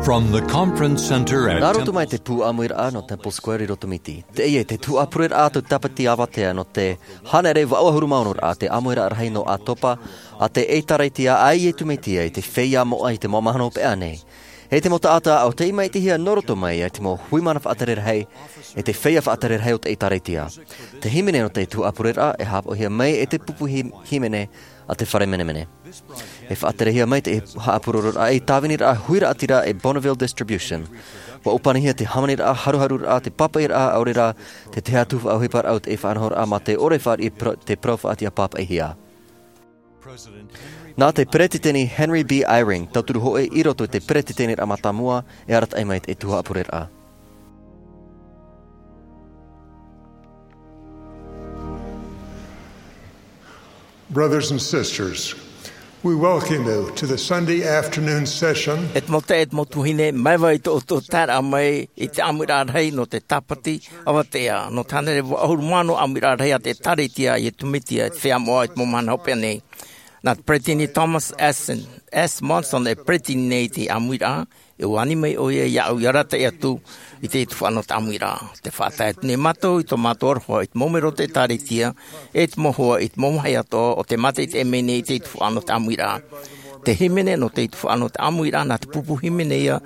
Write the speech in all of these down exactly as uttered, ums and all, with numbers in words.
From the conference center at Nā roto Temple mai te pū ʻāmuiraʻa nō Temple Square i Rotomiti. Teie te tuhaʻa pureraʻa a te tāpati avatea nō te hānere vaʻu ʻahuru mā ono raʻa, te ʻāmuiraʻa rahi nō ʻAtopa a te ʻĒtārētia a Iesu Mesia i te feiā moʻa i te mau mahana hopeʻa nei. E te mau taʻata ʻo tei maitaʻihia nō roto mai i te mau hui mana faʻatere rahi, e te feiā faʻatere rahi o te ʻĒtārētia. Te hīmene nō te tuhaʻa pureraʻa e haʻapaʻohia mai e te pupu hī-, hīmene a te fare menemene. E faʻaterehia mai te haʻapurororaʻa ei tāviniraʻa huiraʻatira e Bonneville Distribution. ʻUa ʻōpanihia te hāmaniraʻa, haruharuraʻa, te pāpaʻiraʻa, ʻaore rā te tahi atu faʻaʻohiparaʻa o te faʻanahoraʻa mā te ʻore e fāriʻi pro-, te parau faʻatiʻa pāpaʻihia. Nā te Peretiteni Henry B. Eyring, tauturu hōʻē i roto i te Peretiteniraʻa Mātāmua, e arataʻi mai te tuhaʻa pureraʻa. Brothers and sisters, we welcome you to the Sunday afternoon session. E te mau taeaʻe, e te mau tuahine, māuiui i tō ʻoutou taeraʻa mai i te ʻāmuiraʻa rahi nō te tāpati avatea, nō te hānere vaʻu ʻahuru mā ono ʻāmuiraʻa rahi a te ʻĒtārētia a Iesu Mesia i te feiā moʻa i te mau mahana hopeʻa nei. Nā te Peretiteni Thomas S. Monson e peretiteni nei i te ʻāmuiraʻa, e ʻua ani mai ʻoia iāʻu i arataʻi atu i te tuhaʻa nō te ʻāmuiraʻa. Tē faʻatae atu nei mātou i tō mātou aroha i te mau melo o te ʻĒtārētia, e te mau hoa i te mau vāhi atoʻa o tē mātaʻitaʻi mai nei i te tuhaʻa nō te ʻāmuiraʻa. Te hīmene nō te tuhaʻa nō te ʻāmuiraʻa, nā te pupu hīmene ïa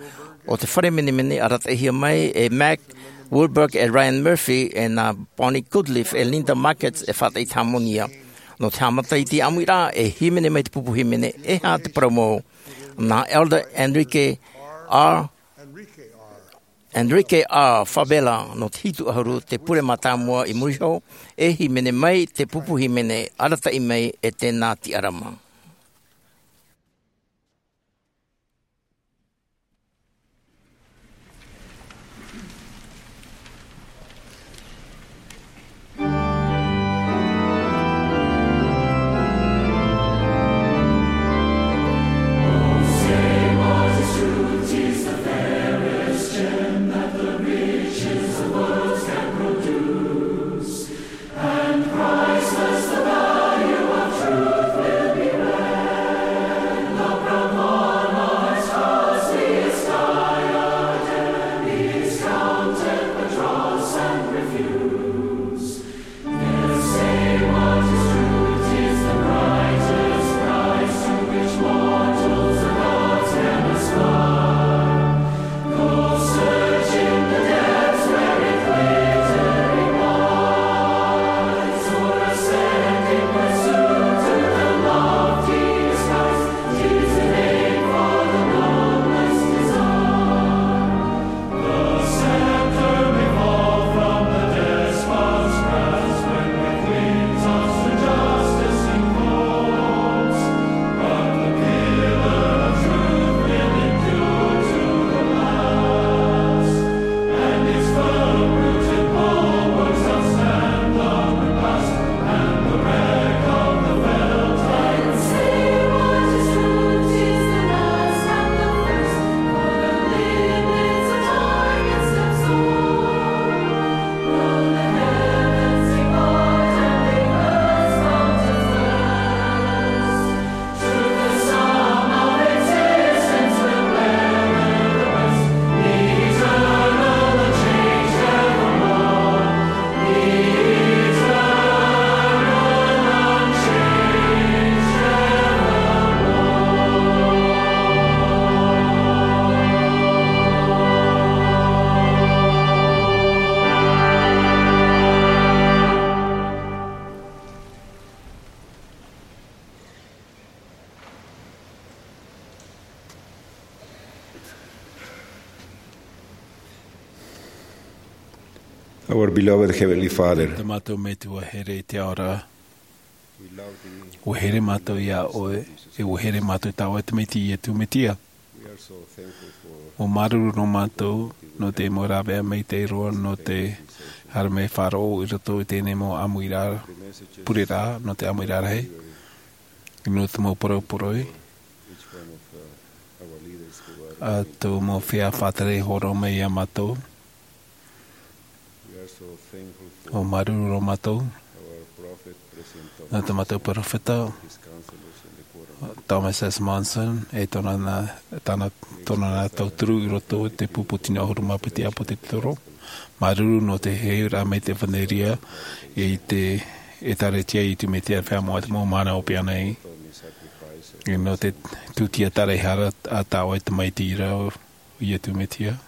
o te fare menemene, arataʻihia mai e Mack Wilberg e Ryan Murphy, e nā Bonnie Goodleaf e Linda Markets e faʻataʻi i te hāmoni ïa. Nō te haʻamata i te ʻāmuiraʻa, e hīmene mai te pupu hīmene, e aha te parau mau. Nā Elder Enrique R. Enrique R. Favela nō te hitu ʻahuru, te pure mātāmua i muri iho, e hīmene mai te pupu hīmene, arataʻi mai e Tena Tiarama. Our beloved Heavenly Father, tā mātou Metua here i te ao ra, ʻua here mātou iā ʻoe, e ʻua here mātou i tā ʻoe Tamaiti Iesu Mesia. ʻUa māuruuru nō mātou nō te mau rāveʻa maitaʻi roa nō te haere mai faʻaroʻo i roto i teie mau ʻāmuiraʻa, pureraʻa nō te ʻāmuiraʻa rahi. Nō te mau poroporoʻi a tō mau feiā faʻatere hōroʻa mai iā mātou. ʻO māuruuru roa mātou nā tā mātou peropheta, Thomas S. Monson, e tōna, tāna, tōna nā tauturu i roto i te pupu tino ʻahuru mā piti ʻāpōsetolo. Māuruuru nō te heheuraʻa mai te ʻevanelia i te ʻĒtārētia i Iesu Mesia, te feiā moʻa, te mau mana ʻope ānei. E nō te tūtia taraehara a tā ʻoe tamaiti ra, ʻo Iesu Mesia.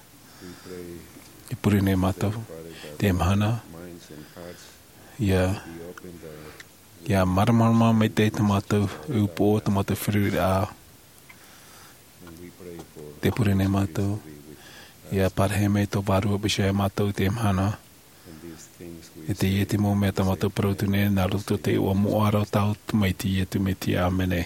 E pure nei mātou te mahana. ʻIa, ʻia māramarama maitaʻi tā mātou upoʻo, tā mātou feruriraʻa. Te pure nei mātou. ʻIa parahi mai tō Vārua Mesia ia mātou te mahana. E teie te mau mea tā mātou parau atu nei, nā roto i te iʻoa moʻa ra o tātou tamaiti, Iesu Mesia. ʻĀmene.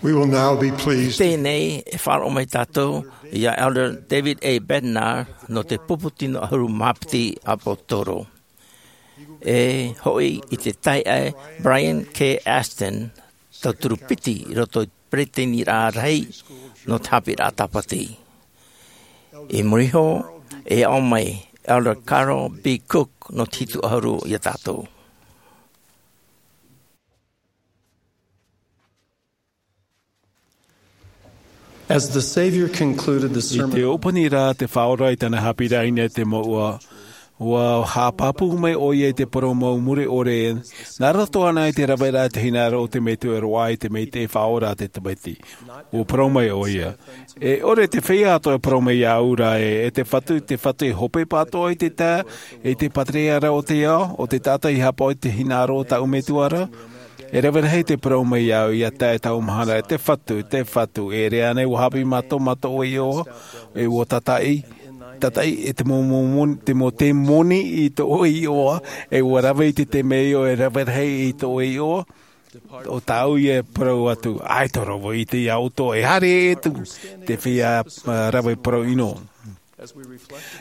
We will now be pleased. Teie nei e faʻaroʻo mai tātou ia Elder David A. Bednar nō te pupu tino ʻahuru mā piti ʻāpōsetolo. E hoʻi i te taeaʻe Brian K. Ashton, tauturu piti i roto i te peresideniraʻa rahi nō te haʻapiʻiraʻa tāpati. I muri iho, e aʻo mai Elder Carl B. Cook nō te hitu ʻahuru ia tātou. As the Savior concluded the sermon, i te ʻōpani ra te Faʻaora i tāna haʻapiʻiraʻa i niʻa i te mouʻa, ʻua haʻapāpū mai ʻoia i te parau mau mure ʻore, nā roto ānei i te raveraʻa i te hinaʻaro o te Metua e roaʻa i te Maitaʻi Faʻaora a te Tamaiti. ʻUa parau mai ʻoia, e ʻore te feiā atoʻa e parau mai iāʻu ra ē, e te Fatu, te Fatu, e hopeʻa atoʻa i te taeaʻe, i te pātireia ra o te ao, ʻo te taʻata i haʻapaʻo i te hinaʻaro o tāʻu Metua ra? E rave rahi te parau mai iāʻu ia tae i taua mahana, e te Fatu, te Fatu, e ʻere ānei ʻua haʻapiʻi mātou, mātou iʻoa, e ʻua tātaʻi, tātaʻi, e te mau, mau, mau, te mau, te moni i tō iʻoa, e ʻua rave i te temeio e rave rahi i tō iʻoa, ʻo tāʻu ia e parau atu, ʻaita roa vau i ʻite ia ʻoutou, e haere atu te feiā, ā, rave parau ʻino.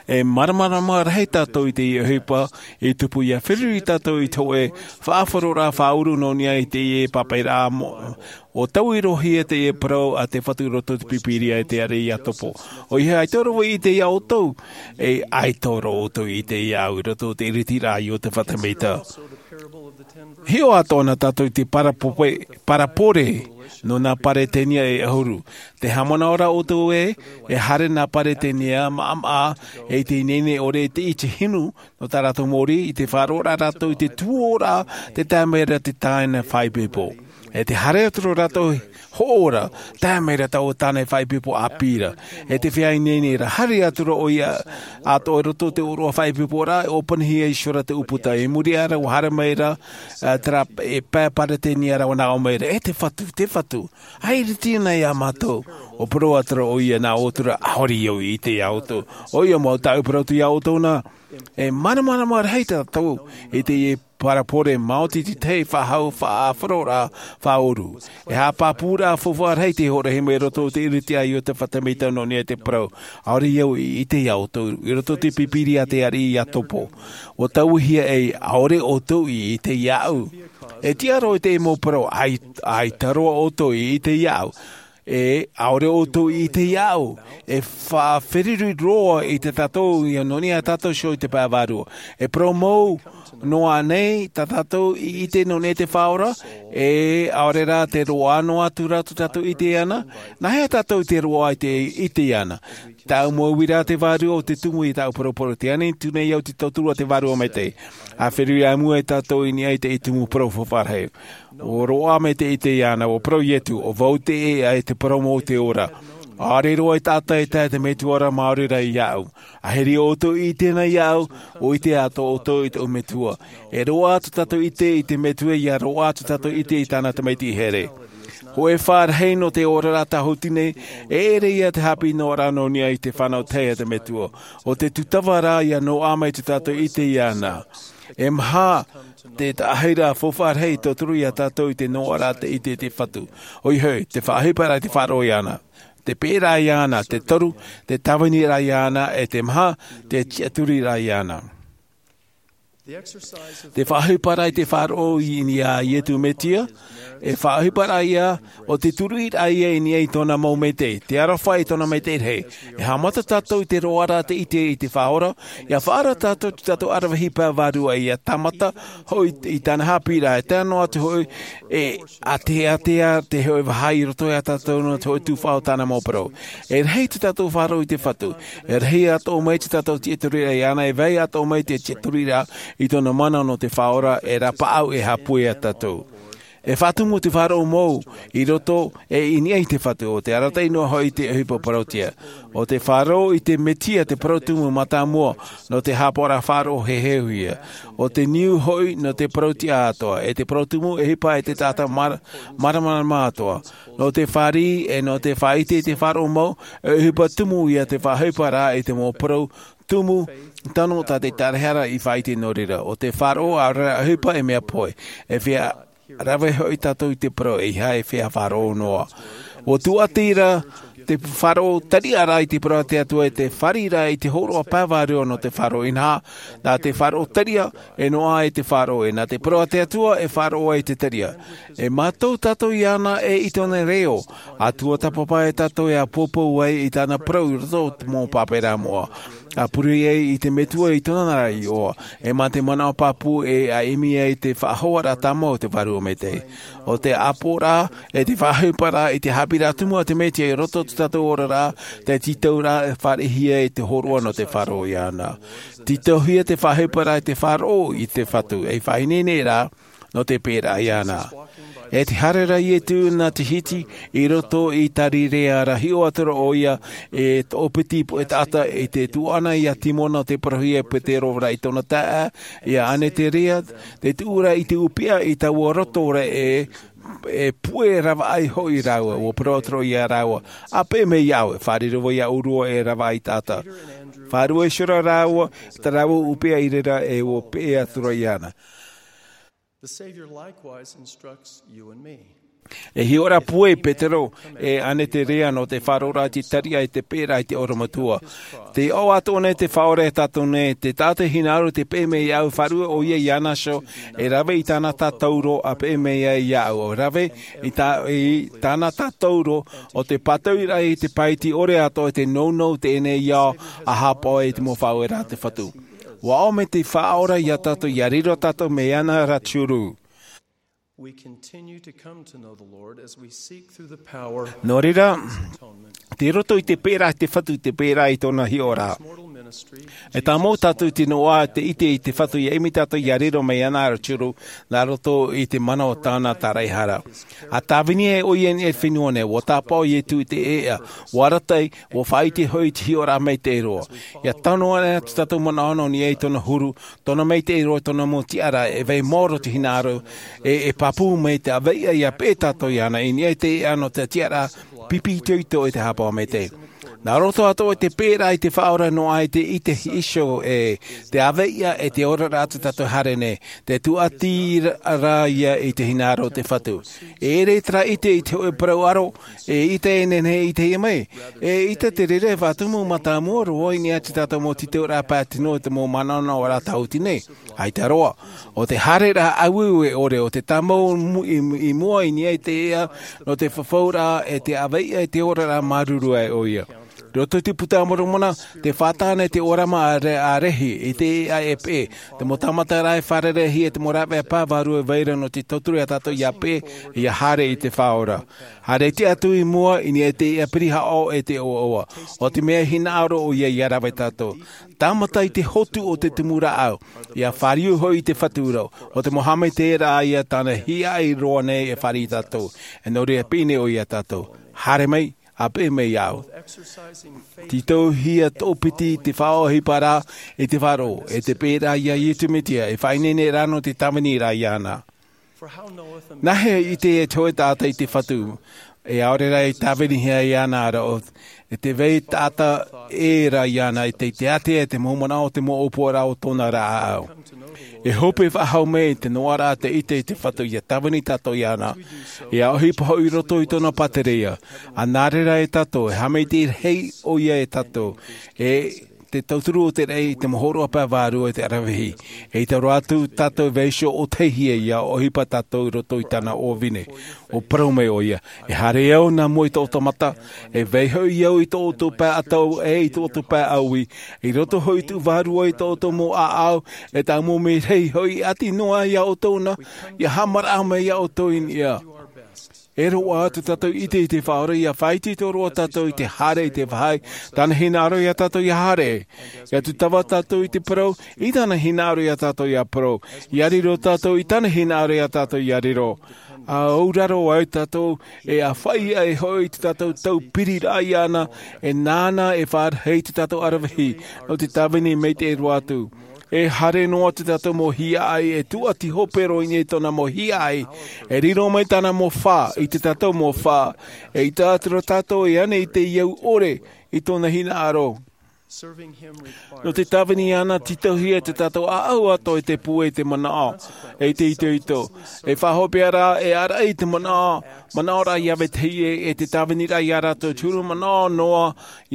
E māramarama rahi tātou i teie ʻohipa, i tupu ia feruri tātou i te hōʻē faʻaroʻoraʻa faʻaʻuru nō niʻa i teie pāpaʻiraʻa mo-, ʻua taui roa hia teie parau a te Fatu i roto i te Pīpīria i te ariʻi Iakobo. ʻOia hoʻi, ʻaita roa vau i ʻite ia ʻoutou, e ʻaita roa ʻoutou i ʻite iāʻu i roto i te ʻiritiraʻa a Iosepha te Mita. Hiʻo atoʻa na tātou i te parapope-, parabole nō nā Peretania e ʻahuru. Tē haʻamanaʻo ra ʻoutou ē, e haere nā Peretania maʻamaʻa, e i te ineine ʻore i te iti hinu, nō tā rātou mōrī, i te faʻaroʻo ra rātou i te tuōraʻa, tē tae mai ra te tāne faʻaipoipo. E tē haere atu ra rātou hoʻo ra, tae mai ra taua tāne faʻaipoipo ʻāpī ra. E tē feiā ineine ra, haere atu ra ʻoia atoʻa i roto i te ʻōroʻa faʻaipoiporaʻa, e ʻōpanihia iho ra te ʻūputa. I muri aʻe ra, ʻua haere mai ra, ā, terā, e pae Peretania ra, ʻua nā ʻō mai ra, e te Fatu, te Fatu, ʻaita e ʻiriti na ia mātou. ʻUa parau atu ra ʻoia nā ʻō atu ra, ʻaore au i ʻite ia ʻoutou. ʻOia mau, tāʻu e parau atu ia ʻoutou na, e māramarama rahi tātou i teie parabole, maoti te tahi faʻahou faʻaroʻoraʻa faʻaʻuru. E haʻapāpūraʻa faufaʻa rahi tei hoʻo rahi mai i roto i te ʻiritiraʻa a Iosepha te Mita nō niʻa i te parau, ʻaore au i ʻite ia ʻoutou, i roto i te Pīpīria te ariʻi Iakobo. ʻUa tauihia ē, ʻaore ʻoutou i ʻite iāʻu. E tiʻa roa i te mau parau, ʻai-, ʻaita roa ʻoutou i ʻite iāʻu. E ʻaore ʻoutou i ʻite iāʻu, e faʻaferuri roa i te tātou, ia nō niʻa tātou iho i te pae vārua. E parau mau noa ānei tā tātou i ʻite nō niʻa i te Faʻaora, e ʻaore rā te roaʻa noa atu rā tō tātou ʻite iāna, nāhea tātou i te roaʻa i te ʻite iāna? Tāʻu mau uiraʻa te vārua ʻo te tumu i tāʻu poroporo, tē ani atu nei au te tauturu a te Vārua Maitaʻi. ʻA feruri ā mua tātou i niʻa i te tumu parau faufaʻa rahi. ʻUa roaʻa mai te ʻite iāna, ʻua parau Ietu, ʻo vau te ʻēʻa e te parau mau e te ora. ʻAore roa e taʻata e tae i te Metua ra māori rā iāʻu. ʻAhiri ʻoutou i ʻite na iāʻu, ʻua ʻite atoʻa ʻoutou i tōʻu Metua. E roaʻa atu tātou i ʻite i te Metua, ʻia roaʻa atu tātou i ʻite i tāna tamaiti here. Hōʻē faʻaroʻo nō te oraraʻa tāhuti nei, e ʻere ia te haʻapiʻi noa ra nō niʻa i te fānau tahi a te Metua. ʻO te tūtava rā ʻia noaʻa mai tō tātou ʻite iāna. E maha te taʻahiraʻa faufaʻa rahi i tauturu ia tātou i te noaʻaraʻa te ʻite i te Fatu. ʻOia hoʻi, te faʻaʻohiparaʻa i te faʻaroʻo iāna. Te peʻeraʻa iāna, te toru, te tāviniraʻa iāna, e te maha, te tiʻaturiraʻa iāna. Te faʻaʻohiparaʻa i te faʻaroʻo i niʻa iā iesu mesia, e faʻaʻohiparaʻa ia o te turuʻiraʻa ia i niʻa i tōna mau maitaʻi, te aroha i tōna maitaʻi rahi. E haʻamata tātou i te roaraʻa te ʻite i te Faʻaora. Ia faʻaara tātou i tō tātou aravihi pae vārua ia tāmata hoʻi i tāna haʻapiʻiraʻa e tae noa atu hoʻi e ʻāteatea te hoʻi vaha i roto iā tātou nō te hoʻi tuhaʻa o tāna mau parau. E rahi tō tātou faʻaroʻo i te Fatu. E rahi atoʻa mai tō tātou tiʻaturiraʻa iāna, e vai atoʻa mai te tiʻaturiraʻa i tōna mana nō te Faʻaora e rapaʻau e haʻapūai iā tātou. E faʻatumu te faʻaroʻo mau i roto e i niʻa i te Fatu, ʻo te arataʻi noa hoʻi te ʻohipa parauʻtiʻa. ʻO te faʻaroʻo i te mesia te parau tumu mātāmua nō te haʻapaʻoraʻa faʻaroʻo heheuhia. ʻO te niu hoʻi nō te parauʻtiʻa atoʻa, e te parau tumu e ʻohipa e te taʻata māra-, māramarama atoʻa. Nō te fāriʻi e nō te faʻaʻite i te faʻaroʻo mau, e ʻohipa tumu ia te faʻaʻohiparaʻa i te mau parau tumu tano tā te tarahara i faʻaʻite nō reira. ʻO te faʻaroʻo ʻaore rā ʻohipa e mea pohe. E feiā rave hoʻi tātou i te parau e ʻeiaha e feiā faʻaroʻo noa. ʻUa tūʻati ra te faʻaroʻo tariʻaraʻa i te parau a te Atua e te fāriʻiraʻa i te hōroʻa pae vārua nō te faʻaroʻo, inaha, nā te faʻaroʻo tariʻa e noaʻa ai te faʻaroʻo, e nā te parau a te Atua e faʻaroʻo ai te tariʻa. E mātau tātou iāna e i tōna reo, a tuatāpapa e tātou e ʻāpōpou ai i tāna parau i roto i te mau pāpā moʻa. A pure ai i te Metua i tōna ra iʻoa, e mā te manaʻo pāpū e a ʻimi ai te faʻahoaraʻa tāmau o te Vārua Maitaʻi. ʻO te ʻāpoʻoraʻa, e te faʻaʻohiparaʻa i te haʻapiʻiraʻa tumu a te Mesia i roto i tō tātou oraraʻa, te tītauraʻa e fāriʻihia i te hōroʻa nō te faʻaroʻo iāna. Tītauhia te faʻaʻohiparaʻa i te faʻaroʻo i te Fatu, ei faʻaineineraʻa, nō te peʻeraʻa iāna. E te haere ra Iesu nā te hiti i roto i Tarirea ra, hiʻo atu ra ʻoia e toʻopiti puʻe taʻata i te tuaʻana iā Simona te parauhia e Petero ra i tōna taeaʻe, iā Aneterea, te tuʻu ra i te ʻūpeʻa i taua roto ra e, e puʻe ravaʻai hoʻi rāua, ʻua parau atu ra ʻoia iā rāua, ʻa peʻe mai iāʻu, e fāriʻi roa iāʻu roa e ravaʻai taʻata. Faʻaruʻe iho ra rāua, tā rāua ʻūpeʻa i reira e ʻua peʻe atu ra iāna. The Savior likewise instructs you and me. E hiʻo ra puʻe Petero e Aneterea nō te faʻaroʻoraʻa i te tariʻa i te peʻeraʻa i te ʻorometua. Tē ʻoaʻoa atoʻa nei te Faʻaora iā tātou nei, te taʻata hinaʻaro tē peʻe mai iāʻu, faʻaruʻe ʻoia iāna iho, e rave i tāna tātauro, ʻa peʻe mai ai iāʻu, ʻo rave i tā-, i tāna tātauro, ʻo te pātauiraʻa i te pae iti ʻore atoʻa, te nounou teie nei ao, ʻa haʻapaʻo i te mau faʻaueraʻa a te Fatu. ʻUa ʻomi te Faʻaora iā tātou, ʻia riro tātou mai iāna ra te huru. We continue to come to know the Lord as we seek through the power Nō reira, tei roto i te peʻeraʻa a te Fatu, te peʻeraʻa i tōna hiʻoraʻa. E tāmau tātou i te noaʻa te ʻite i te Fatu, ʻia ʻimi tātou ʻia riro mai iāna ra te huru, nā roto i te mana o tāna tāraʻehara. ʻA tāvini ai ʻoia i niʻa i te fenua nei, ʻua tāpaʻo Iesu i te ʻēʻa, ʻua arataʻi, ʻua faʻaʻite hoʻi i te hiʻoraʻa maitaʻi roa. ʻIa tano anaʻe atu tātou manaʻo nō niʻa i tōna huru, tōna maitaʻi roa, tōna mau tiʻaraʻa, e vai maoro te hinaʻaro, e, e pāpū mai te ʻāvaʻe ʻia peʻe tātou iāna, i niʻa i te ʻēʻa nō te tiʻaraʻa pipi itoito e te haʻapaʻo maitaʻi. Nā roto atoʻa i te peʻeraʻa i te Faʻaora noa ai te ʻite iho e te ʻāvaʻe e te oraraʻa a tō tātou haere nei, tē tūʻati ra ia i te hinaʻaro o te Fatu. E ʻere terā ʻite i te hōʻē parau ʻaro, e ʻite e nehenehe e ʻitehia mai. E ʻite te reira e faʻatumu mātāmua roa i niʻa i tō tātou mau tītauraʻa pae tino i te mau manaʻonaʻoraʻa tāhuti nei. ʻAita roa, ʻo te haereraʻa ʻāueue ʻore, ʻo te tāmau mu-, i, i mua i niʻa i te ʻēʻa, nō te fafauraʻa e te ʻāvaʻe e te oraraʻa māuruuru ai ʻoia. Roto i te Puta a Moromona, tē fātata nei te ʻōrama a Re-, a Rehi, i te ʻēʻa e peʻe, te mau tāmataraʻa e fārereihia, te mau rāveʻa pae vārua e vai ra nō te tauturu iā tātou ʻia peʻe, ʻia haere i te Faʻaora. Haere tiʻa atu i mua, i niʻa i te ʻēʻa pirihaʻo e te ʻoaʻoa. ʻO te mea hinaʻaro ʻoia ʻia rave tātou. Tāmata i te hotu o te tumu rāʻau, ʻia fāriu hoʻi i te Fatu ra, ʻo te mau haʻamaitaʻiraʻa ia tāna hiaʻai roa nei e fāriʻi tātou. E nō reira piʻi nei ʻoia iā tātou. Haere mai, ʻa peʻe mai iāʻu. Tītauhia toʻopiti te faʻaʻohiparaʻa i te faʻaroʻo, e te peʻeraʻa iā Iesu Mesia, e faʻaineineraʻa nō te tāviniraʻa iāna. Nāhea e ʻite te hōʻē taʻata i te Fatu, e ʻaore rā e tāvinihia iāna ra, ʻo, e te vai taʻata ʻē ra iāna, e te, te ātea e te mau manaʻo, te mau ʻōpuaraʻa o tōna ra ʻāʻau. E hope faʻahou mai te noaʻaraʻa te ʻite i te Fatu ʻia tāvini tātou iāna, ʻia ʻohipa hoʻi i roto i tōna pātireia. ʻA nā reira e tātou, e haʻamaitaʻi rahi ʻoia e tātou, e te tauturu o te raʻi i te mau hōroʻa pae vārua i te aravihi. E i taura atu tātou e vaiiho ʻōtahi ia ʻohipa tātou i roto i tāna ʻōvine. ʻUa parau mai ʻo ia, e haere au nā mua i tō ʻoutou mata, e vai hoʻi au i tō ʻoutou pae ʻatau e i tō ʻoutou pae ʻaui, i roto hoʻi i tuʻu vārua i tō ʻoutou mau ʻāʻau, e tāʻu mau merahi hoʻi ʻati noa ia ʻoutou na, ia haʻamaraʻa mai ia ʻoutou i niʻa. E roaʻa atu tātou i ʻite i te Faʻaora ia faʻaitoito roa tātou i te haere i te vāhi, tāna hinaʻaro ia tātou ia haere. Ia tūtava tātou i te parau, i tāna hinaʻaro ia tātou ia parau. Ia riro tātou i tāna hinaʻaro ia tātou ia riro. ʻA auraro ai tātou, e ʻāfaʻi ai hoʻi i te tātou taupiri raʻa iāna, e nāna e faʻarahi i te tātou aravihi, nō te tāvini maitaʻi roa atu. E haere noa atu tātou mau hiaʻai, e tuʻati hope roa i niʻa i tōna mau hiaʻai, e riro mai tāna mau fā, i te tātou mau fā, e ʻite atu ra tātou e ana i te au ʻore, i tōna hinaʻaro. Nō te tāvini iāna, tītauhia te tātou ʻāʻau atoʻa i te pūai i te manaʻo, e i te itoito. E faʻahopeʻa rā, e ʻāraʻi i te manaʻo, manaʻo rā ia vetahi ē, e te tāvini rā ia rātou te huru manaʻo noa,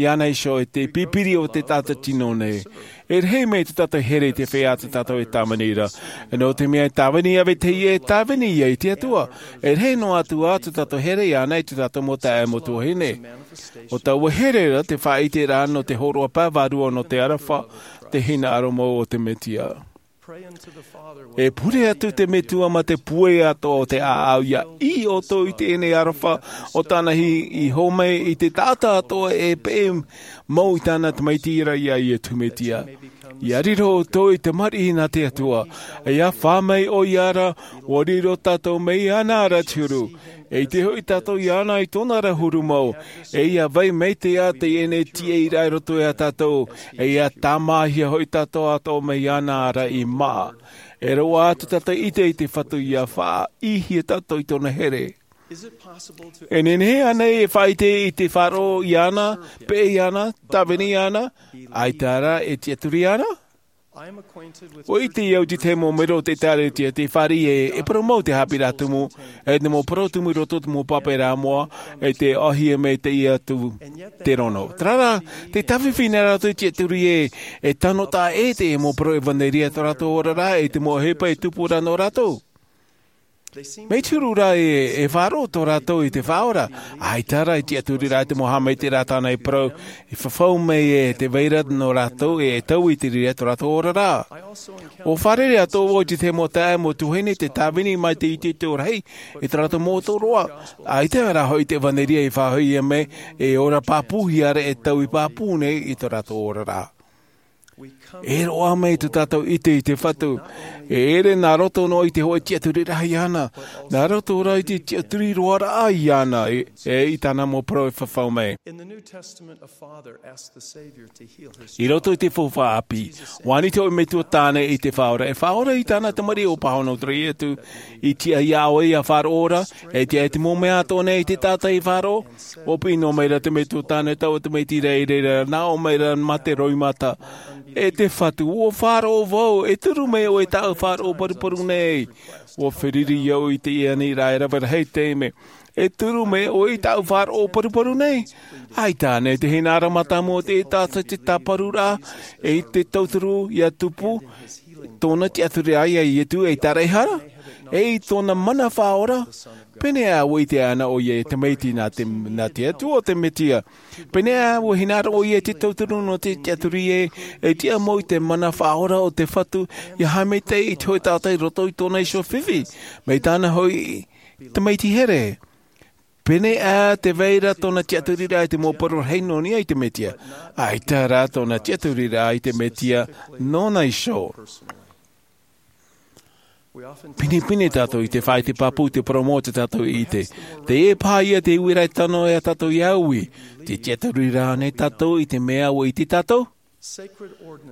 iāna iho e te pipiri o te taʻata tino nei. E rahi mai te tātou here i te feiā tā tātou e tāvini ra. E nō te mea e tāvini ia vetahi ē, tāvini ia i te Atua. E rahi noa atu ā tā tātou here iāna i tā tātou mau taeaʻe mau tuahine. ʻO taua here ra te faʻaʻite ra nō te hōroʻa pae vārua nō te aroha, te hinaʻaro mau o te Mesia. E pure atu te Metua mā te pūai atoʻa o te ʻāʻau ia ʻī ʻoutou i teie nei aroha o tāna i, i hōmai i te taʻata atoʻa e peʻe mau i tāna tamaiti ra ia Iesu Mesia. Ia riro ʻoutou i te tamariʻi nā te Atua, e ia fā mai ʻoia ra, ʻua riro tātou mai iāna ra te huru. E ʻite hoʻi tātou iāna i tōna ra huru mau, e ia vai maitaʻi ā teie nei tiʻaraʻa i roto ia tātou, e ia tāmāhia hoʻi tātou atoʻa mai iāna ra i māʻa. E roaʻa atu tātou i ʻite i te Fatu ia faʻaʻīhia tātou i tōna here. E nehenehe ānei e faʻaʻite i te faʻaroʻo iāna, peʻe iāna, tāvini iāna, ʻaita rā e tiʻaturi iāna? ʻUa ʻite au i te tahi mau mero o te ʻĒkālesia, tē fāriʻi e, e parau mau te haʻapiʻiraʻa tumu, e te mau parau tumu i roto i te mau pāpaʻiraʻa moʻa, e tē ʻōhie mai teie atu te rono. Terā rā, tē tāfifi nei rātou i tiʻaturi ē, e tano taʻa ʻē teie mau parau ʻevanelia i tō rātou oraraʻa, e te mau ʻohipa e tupu ra nō rātou. Mea huru rā e, e faʻaroʻo tō rātou i te Faʻaora, ʻaita rā e tiʻaturi rā i te mau haʻamaitaʻiraʻa tāna i parau, i fafau mai e tē vai ra nō rātou e, e taui i te reira i tō rātou oraraʻa. ʻUa fārerei atoʻa vau i te tahi mau taeaʻe mau tuahine tē tāvini mai te itoito rahi i tō rātou mau ʻōtoroʻa, ʻaita rā hoʻi te ʻevanelia i faʻahoʻihia mai, e ora pāpūhia ra e taui pāpū nei i tō rātou oraraʻa. E roaʻa mai tā tātou i ʻite i te Fatu. E ʻere nā roto noa i te hōʻē tiʻaturiraʻa iāna. Nā roto rā i te tiʻaturi roa rā iāna, e, e i tāna mau parau e fafau mai. In the New Testament, a father asked the Savior to heal his I roto i te Faufaʻa ʻĀpī, ʻua ani te hōʻē metua tāne i te Faʻaora, e Faʻaora, i tāna tamariʻi ʻua pāhono atu ra Iesu, i tiʻa iā ʻoe ia faʻaroʻo ra, e tiʻa i te mau mea atoʻa nei i te taʻata i faʻaroʻo. ʻUa piʻi noa mai ra te metua tāne taua tamaiti ra i reira, nā ʻō mai ra mā te roimata. E te Fatu, ʻua faʻaroʻo vau, e turu mai ʻoe i tāʻu faʻaroʻo paruparu nei. ʻUa feruri au i teie aniraʻa e rave rahi te taime. E turu mai ʻoe i tāʻu faʻaroʻo paruparu nei. ʻAita ānei te hinaʻaro mātāmua o te taʻata i te tāparuraʻa, e i te tauturu ia tupu, tōna tiʻaturiraʻa ia Iesu ei tāraʻehara, ei tōna mana faʻaora, pēneiaʻe ʻua ʻite ana ʻoia ei tamaiti nā te, nā te Atua o te Mesia. Pēneiaʻe ʻua hinaʻaro ʻoia i te tauturu nō te tiʻaturi ē, e tiʻa mau i te mana faʻaora o te Fatu, ia haʻamaitaʻi i te hōʻē taʻata i roto i tōna iho fifi, mai tāna hoʻi tamaiti here. Pēneiaʻe tē vai ra tōna tiʻaturiraʻa i te mau parau rahi nō niʻa i te Mesia, ʻaita rā tōna tiʻaturiraʻa i te Mesia nōna iho. Pinepine tātou i te faʻaʻite pāpū i te parau mau o tā tātou ʻite. Teie paha ia te uiraʻa e tano ia tātou ia ui. Tē tiʻaturi ra ānei tātou i te mea ʻua ʻite tātou?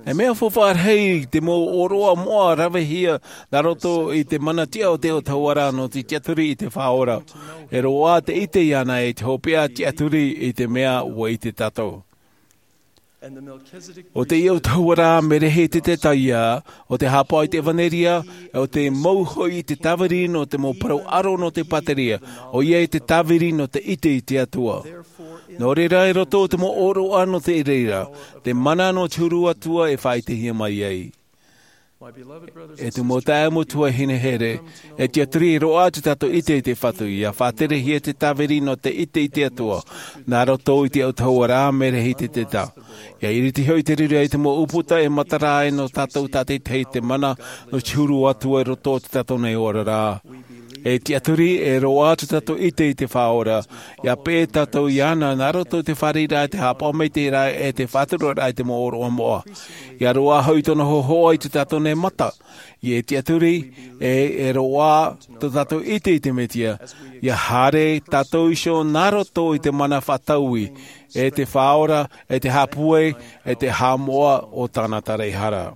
E mea faufaʻa rahi te mau ʻōroʻa moʻa ravehia nā roto i te mana tiʻa o te autahuʻaraʻa nō te tiʻaturi i te Faʻaora. E roaʻa te ʻite iāna e te hopeʻa tiʻaturi i te mea ʻua ʻite tātou. ʻO teie autahuʻaraʻa Merehiteka ia, ʻo te haʻapaʻo i te ʻevanelia, ʻo te mau hoʻi i te tāviri nō te mau parau ʻaro nō te pātireia, ʻoia i te tāviri nō te ʻite i te Atua. Nō reira, i roto i te mau ʻōroʻa nō te reira, te mana nō te huru atua e faʻaʻitehia mai ai. E te mau taeaʻe, mau tuahine here, e tiaturi, e roaʻa tō tātou ʻite i te Fatu, ʻia faʻaterehia te tāviri nō te ʻite i te Atua, nā roto i te autahuʻaraʻa, mai te reira ʻe te taʻata. ʻIa iriti hoʻi te reira i te mau ʻūputa e matara ai nō tātou tātaʻitahi te mana nō te huru atua i roto i tō tātou nei oraraʻa. E tiaturi, e roaʻa tō tātou ʻite i te Faʻaora, ʻia peʻe tātou iāna, nā roto i te fāriʻiraʻa, te haʻapaʻo maitaʻiraʻa, ʻe te faʻaturaraʻa i te mau ʻōroʻa moʻa. ʻIa roaʻa hoʻi tōna hōhoʻa i tō tātou nei mata. E tiaturi, e, e roaʻa tō tātou ʻite i te Mesia, ʻia haere tātou iho nā roto i te mana faʻataui, ʻe te Faʻaora, ʻe te haʻapūai, ʻe te haʻamoʻa o tāna taraehara.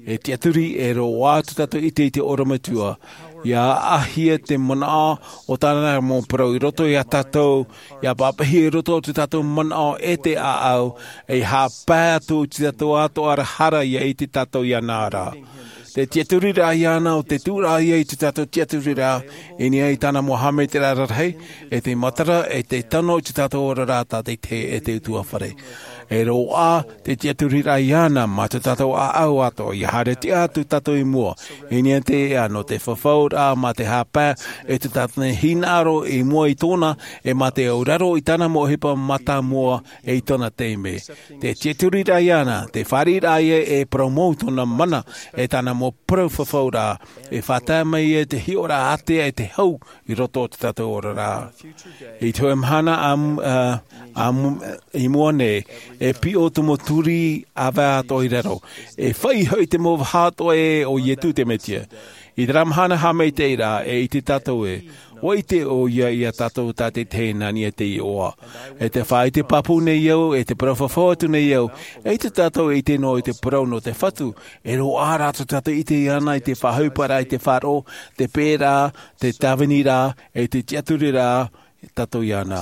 E tiaturi, e roaʻa tō tātou ʻite i te ʻorometua, ʻia ʻāʻāhia te manaʻo o tāna mau parau i roto iā tātou, ʻia pāpaʻihia i roto i tō tātou manaʻo ʻe te ʻāʻau, ʻe haʻapae atu i tō tātou atoʻa ra hara ʻia ʻite tātou iāna ra. Te tiaturiraʻa iāna ʻo te tuʻuraʻa ia i tō tātou tiaturiraʻa, i niʻa i tāna mau haʻamaitaʻiraʻa rarahi, ʻe te matara, ʻe te tano i tō tātou oraraʻa tātaʻitahi ʻe te utuafare. E roaʻa te tiaturiraʻa iāna mā tō tātou ʻāʻau atoʻa, ʻia haere tiʻa atu tātou i mua, i niʻa i te ea nō te fafauraʻa mā te haʻapae, ʻe tō tātou nei hinaʻaro i mua i tōna, ʻe mā te auraro i tāna mau ʻohipa mātāmua, ʻe i tōna taime. Te tiaturiraʻa iāna, te fāriʻiraʻa ia e parau mau tōna mana, ʻe tāna mau parau fafauraʻa, e faʻatae mai ia te hiʻoraʻa ātea ʻe te hau i roto i tō tātou oraraʻa. I te hōʻē mahana ā, ā, ā, i mua nei, e piʻo te mau turi ʻāvae atoʻa i raro. E fāʻi hoʻi te mau vaha atoʻa ē ʻo Ietu te Mesia. I terā mahana haʻamaitaʻiraʻa, e ʻite tātou ē, ʻua ʻite ʻoia iā tātou tātaʻitahi nā niʻa i te iʻoa. E tē faʻaʻite pāpū nei au, e tē parau fafau atu nei au, e ʻaita tātou e ʻite noa i te parau nō te Fatu, e roaʻa rā tō tātou ʻite iāna i te faʻaʻohiparaʻa i te faʻaroʻo, te peʻeraʻa, te tāviniraʻa, ʻe te tiaturiraʻa, tātou iāna.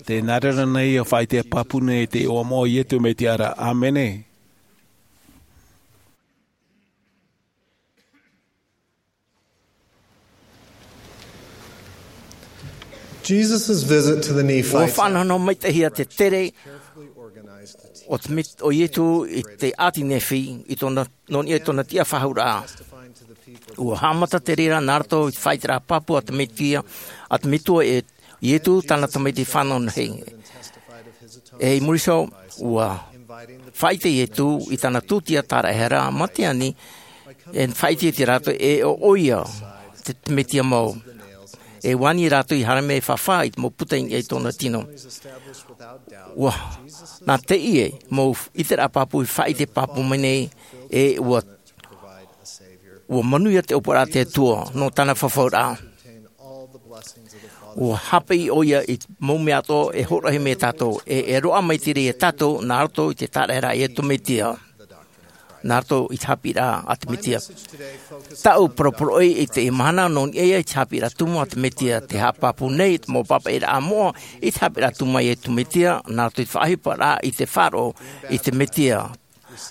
Tē nā reira nei ʻia faʻaʻite pāpū nei i te iʻoa moʻa o Ietu Mesia ra. ʻĀmene. Jesus' visit to the Nephites. ʻUa faʻanahonaho maitaʻihia te tere o te Met-, o Ietu i te ʻāti Nephi, i tōna, nō niʻa i tōna tiʻafaʻahouraʻa. ʻUa haʻamata te reira nā roto i te faʻaʻiteraʻa pāpū a te Mesia, a te Metua ʻe Ietu tāna tamaiti fānau nei. ʻE i muri iho, ʻua faʻaʻite Ietu i tāna tūtia tāraʻehara, mā te ani, e faʻaʻite ia rātou ē ʻo ʻoia te, te Mesia mau. E ʻua ani rātou i haere mai e fafā i te mau puta i niʻa i tōna tino. ʻUa, nā teie mau ʻiteraʻa pāpū i faʻaʻite pāpū mai nei, e ʻua, ʻua manuia te ʻōpuaraʻa a te Atua, nō tāna fafauraʻa. ʻUa haʻapiʻi ʻoia i te mau mea atoʻa e hōroʻahia mai ia tātou, e, e roaʻa mai te reira ia tātou, nā roto i te tāraʻehara a Ietu Mesia. Nā roto i te haʻapiʻiraʻa a te Mesia. Tāʻu parau poroʻi i teie mahana nō niʻa iho i te haʻapiʻiraʻa tumu a te Mesia, tē haʻapāpū nei te mau pāpaʻiraʻa moʻa i te haʻapiʻiraʻa tumu a Ietu Mesia, nā roto i te faʻaʻohiparaʻa i te faʻaroʻo i te Mesia.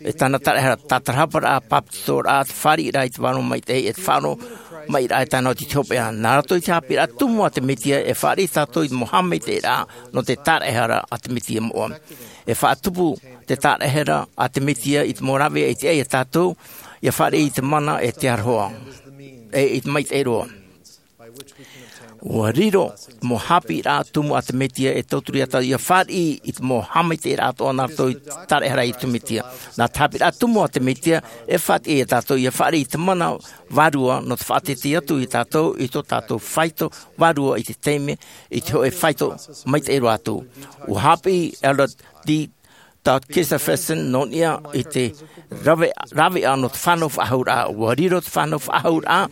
E tāna tāraʻehara, tātarahaparaʻa, bāpetizoraʻa, te fāriʻiraʻa i te vārua maitaʻi, e te faʻaroʻo maitaʻi tāna oti i te hopeʻa. Nā roto i te haʻapiʻiraʻa tumu a te Mesia, e fāriʻi tātou i te mau haʻamaitaʻiraʻa nō te tāraʻehara a te Mesia moʻa. E faʻatupu te tāraʻehara a te Mesia i te mau rāveʻa i te ʻai ia tātou, ʻia fāriʻi i te mana ʻe te aroha, ʻe i te maitaʻi roa. ʻUa riro te mau haʻapiʻiraʻa tumu a te Mesia e tauturu ia tātou ʻia fāriʻi i te mau haʻamaitaʻiraʻa atoʻa nā roto i te tāraʻehara a Ietu Mesia. Nā te haʻapiʻiraʻa tumu a te Mesia, e faʻatiʻa ia tātou ʻia fāriʻi i te mana vārua nō te faʻateitei atu ia tātou i tō tātou faito vārua i te taime, i te hōʻē faito maitaʻi roa atu. ʻUa haʻapiʻi Elder D. Todd Christofferson nō niʻa i te rave-, rāveʻa nō te fānau faʻahouraʻa. ʻUa riro te fānau faʻahouraʻa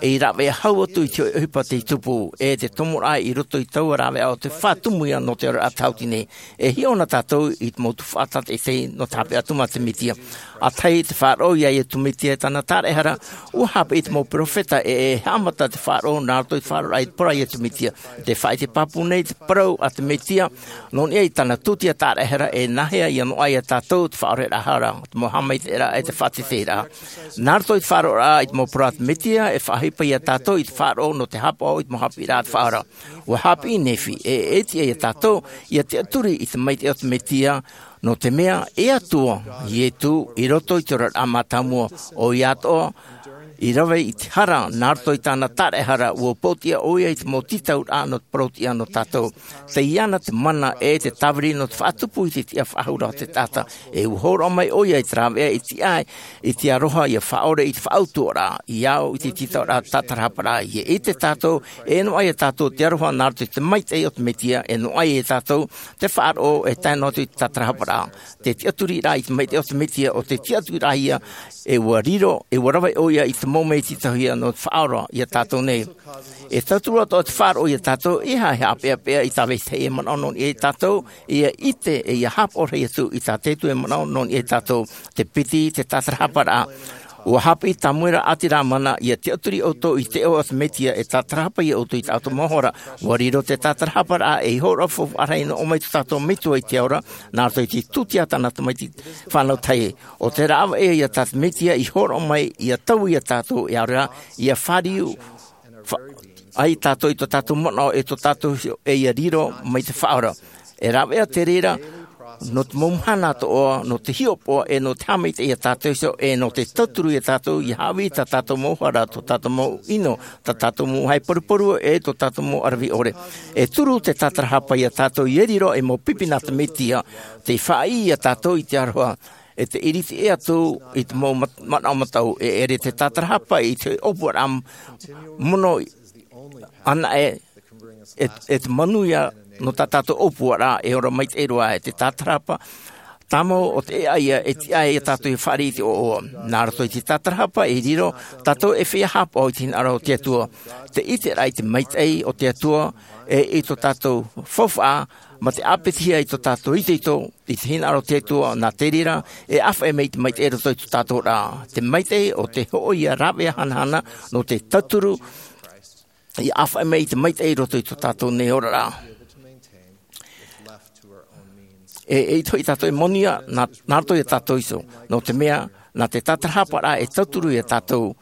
ei rāveʻa hau atu i te ʻohipa tei tupu, ʻe te tomoraʻa i roto i taua rāveʻa ʻo te faʻatumuhia nō te oraraʻa tāʻuti nei. E hiʻo na tātou i te mau tuhaʻa tātaʻitahi nō te haʻapiʻiraʻa tumu a te Mesia. ʻĀtahi te faʻaroʻo ia Iesu Mesia e tāna taraehara, ua haʻapiʻi te mau peropheta ʻe e haʻamata te faʻaroʻo nā roto i te faʻaroʻoraʻa i te parau a Iesu Mesia. Te faʻaʻite pāpū nei te parau a te Mesia, nō niʻa i tāna tūtia taraehara ʻe nāhea ia noaʻa ia tātou te faʻaoreraʻa hara, te mau haʻamaitaʻiraʻa ʻe te faʻateiteiraʻa. Nā roto i te faʻaroʻoraʻa i te mau parau a te Mesia, e faʻaʻohipa ia tātou i te faʻaroʻo nō te haʻapaʻo i te mau haʻapiʻiraʻa a te Faʻaora. Ua haʻapiʻi Nephi, ʻe e tiʻa ia tātou, ia tiʻaturi i te maitaʻi o te Mesia, nō te mea, e Atua, Iesu, i roto i te oraraʻa mātāmua, ʻoia atoʻa, i rave i te hara, nā roto i tāna taraehara, ua pōtiʻa ʻoia i te mau tītauraʻa nō te parau-tiʻa nō tātou. Tei iāna te mana ʻe te tāviri nō te faʻatupu i te tiʻa faʻahou ra o te taʻata, ʻe ua hōroʻa mai ʻoia i te rāveʻa i te ʻae, i te aroha ia faʻaʻore i te faʻautuʻaraʻa, i au i te tītauraʻa tātarahaparaʻa, ia ʻite tātou, e noaʻa ia tātou te aroha nā roto i te maitaʻi o te Mesia, e noaʻa ia tātou te faʻaroʻo e tae noa atu i te tātarahaparaʻa. Te tiʻaturiraʻa i te maitaʻi o te Mesia, ʻo te tiʻaturiraʻa ia, e ua riro, e ua rave ʻoia i te mau mea i tītauhia nō te faʻaora ia tātou nei. E tauturu atoʻa te faʻaroʻo ia tātou, e aha e haʻapeʻapeʻa i tā vetahi e manaʻo nō niʻa ia tātou, ia ʻite, ʻe ia haʻapaʻo rahi atu i tā te Atua e manaʻo nō niʻa ia tātou, te piti, te tātarahaparaʻa. Ua haʻapiʻi Samuela ʻĀti Lamana, ia tiʻaturi ʻoutou i te iʻoa o te Mesia, e tātarahapa ia ʻoutou i tā ʻoutou mau hara. Ua riro te tātarahaparaʻa, ʻe i hōroʻa faufaʻa rahi nō ʻō mai tō tātou Metua i te ao ra, nā roto i te tūtia tāna tamaiti fānau tahi. ʻO te rāveʻa ia tā te Mesia i hōroʻa mai, ia taui ia tātou, ʻe ʻaore rā, ia fāriu, fa-, ai tātou i tō tātou manaʻo ʻe tō tātou hiʻo, ʻe ia riro mai te Faʻaora. E rāveʻa te reira, nō te mau mahana atoʻa, nō te hiʻopoʻa, ʻe nō te haʻamaitaʻi ia tātou iho, ʻe nō te tauturu ia tātou, ia haʻavī tā tātou mau hara, tō tātou mau ʻino, tā tātou mau haʻaparuparu, ʻe tō tātou mau ʻaravihi ʻore. E turu te tātarahapa ia tātou, ia riro ei mau pipi nā te Mesia, tei faʻaʻī ia tātou i te aroha, ʻe te ʻiriti ʻē atu i te mau mat-, manaʻo mataʻu, e ʻere te tātarahapa i te ʻōpuaraʻa mono anaʻe, e, e te manuia nō tā tātou ʻōpuaraʻa, e ora maitaʻi roa, e te tātarahapa tāmau ʻo te ʻēʻa ia, e tiʻa ia tātou ia fāriʻi i te ʻoaʻoa. Nā roto i te tātarahapa e riro tātou e feiā haʻapaʻo i te hinaʻaro o te Atua. Te ʻiteraʻa i te maitaʻi o te Atua, ʻe i tō tātou faufaʻa, mā te ʻāpitihia i tō tātou itoito, i te hinaʻaro o te Atua, nā te reira, e ʻāfaʻi mai te maitaʻi i roto i tō tātou ra. Te maitaʻi ʻo te hōʻē ia rāveʻa hanahana, nō te tauturu, ia ʻāfaʻi mai i te maitaʻi i roto i tō tātou nei oraraʻa. E, eʻita hoʻi tātou e manuia, nā, nā roto ia tātou iho, nō te mea, nā te tātarahaparaʻa e tauturu ia tātou,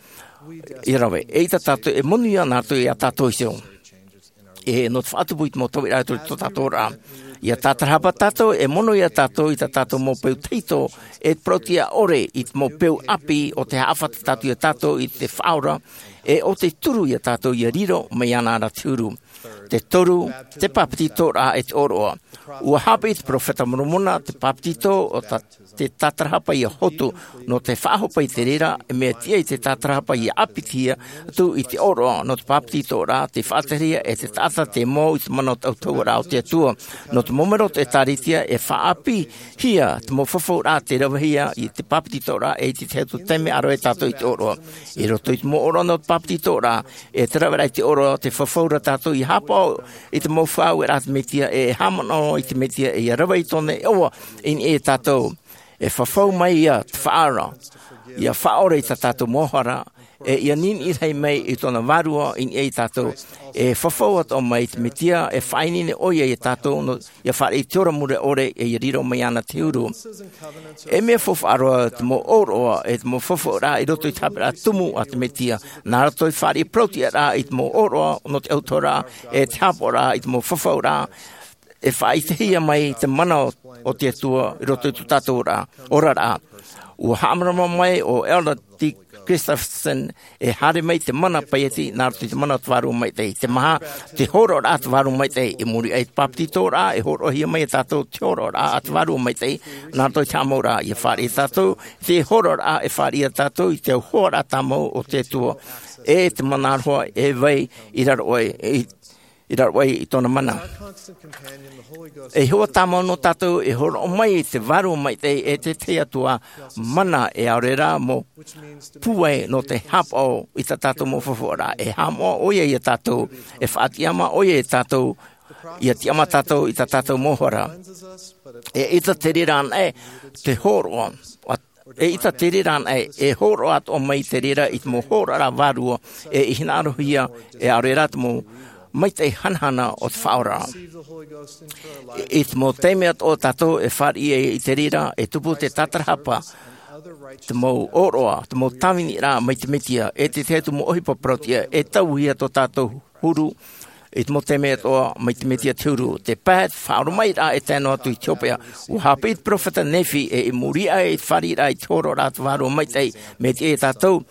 ia rave. Eʻita tātou e manuia, nā roto ia tātou iho. E nō te faʻatupu i te mau tauiraʻa i tō tātou ra. Ia tātarahapa tātou, e mono ia tātou i tā tātou mau peu tahito, e te parau-tiʻa ʻore i te mau peu ʻāpī ʻo tē haʻafata tātou ia tātou i te Faʻaora, ʻe ʻo tē turu ia tātou ia riro mai iāna ra te huru. Te toru, te pāpetitoraʻa ʻe te ʻōroʻa. Ua haʻapiʻi te peropheta Moromona, te pāpetito ʻo tā te tātarahapa ia hotu, nō te faʻahope i te reira, e mea tiʻa i te tātarahapa ia ʻāpitihia atu i te ʻōroʻa, nō te pāpetitoraʻa, te faʻaterehia e te taʻata te mau i te mana o te autahuʻaraʻa o te Atua. Nō te mau mero o te ʻĒtārētia, e faʻaʻāpīhia te mau fafauraʻa tē ravehia i te pāpetitoraʻa, ʻe i te tahi atu taime ʻa rave tātou i te ʻōroʻa. I roto i te mau ʻōroʻa nō te pāpetitoraʻa, e te raveraʻa i te ʻōroʻa, tē fafau ra tātou ia haʻapaʻo i te mau faʻaueraʻa a te Mesia, ʻe e haʻamanaʻo i te Mesia, ʻe ia rave i tōna iʻoa i niʻa ia tātou. E fafau mai ia te Faʻaora, ia faʻaʻore i tā tātou mau hara, ʻe ia niniʻi rahi mai i tōna Vārua i niʻa ia tātou. E fafau atoʻa mai te Mesia, e faʻaineine ʻoia ia tātou, nō, ia fāriʻi i te ora mure ʻore, ʻe ia riro mai iāna te huru. E mea faufaʻa roa te mau ʻōroʻa, ʻe te mau fafauraʻa i roto i te haʻapiʻiraʻa tumu a te Mesia. Nā roto i te fāriʻi parau-tiʻaraʻa i te mau ʻōroʻa nō te autahuʻaraʻa, ʻe te haʻapaʻoraʻa i te mau fafauraʻa, e faʻaʻitehia mai te mana o, o te Atua i roto i tō tātou ra, oraraʻa. Ua haʻamārama mai ʻo Elder Dick Gustafson, e haere mai te mana paieti nā roto i te mana o te Vārua Maitaʻi. Te maha, te hōroʻaraʻa a te Vārua Maitaʻi, i muri aʻe i te pāpetitoraʻa, e hōroʻahia mai ia tātou te hōroʻaraʻa a te Vārua Maitaʻi, nā roto i te haʻamouraʻa, ia fāriʻi ia tātou, te hōroʻaraʻa e fāriʻi ia tātou i te auhoaraʻa tāmau o te Atua, ʻe te mana aroha e vai i raro aʻe, i i raro aʻe i tōna mana. E hoa tāmau nō tātou e hōroʻa mai te Vārua Maitaʻi ʻe te tahi atu ā mana ʻe ʻaore rā mau pūai nō te haʻapaʻo i tā tātou mau fafauraʻa. E haʻamoʻa ʻoia ia tātou, e faʻatiʻamā ʻoia ia tātou, ia tiʻamā tātou i tā tātou mau hara. E ʻaita te reira anaʻe te hōroʻa a E ʻita te reira anaʻe, e hōroʻa atoʻa mai te reira i te mau hōroʻa vārua, e i hinaʻarohia, e ʻaore rā te mau maitaʻi hanahana o te Faʻaora. I te mau taime atoʻa tātou e fāriʻi ai i te reira, e tupu te tātarahapa, te mau ʻōroʻa, te mau tāviniraʻa mai te Mesia, e te tahi atu mau ʻohipa parauʻtiʻa, e tauihia tō tātou huru, i te mau taime atoʻa mai te Mesia te huru, te pae, te faʻaoromaʻiraʻa e tae noa atu i te hopeʻa. ʻUa haʻapiʻi te peropheta Nephi, e i muri aʻe i te fāriʻiraʻa i te hōroʻaraʻa te Vārua Maitaʻi, mai te tātou,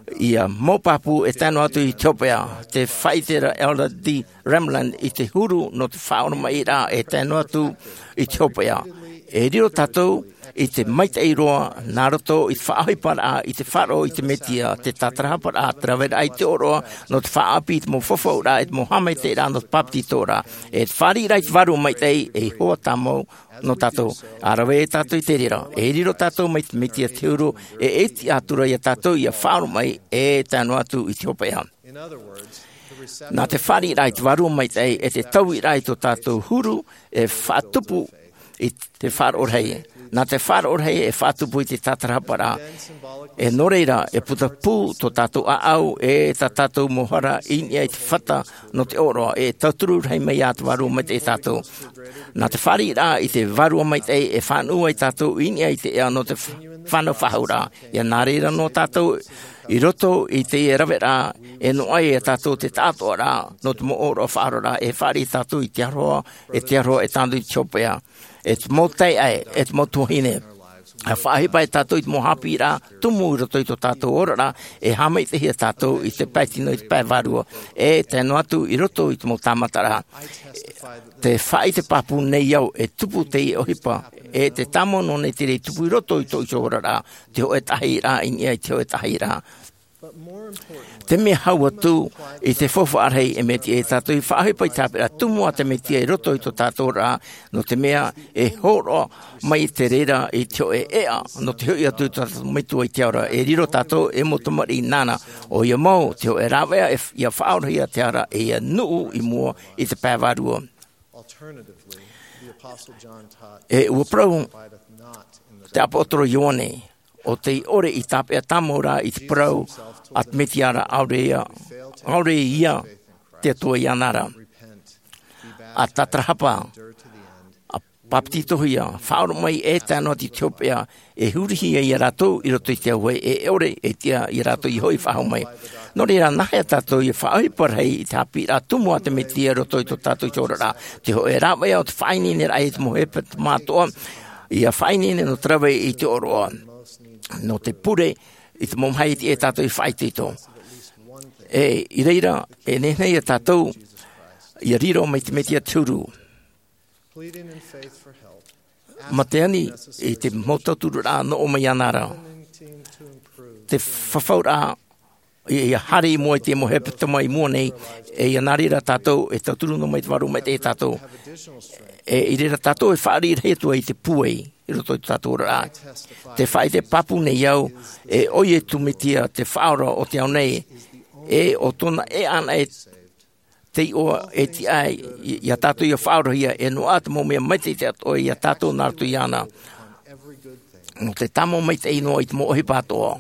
ʻia mau pāpū e tae noa atu i te hopeʻa, te faʻaʻite ra Elder D. Renlund i te huru nō te faʻaoromaʻiraʻa e tae noa atu i te hopeʻa. E riro tātou i te maitaʻi roa, nā roto i te faʻaʻohiparaʻa, i te faʻaroʻo i te Mesia, te tātarahaparaʻa, te raveraʻa i te ʻōroʻa, nō te faʻaʻapi i te mau fafauraʻa, i te mau haʻamaitaʻiraʻa, nō te bāpetizoraʻa. E te fāriʻiraʻa i te Vārua Maitaʻi, e ihoa tāmau nō tātou. ʻA rave tātou i te reira, e riro tātou mai te Mesia te huru, e ʻiti atu ra ia tātou ʻia faʻaoromaʻi, e tae noa atu i te hopeʻa. Nā te fāriʻiraʻa i te Vārua Maitaʻi, e te tauiraʻa i tō tātou huru, e faʻatupu i te faʻaroʻo rahi. Nā te faʻaroʻo rahi, e faʻatupu i te tātarahaparaʻa. E nō reira, e puta pū tō tātou ʻāʻau, e tā tātou mau hara i niʻa i te fata nō te ʻōroʻa, e tauturu rahi mai ā te Vārua Maitaʻi ia tātou. Nā te fāriʻiraʻa i te Vārua Maitaʻi, e faʻanuʻu ai tātou i niʻa i te ea nō te fa-, fānau faʻahou ra. ʻIa nā reira noa tātou i roto i te raveraʻa, e noaʻa ia tātou te taʻatoʻaraʻa, nō te mau ʻōroʻa faʻaroʻoraʻa, e fāriʻi tātou i te aroha, e te aroha e tae noa atu i te hopeʻa. E te mau taeaʻe, e te mau tuahine. ʻA faʻaʻohipa ia tātou i te mau haʻapiʻiraʻa tumu i roto i tō tātou oraraʻa, e haʻamaitaʻihia tātou i te pae tino, i te pae vārua, e tae noa atu i roto i te mau tāmataraʻa. Tē faʻaʻite pāpū nei au, e tupu teie ʻohipa, e tē tāmau noa nei te reira i tupu i roto i tō ʻoutou oraraʻa, te hōʻē tahiraʻa i niʻa i te hōʻē tahiraʻa. Te mea hau atu i te faufaʻa rahi, e mea tiʻa ia tātou ʻia faʻaʻohipa i te haʻapiʻiraʻa tumu a te Mesia i roto i tō tātou oraraʻa, nō te mea e hōroʻa mai te reira i te hōʻē ʻēʻa, nō te hoʻi atu i tō tātou Metua i te ao ra, e riro tātou ei mau tamariʻi nāna, ʻoia mau, te hōʻē rāveʻa e f-, ʻia faʻaorahia te ara, e ʻia nuʻu i mua i te pae vārua. E ʻua parau te ʻāpōsetolo Ioane, ʻo tei ʻore i tāpeʻa tāmau ra i te parau a te Mesia ra, ʻaore ia, ʻaore ia te Atua iāna ra. ʻA tātarahapa, ʻa bāpetizohia, faʻaoromaʻi e tae noa atu i te hopeʻa, e hurihia ia rātou i roto i te auahi, e ʻore e tiʻa ia rātou ʻia hoʻi faʻahou mai. Nō reira, nāhea tātou ʻia faʻaʻohipa rahi i te haʻapiʻiraʻa tumu a te Mesia i roto i tō tātou oraraʻa, te hōʻē rāveʻa o te faʻaineineraʻa i te mau hepetoma atoʻa, ʻia faʻaineine nō te rave i te ʻōroʻa, nō te pure i te mau maha e tiʻa ia tātou ʻia faʻaitoito. E, i reira, e nehenehe ia tātou ʻia riro mai te Mesia te huru. Mā te ani i te mau tautururaʻa nō ʻō mai iāna ra. Te fafauraʻa, ʻia, ʻia haere i mua i te mau hepetoma i mua nei, e ʻia nā reira tātou, e tauturu noa mai te Vārua Maitaʻi ia tātou. E, i reira tātou e fāriʻi rahi atu ai i te pūai, i roto i tō tātou oraraʻa. Tē faʻaʻite pāpū nei au, e ʻo Iesu Mesia te Faʻaora o te ao nei, e ʻo tōna ʻēʻa anaʻe te iʻoa e tiʻa ai, i, ia tātou ʻia faʻaorahia, e noaʻa te mau mea maitaʻi atoʻa ia tātou nā roto iāna. Nō te tāmau maitaʻi noa i te mau ʻohipa atoʻa.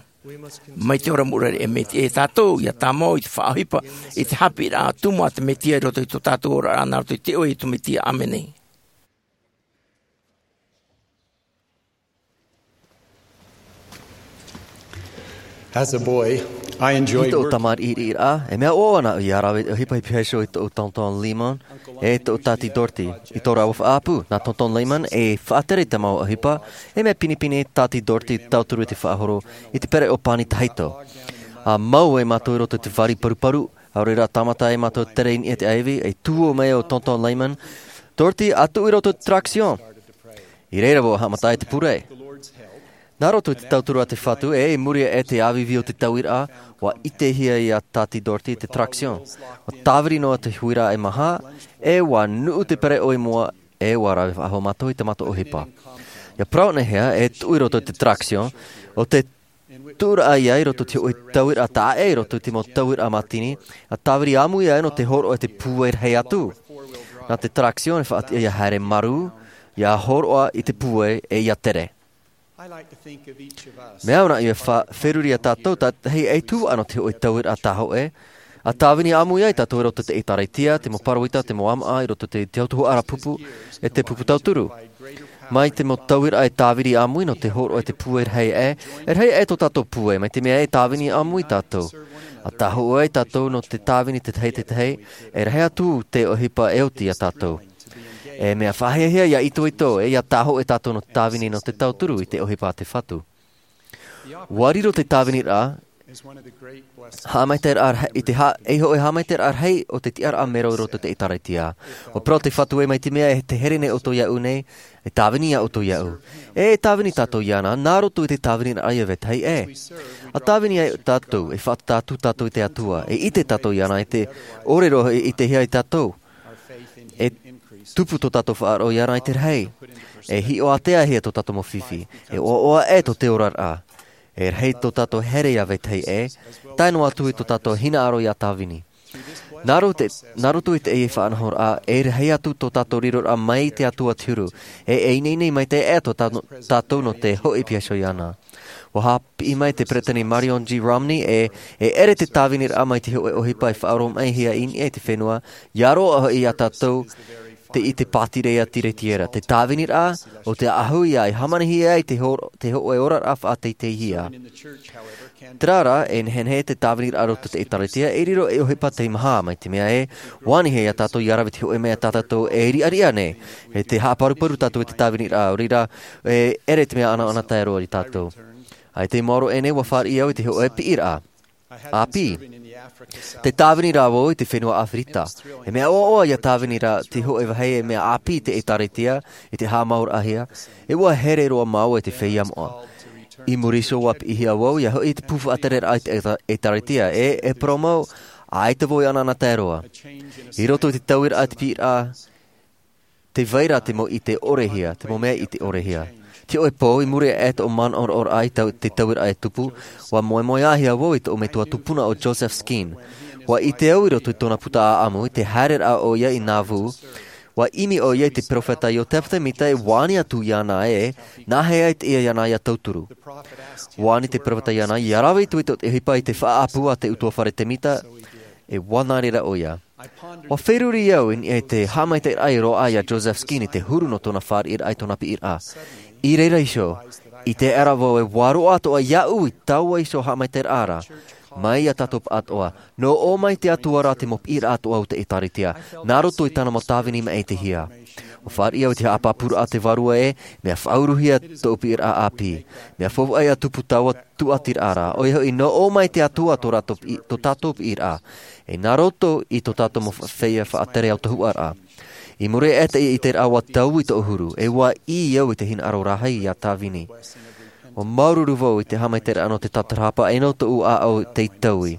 Mai te ora mure, e mea tiʻa ia tātou ʻia tāmau i te faʻaʻohipa i te haʻapiʻiraʻa tumu a te Mesia i roto i tō tātou oraraʻa nā roto i te iʻoa o Iesu Mesia. ʻĀmene. As a boy, I enjoyed I tōʻu work- tamariʻiraʻa, e mea ʻoaʻoa ana au ʻia rave ʻohipa i te hiʻoraʻa o tōʻu tonton Lehman, e tōʻu tāti Dorothy, i tō rāua faʻaʻapu. Nā tonton Lehman e faʻatere i te mau ʻohipa, e mea pinepine tāti Dorothy tauturu i te faʻahoro i te pereʻoʻo pani tahito. ʻA mau ai mātou i roto i te vari paruparu, ʻaore rā tāmata ai mātou tere i niʻa i te ʻaivi, e tuō mai ʻo tonton Lehman, Dorothy, ʻa tuʻu i roto i te traction. I reira vau e haʻamata ai te pure. Nā roto i te tauturu a te Fatu, e i muri aʻe i te ʻāvīvī o te tauiraʻa, ʻua ʻitehia ia tāti Dorothy te traction. ʻUa tāviri noa te huiraʻa e maha, e ʻua nuʻu te pereʻoʻo i mua, e ʻua rave faʻahou mātou i tā mātou ʻohipa. ʻIa parau anaʻe hea e tuʻu i roto i te traction, ʻo te tuʻuraʻa ia i roto i te hōʻē tauiraʻa taʻa ʻē i roto i te mau tauiraʻa mātini, ʻa tāviri ʻāmui ai nō te hōroʻa i te pūai rahi atu. Nā te traction e faʻatiʻa ʻia haere marū, ʻia hōroʻa i te pūai e ʻia tere. Mea au na ia feruri ia tātou tātahi e tū ana o te hoʻi tauiraʻa tāhoʻe a tāvini ʻāmui ai tātou i roto i te ʻēkālesia, te mau pāroita, te mau ʻāmaʻa i roto i te tautuhaʻa pupu e te pupu tauturu. Mai te mau tauiraʻa e tāvini ʻāmui nō te hōroʻa i te pūai rahi aʻe, e rahi aʻe tō tātou pūai mai te mea e tāvini ʻāmui tātou a tāhoʻe ai tātou nō te tāvini tētahi tētahi. E rahi atu te ʻohipa e oti ia tātou. E mea faʻahiahia ia itoito e ia tāhoʻe tātou nō te tāvini nō te tauturu i te ʻohipa a te fatu. Ua riro te tāviniraʻa haʻamaitaʻiraʻa rahi i te hā ei hoʻi haʻamaitaʻiraʻa rahi o te tiʻaraʻa mero i roto i te ʻēkālesia. Ua parau te fatu e mai te mea e te here nei ʻoutou iaʻu nei, e tāvini ia ʻoutou iaʻu. E e tāvini tātou iāna nā roto i te tāviniraʻa ia vetahi e a tāvini ai tātou e faʻatātū tātou i te atua e ʻite tātou iāna i te ʻore roa e ʻitehia ai tātou. E tupu tō tātou faʻaroʻo iāna i te rahi. E hiʻo ātea hia tō tātou mau fifi. E ʻoaʻoa e tō te oraraʻa. E rahi tō tātou here ia vetahi e tae noa atu i tō tātou hinaʻaro ia tāvini. Nā roto i te ʻei faʻanahoraʻa e rahi atu tō tātou riroraʻa mai i te atua te huru. E e ineine mai te ʻea tō tātou nō te hoʻi piahi iāna. Ua haʻapiʻi mai te peresideni marion g romney e e ʻere te tāviniraʻa mai te hoʻi ʻohipa e faʻaroʻo mai hia i niʻa i te fenua ia roaʻa hoʻi ia tātou. Te i te pātireia tiretiera te tāviniraʻa o te ahu ia e hāmanihia ai te hoʻi oraraʻa faʻateiteihia. Tērā rā e nehenehe te tāviniraʻa roto i te ʻēkālesia e riro ei ʻohipa teimaha mai te mea e ua anihia ia tātou ia rave te hoʻi mea tā tātou e riʻariʻa nei. E te haʻaparuparu tātou i te tāviniraʻa o reira e ʻere te mea ʻanaʻana tae roa i tātou. Ai te maoro ʻenei ua fāriʻi au i te hoʻi piʻiraʻa ʻāpī. Te tāvini rā vau i te fenua ʻāfirita. E mea ʻoaʻoa ia tāvini rā te hoʻi vāhi e mea ʻāpī te ʻēkālesia i te haʻamauraʻahia. E ua here roa māua i te feiā moʻa. I muri iho ua piʻihia vau ia hoʻi i te pū faʻatereraʻa i te ʻēkālesia e e parau mau ʻaita vau i ʻanaʻana tae roa. I roto i te tauiraʻa te piʻiraʻa te vai ra te mau ʻite ʻorehia te mau mea ʻite ʻorehia. Te hoʻi pō i muri aʻe tōʻu manaʻo roʻoraʻa i te tauiraʻa e tupu. Ua moemoeāhia vau i tōʻu metua tupuna o joseph skeen. Ua ʻite au i roto i tōna puta ʻaʻamu i te haereraʻa o ia i nāvū. Ua ʻimi o ia i te peropheta iosepha semita e ua ani atu iāna e nāhea i te ia iāna ia tauturu. Ua ani te peropheta iāna ia rave itoito te ʻohipa i te faʻaʻapu a te utuafare semita. E ua nā reira o ia. Ua feruri au i niʻa i te haʻamaitaʻiraʻa i roaʻa ia joseph skeen i te huru nō tōna fāriʻiraʻa i tōna piʻiraʻa. I reira iho i te ʻera vau e ua roaʻa atoʻa iaʻu i taua iho haʻamaitaʻiraʻa ra. Mai ia tātou paʻatoʻa nō ʻō mai te atua rā te mau piʻiraʻa atoʻa o te ʻēkālesia nā roto i tāna mau tāvini maʻitihia. Ua fāriʻi au i te haʻapāpūraʻa te vārua e mea faʻauruhia tōʻu piʻiraʻa ʻāpī. Mea faufaʻa ia tupu taua tuʻatiraʻa ra ʻoia hoʻi nō ʻō mai te atua tō tātou piʻiraʻa. E nā roto i tō tātou mau feiā faʻatere autahuʻaraʻa. I muri aʻe te ʻiteraʻa ua taui tōʻu huru e ua ʻī au i te hinaʻaro rahi ia tāvini. Ua māuruuru vau i te haʻamaitaʻiraʻa nō te tatarahapa e nō tōʻu ʻāʻau tei taui.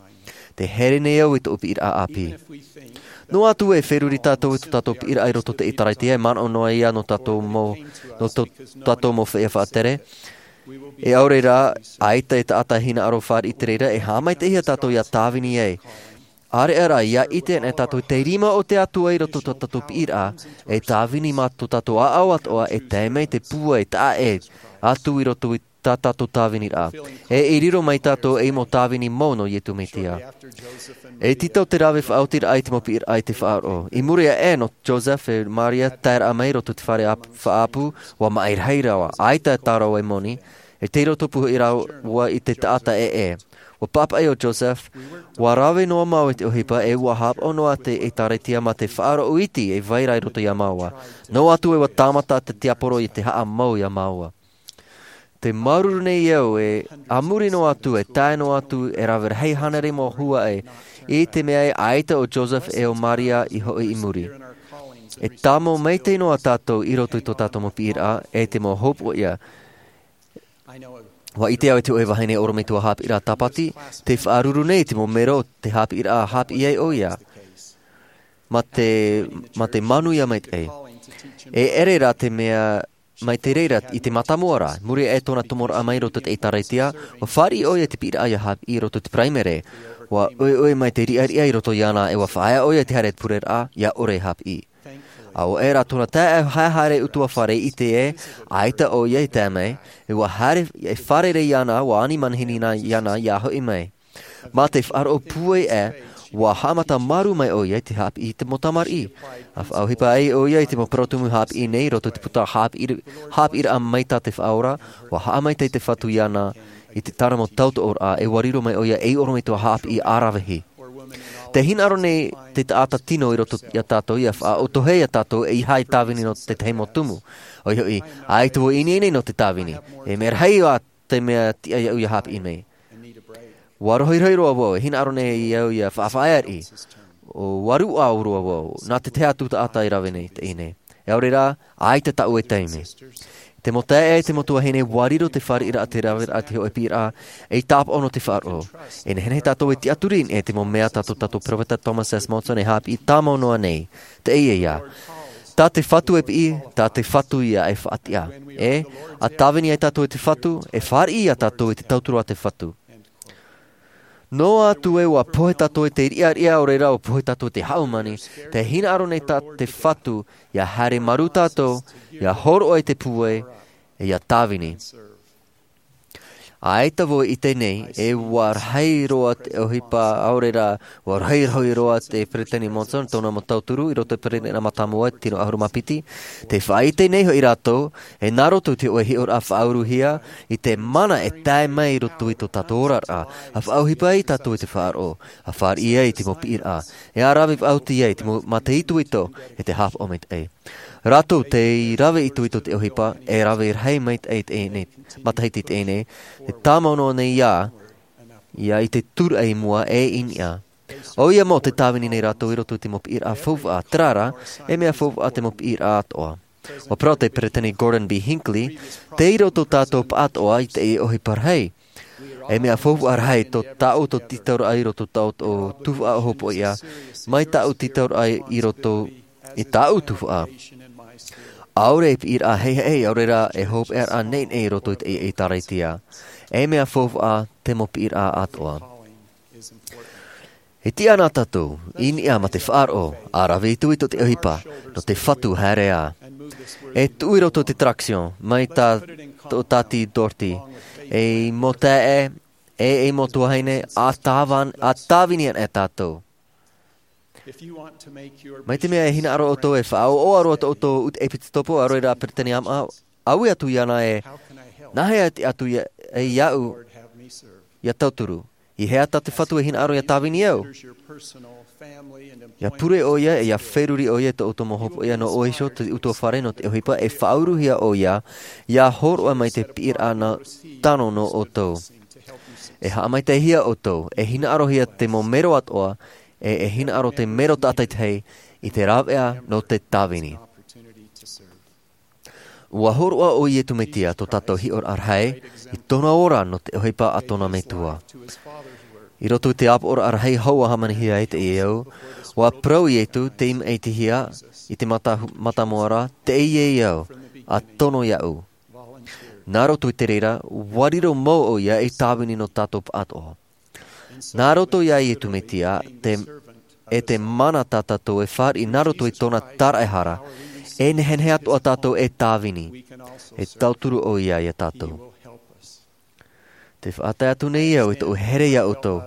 Te here nei au i tōʻu piʻiraʻa ʻāpī. Noa atu e feruri tātou i tō tātou piʻiraʻa i roto i te ʻēkālesia e manaʻo noa ia nō tātou mau nō tō tātou mau feiā faʻatere. E ʻaore rā ʻaita e taʻata hinaʻaro fāriʻi te reira e haʻamaitaʻihia tātou ia tāvini ai. ʻAreʻa rā ia ʻite ana e tātou te rima o te atua i roto i tō tātou piʻiraʻa e tāvini mā tō tātou ʻāʻau atoʻa e tae mai te pūai taʻa ʻē atu i roto i tā tātou tāviniraʻa. E i riro mai tātou ei mau tāvini mau nō iesu mesia. E tītau te rave faʻaotiraʻa i te mau piʻiraʻa i te faʻaroʻo i muri aʻe nō joseph e maria taeraʻa mai roto i te fare faʻaʻapu. Ua maʻi rahi rawa ʻaita e tārau e moni. E tei roto pū hoʻi rāua i te taʻata ʻē. Ua pāpaʻi o joseph. Ua rave noa mau i te ʻohipa e ua hāpaʻo noa te ʻēkālesia mā te faʻaroʻo iti e vai ra i roto iā māua. Noa atu e ua tāmata te tiaporo i te haʻamau iā māua. Te māuruuru nei au e a muri noa atu e tae noa atu e rave rahi hānere mau huaʻai i te mea e ʻaita o joseph e o maria i hoʻi i muri. E tāmau maitaʻi noa tātou i roto i tō tātou mau piʻiraʻa e te mau hopoiʻa. Ua ʻite au e te hoʻi vahine orometua haʻapiʻiraʻa tāpati te faʻaruru nei i te mau mero o te haʻapiʻiraʻa haʻapiʻi ai ʻo ia. Mā te mā te manuia maitaʻi. E ʻere rā te mea mai te reira i te mātāmua rā muri aʻe tōna tomoraʻa mai roto i te ʻēkālesia. Ua fāriʻi ʻo ia i te piʻiraʻa ia haʻapiʻi roto i te paraimere. Ua ʻoeʻoe mai te riʻariʻa i roto iāna e ua faʻaea ʻo ia i te haere pureraʻa ia ʻore e haʻapiʻi. ʻA ʻoe rā tōna taeaʻe haere ʻutuāfare i ʻite ē, ʻaita ʻoia i tae mai, e ua haere, e fārerei iāna, ua ani manihini iāna, iāna ia hoʻi mai. Mā te faʻaroʻo pūai ē, ua haʻamata marū mai ʻoia i te haʻapiʻi i te mau tamariʻi. ʻA faʻaʻohipa ai ʻoia i te mau parau tumu haʻapiʻi nei, i roto i te puta haʻapiʻi, haʻapiʻiraʻa mai tā te Faʻaora, ua haʻamaitaʻi te Fatu iāna, i te tāna mau tautoʻoraʻa, e ua riro mai ʻoia ei ʻorometua haʻapiʻi ʻaravihi. Tē hinaʻaro nei te taʻata tino i roto iā tātou, ia faʻaʻotohia iā tātou, e ʻeiaha tāvini nō te tahi mau tumu. ʻOia hoʻi, ʻaita vau i ʻinei nei nō te tāvini. E mea rahi ā te mea tiʻa iāʻu ia haʻapiʻi mai. Ua rohirohi roa vau, e hinaʻaro nei au ia faʻafaʻaeaʻi. ʻO varu ʻau roa vau, nā te tahi atu taʻata i rave nei, teie nei. E ʻaore rā, ʻaita tāʻu e taime. Te mau taeaʻe, te mau tuahine, ua riro te fāriʻiraʻa, te raveraʻa, te hōʻē piʻiraʻa, ei tāpaʻo nō te faʻaroʻo. E nehenehe tātou e tiʻaturi i niʻa i te mau mea tā tō tātou peropheta Thomas S. Monson e haʻapiʻi tāmau noa nei. Teie ïa. Tā te Fatu e piʻi, tā te Fatu ïa e faʻatiʻa. E, ʻa tāvini ai tātou e te Fatu, e fāriʻi iā tātou i te tauturu a te Fatu. Noa atu ē ua pohe tātou i te riʻariʻa, ʻaore rā ua pohe tātou i te hāmani, tē hinaʻaro nei tā te Fatu ia haere marū tātou, ia hōroʻa i te pūai, e ia tāvini. ʻAita vau i ʻite nei, e ua rahi roa te ʻohipa, ʻaore rā, ua rohirohi roa te Peresideni Monson, tōna mau tauturu, i roto i te Peresideni Mātāmua, tino ʻahuru mā piti, tē faʻaʻite nei hoʻi rātou, e nā roto i te hōʻē hiʻoraʻa faʻauruhia, i te mana e tae mai i roto i tō tātou oraraʻa, ʻa faʻaʻohipa ai tātou i te faʻaroʻo, ʻa fāriʻi ai i te mau piʻiraʻa, e ʻa rave faʻaoti ai i te mau mataʻitoʻito, e te haʻapaʻo maitaʻi. Rātou tei rave itoito te ʻohipa, e rave rahi maitaʻi teie nei, matahiti teie nei, e tāmau noa nei ïa, ïa i te tūraʻi i mua e i niʻa. ʻOia mau tē tāvini nei rātou i roto i te mau piʻiraʻa faufaʻa, terā rā, e mea faufaʻa te mau piʻiraʻa atoʻa. ʻUa parau te Peresideni Gordon B. Hinckley, tei roto tātou pāʻatoʻa i teie ʻohipa rahi. E mea faufaʻa rahi tō tāʻu tītauraʻa i roto tāʻu tuhaʻa ʻo hopoiʻa, mai tāʻu tītauraʻa i roto i tāʻu tuhaʻa. ʻAore e piʻiraʻa heiheʻi, ʻaore rā e hopeʻaraʻa neʻineʻi i roto i te, i te ʻĒtārētia. E mea faufaʻa te mau piʻiraʻa atoʻa. E tiʻa na tātou, i niʻa mā te faʻaroʻo, ʻa rave itoito te ʻohipa, nō te Fatu haere ā. E tuʻu i roto te traction, mai tā, tō Tāti Doherty, ei mau taeaʻe, e, ei mau tuahine, ʻa tāvan-, ʻa tāvini ana e tātou. Mai te mea e hinaʻaro ʻoutou e faʻaʻoaʻoa roa tō ʻoutou ʻū ʻepitopo, ʻaore rā Peresideni Amaʻa, ʻaui atu iāna ē, nā hea e tiʻa atu ia, e iāʻu, ia tauturu. I hea tā te Fatu e hinaʻaro ia tāvini au. Ia pure ʻoia, e ia feruri ʻoia i tō ʻoutou mau hopoiʻa nō ʻoe iho, te ʻutuāfare nō te ʻohipa, e faʻauruhia ʻoia, ia hōroʻa mai te piʻiraʻa nā tano nō ʻoutou. E haʻamaitaʻihia ʻoutou, e hinaʻarohia te mau mero atoʻa, e, e hinaʻaro te mero tātaitahi i te rāveʻa nō te tāvini. ʻUa hōroʻa ʻo Iesu Mesia tō tātou hiʻoraʻa rahi, i tōna ora nō te ʻohipa a tōna Metua. I roto i te ʻāpoʻoraʻa rahi hou ʻa hāmanihia ai teie au, ʻua parau Iesu tei maʻitihia i te mata-, mātāmua ra, teie au, ʻa tono iāʻu. Nā roto i te reira, ʻua riro mau ʻoia ei tāvini nō tātou pāʻatoʻa. Nā roto iā Iesu Mesia, te, e te mana tā tātou e fāriʻi nā roto i tōna taraehara, e nehenehe atoʻa tātou e tāvini, e tauturu ʻoia iā tātou. Tē faʻatae atu nei au i tōʻu here iā ʻoutou.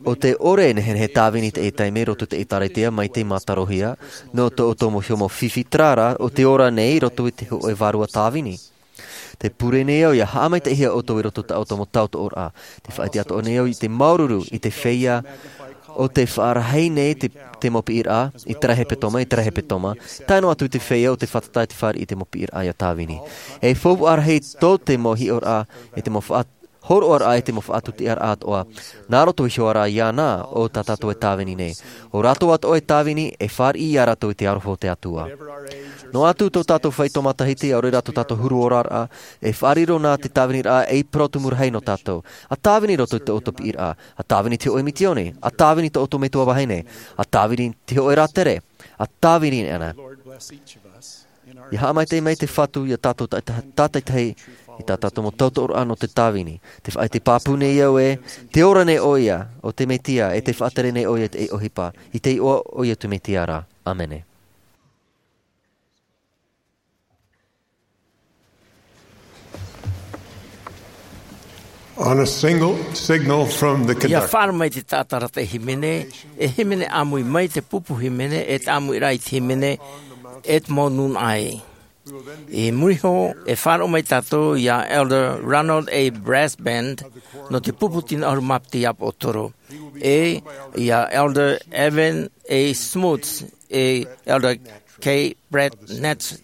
ʻO tē ʻore e nehenehe tāvini i teie taime i roto i te ʻĒtārētia mai tei mātarohia, nō tō ʻoutou mau hiʻo mau fifi, terā rā, ʻo tē ora nei i roto i te hōʻē vārua tāvini. Tē pure nei au ʻia haʻamaitaʻihia ʻoutou i roto i tā ʻoutou mau tautooraʻa. Tē faʻaʻite atoʻa nei au i te māuruuru i te feiā ʻo tē faʻarahi nei te, te mau piʻiraʻa, i terā hepetoma, i terā hepetoma, tae noa atu i te feiā ʻo tē fātata i te fāriʻi i te mau piʻiraʻa ʻia tāvini. E faufaʻa rahi tō te mau hiʻoraʻa, e te mau faʻa-, hōroʻaraʻa, e te mau faʻatutiʻaraʻa atoʻa. Nā roto iho ā rā iāna ʻo tā tātou e tāvini nei. ʻO rātou atoʻa e tāvini, e fāriʻi ia rātou i te aroha o te Atua. Noa atu tō tātou faito matahiti, ʻaore rā tō tātou huru oraraʻa, e faʻariro na te tāviniraʻa ei parau tumu rahi nō tātou. ʻA tāvini i roto i tō ʻoutou piʻiraʻa, ʻa tāvini i te hōʻē misiōni, ʻa tāvini i tō ʻoutou metua vahine, ʻa tāvini i te hōʻē rātere, ʻa tāvini ana. ʻIa haʻamaitaʻi mai te Fatu iā tātou tā-, tā-, tātaitahi i tā tātou mau tautooraʻa nō te tāvini. Tē faʻaʻite pāpū nei au ē, tē ora nei ʻoia, ʻo te Mesia, e tē faʻatere nei ʻoia i te ʻohipa, i te iʻoa o Iesu Mesia ra. ʻĀmene. On a single signal from the ia conductor. Faʻaara mai te taʻata rata e hīmene, e hīmene ʻāmui mai te pupu hīmene, e te ʻāmuiraʻa i te hīmene, e te mau nūnaʻa ē. I muri iho, e faʻaroʻo mai tātou iā Elder Ronald A. Broadbent, nō te pupu tino ʻahuru mā piti ʻāpōsetolo. E, iā Elder Evan A. Smuts, e Elder K. Brett Nat-,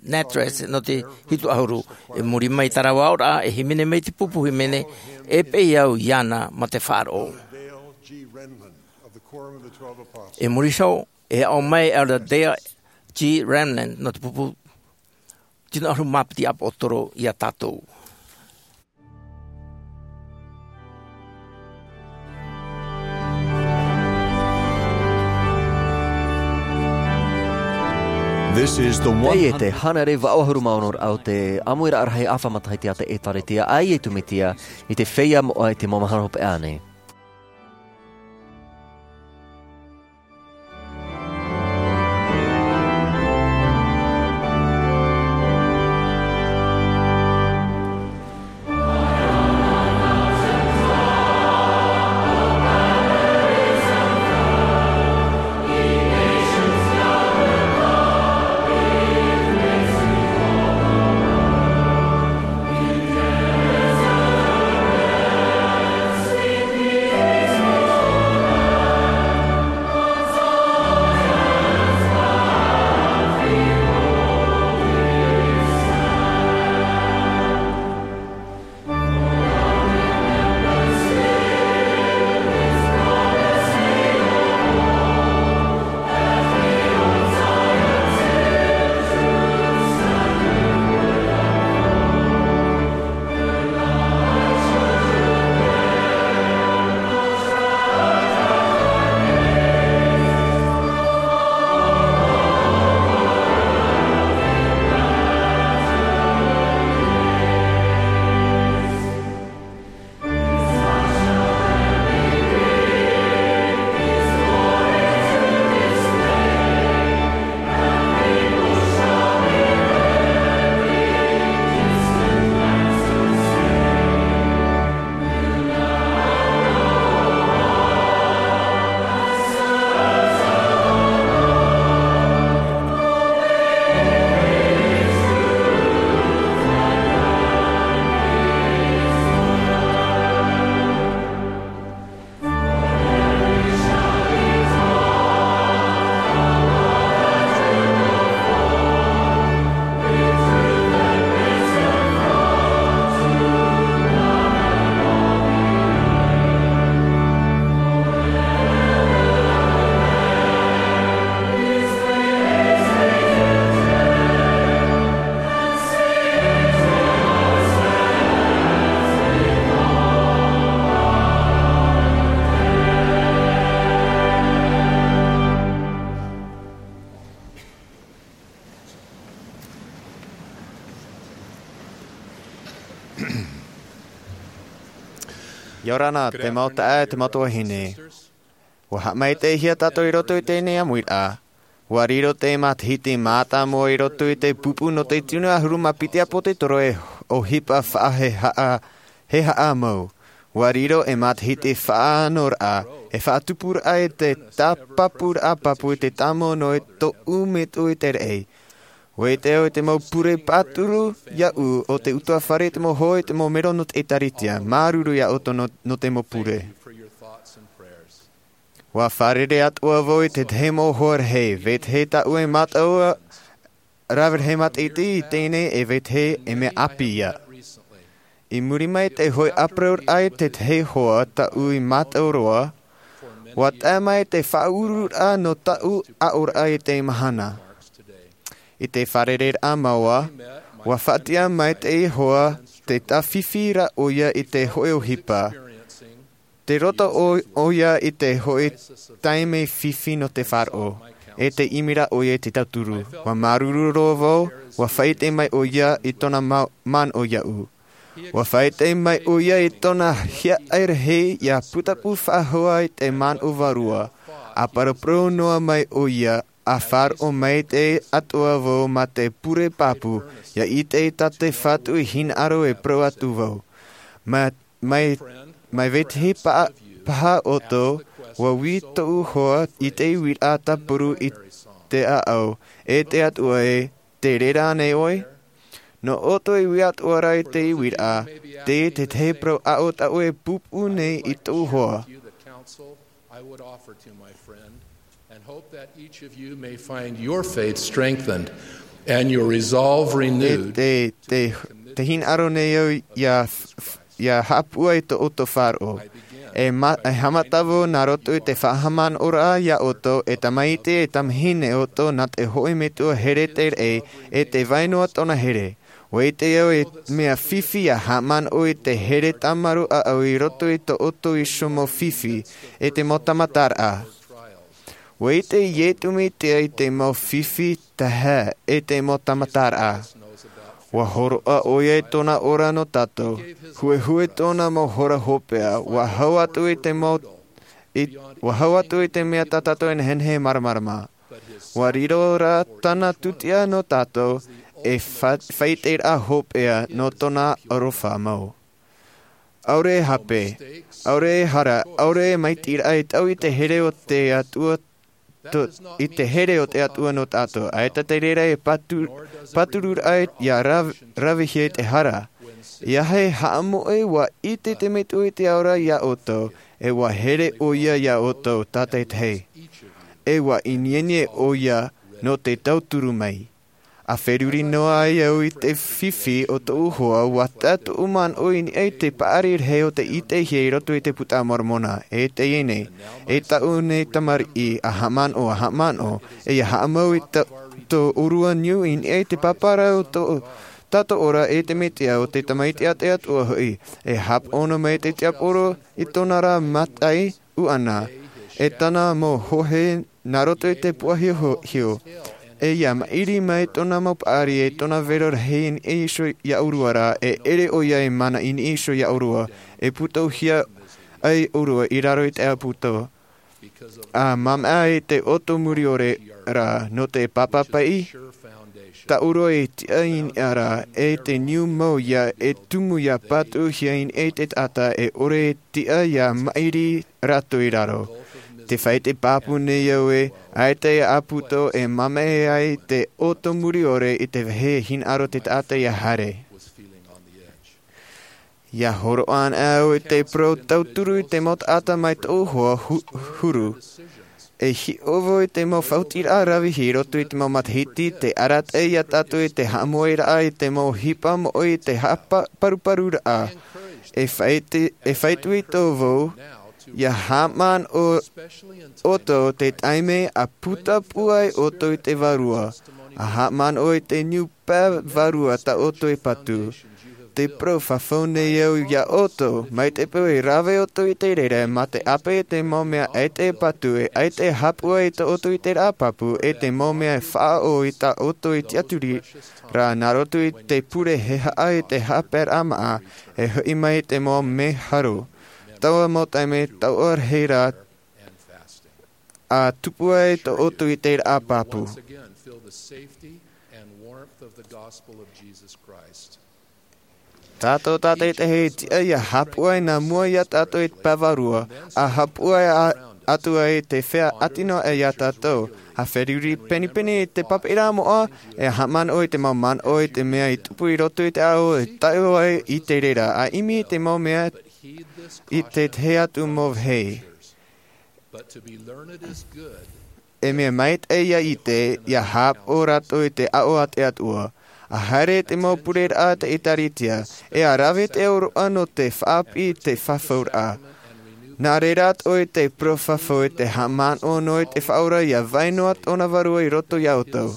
Nattress, nō te hitu ʻahuru. I muri mai i tā rāua aʻoraʻa, e hīmene mai te pupu hīmene, e peʻe au iāna mā te faʻaroʻo. I muri iho, e aʻo mai Elder Dale G. Renlund, nō te pupu tino ʻahuru mā piti ʻāpōsetolo iā tātou. This is the one hundred. Teie te hānere vaʻu ʻahuru mā ono raʻa o te ʻāmuiraʻa rahi ʻāfa matahiti a te ʻĒtārētia a Iesu Mesia, i te feiā moʻa i te mau mahana hopeʻa nei. ʻIa ora na te mau taeaʻe, te mau tuahine. ʻUa haʻamaitaʻihia tātou i roto i teie nei ʻāmuiraʻa. ʻUa riro te matahiti mātāmua i roto i te pupu nō te tino ʻahuru mā piti ʻāpōsetolo e ʻohipa faʻahehaʻa, hehaʻa mau. ʻUa riro e matahiti faʻanahoraʻa, e faʻatupuraʻa i te tāpapuraʻa pāpū i te tāmau noa i tōʻu metua i te raʻi. ʻUa ʻite au i te mau pure pāturu iaʻu o te ʻutuāfare, te mau hoa, te mau melo nō te ʻĒkālesia, māuruuru iā ʻoutou nō, nō te mau pure. ʻUa fārerei atoʻa vau i te tahi mau hoa rahi, vetahi tāʻu e mātau rave rahi matahiti i teie nei e vetahi e mea ʻāpī ia. I muri mai te hoʻi ʻāparuraʻa i te tahi hoa tāʻu i mātau roa, ʻua tae mai te faʻauruuraʻa nō tāʻu aʻoraʻa i teie mahana. I te fārereiraʻa māua, ʻua faʻatiʻa mai te hoa, tē tāfifi ra ʻoia i te hoʻi ʻohipa. Tē roto ʻo, ʻoia i te hoʻi taime fifi nō te faʻaroʻo, e tē ʻimi ra ʻoia i te tauturu. ʻUa māuruuru roa vau, ʻua faʻaʻite mai ʻoia i tōna ma-, manaʻo iaʻu. ʻUa faʻaʻite mai ʻoia i tōna hiaʻai rahi ʻia putapū faʻahou i te manaʻo vārua, ʻa paraparau noa mai ʻoia, ʻa faʻaroʻo maitaʻi atoʻa vau mā te pure pāpū, ʻia ʻite i tā te Fatu i hinaʻaro e parau atu vau. Mā mai, mai vetahi paha, paha ʻoutou, ʻua ui tōʻu hoa i te uiraʻa tāpuru i te ʻāʻau, e te Atua ē, tē reira ānei ʻoe? Nō ʻoutou e ui atu ra i te uiraʻa, te, te tahi parau aʻo tāʻu e pūpū nei i tōʻu hoa. I would offer to my friend, and hope that each of you may find your faith strengthened and your resolve E renewed. te, te, te hinaʻaro nei au ia, f-, f-, ia haʻapūai tō ʻoutou faʻaroʻo. E ma-, e haʻamata vau nā roto i te faʻahaʻamanaʻoraʻa ia ʻoutou, e tamaiti, e tamahine ʻoutou, nā te hōʻē metua here te raʻi, e te vai noa tōna here. ʻUa ʻite au e mea fifi ia haʻamanaʻo i te here tāmarū ʻāʻau i roto i tō ʻoutou iho mau fifi, e te mau tāmataraʻa. ʻUa ʻite Iesu Mesia i te mau fifi tae, e te mau tāmataraʻa. ʻUa hōroʻa ʻoia i tōna ora nō tātou, huehue tōna mau hora hopeʻa, ʻua hau atu i te mau, i, ʻua hau atu i te mea tā tātou e nehenehe e māramarama. ʻUa riro rā tāna tūtia nō tātou, e fa-, faʻaʻiteraʻa hopeʻa nō tōna aroha mau. ʻAore e hape, ʻaore e hara, ʻaore e maitiraʻa e taui te here o te Atua, to-, i te here o te Atua nō tātou. ʻAita te reira e patu-, pātururaʻa ia ra-, ravehia i te hara. ʻIa haʻamoʻe ʻua ʻite te Metua i te ao ra ia ʻoutou, e ʻua here ʻoia ia ʻoutou tātaʻitahi. E ʻua ineine ʻoia nō te tauturu mai. ʻA feruri noa ai au i te fifi o tōʻu hoa, ʻua tae tōʻu manaʻo i niʻa i te paʻari rahi o te ʻitehia i roto i te Puta a Moromona, e teie nei, e tāʻu nei tamariʻi, ʻa haʻamanaʻo, ʻa haʻamanaʻo, e ʻia haʻamau i tō, tō ʻōrua niu i niʻa i te pāpara o tō tātou ora e te Mesia o te Tamaiti a te Atua hoʻi, e hāpaʻo noa mai te tiaporo i tōna ra mataʻi ʻuʻana, e tāna mau hohe nā roto i te puahiohio, e ʻia maʻiri mai tōna mau paʻari e tōna vero rahi i niʻa iho ia ʻōrua ra, e ʻere ʻoia e mana i niʻa iho ia ʻōrua, e pūtouhia ai ʻōrua i raro i te ʻāpōsetolo. ʻA māmā i te ʻoto muriore ra nō te papa paʻi, tā ʻōrua e tiʻa i niʻa ra, e te niu mau ia e tumu ia pātuʻuhia i niʻa i te taʻata e ʻore e tiʻa ia maʻiri rātou i raro. Tē faʻaʻite pāpū nei au ē, ʻaita e ʻāpōsetolo e māmā ai te ʻoto muriore i te vāhi e hinaʻaro te taʻata ʻia haere. ʻIa hōroʻa ana au i te parau tauturu i te mau taʻata mai tōʻu hoa hu-, huru. E hiʻo vau i te mau faʻaotiraʻa ravehia i roto i te mau matahiti, tē arataʻi ia tātou i te haʻamoeraʻa i te mau ʻohipa moʻe i te haʻapa-, paruparuraʻa. E faʻaʻite, e faʻaitoito vau, ʻia haʻamanaʻo ʻoutou te taime ʻa putapū ai ʻoutou i te Vārua, ʻa haʻamanaʻo i te niu pae vārua tā ʻoutou e patu. Tē parau fafau nei au ia ʻoutou, mai te peu e rave ʻoutou i te reira, mā te ʻāpeʻe i te mau mea ʻaita e patu, e ʻaita e haʻapūai i tō ʻoutou ʻiteraʻa pāpū, e te mau mea e faʻaʻō i tā ʻoutou e tiʻaturi ra, nā roto i te pure e haʻa i te haʻapaeraʻa māʻa, e hoʻi mai i te mau mea haro. Taua mau taime, taua rahi ra, ʻa tupu ai tō ʻoutou ʻiteraʻa pāpū. Tātou tātaʻitahi e tiʻa ʻia haʻapūai nā mua ia tātou i te pae vārua, ʻa haʻapūai a-, atu ai te feiā ʻātino ia tātou. ʻA feruri pinepine i te papaʻiraʻa moʻa, e haʻamanaʻo i te mau manaʻo i te mea i tupu i roto i te ao e tae ai i te reira, ʻa ʻimi i te mau mea i te tahi atu mau vāhi. E mea maitaʻi ia ʻite, ʻia haʻapaʻo rātou i te aʻo a te Atua, ʻa haere i te mau pureraʻa a te ʻĒtārētia, e ʻa rave te ʻōroʻa nō te faʻaʻāpī i te fafauraʻa. Nā reira atoʻa i te parau fafau i te haʻamanaʻo noa i te Faʻaora ʻia vai noa tōna Vārua i roto ia ʻoutou.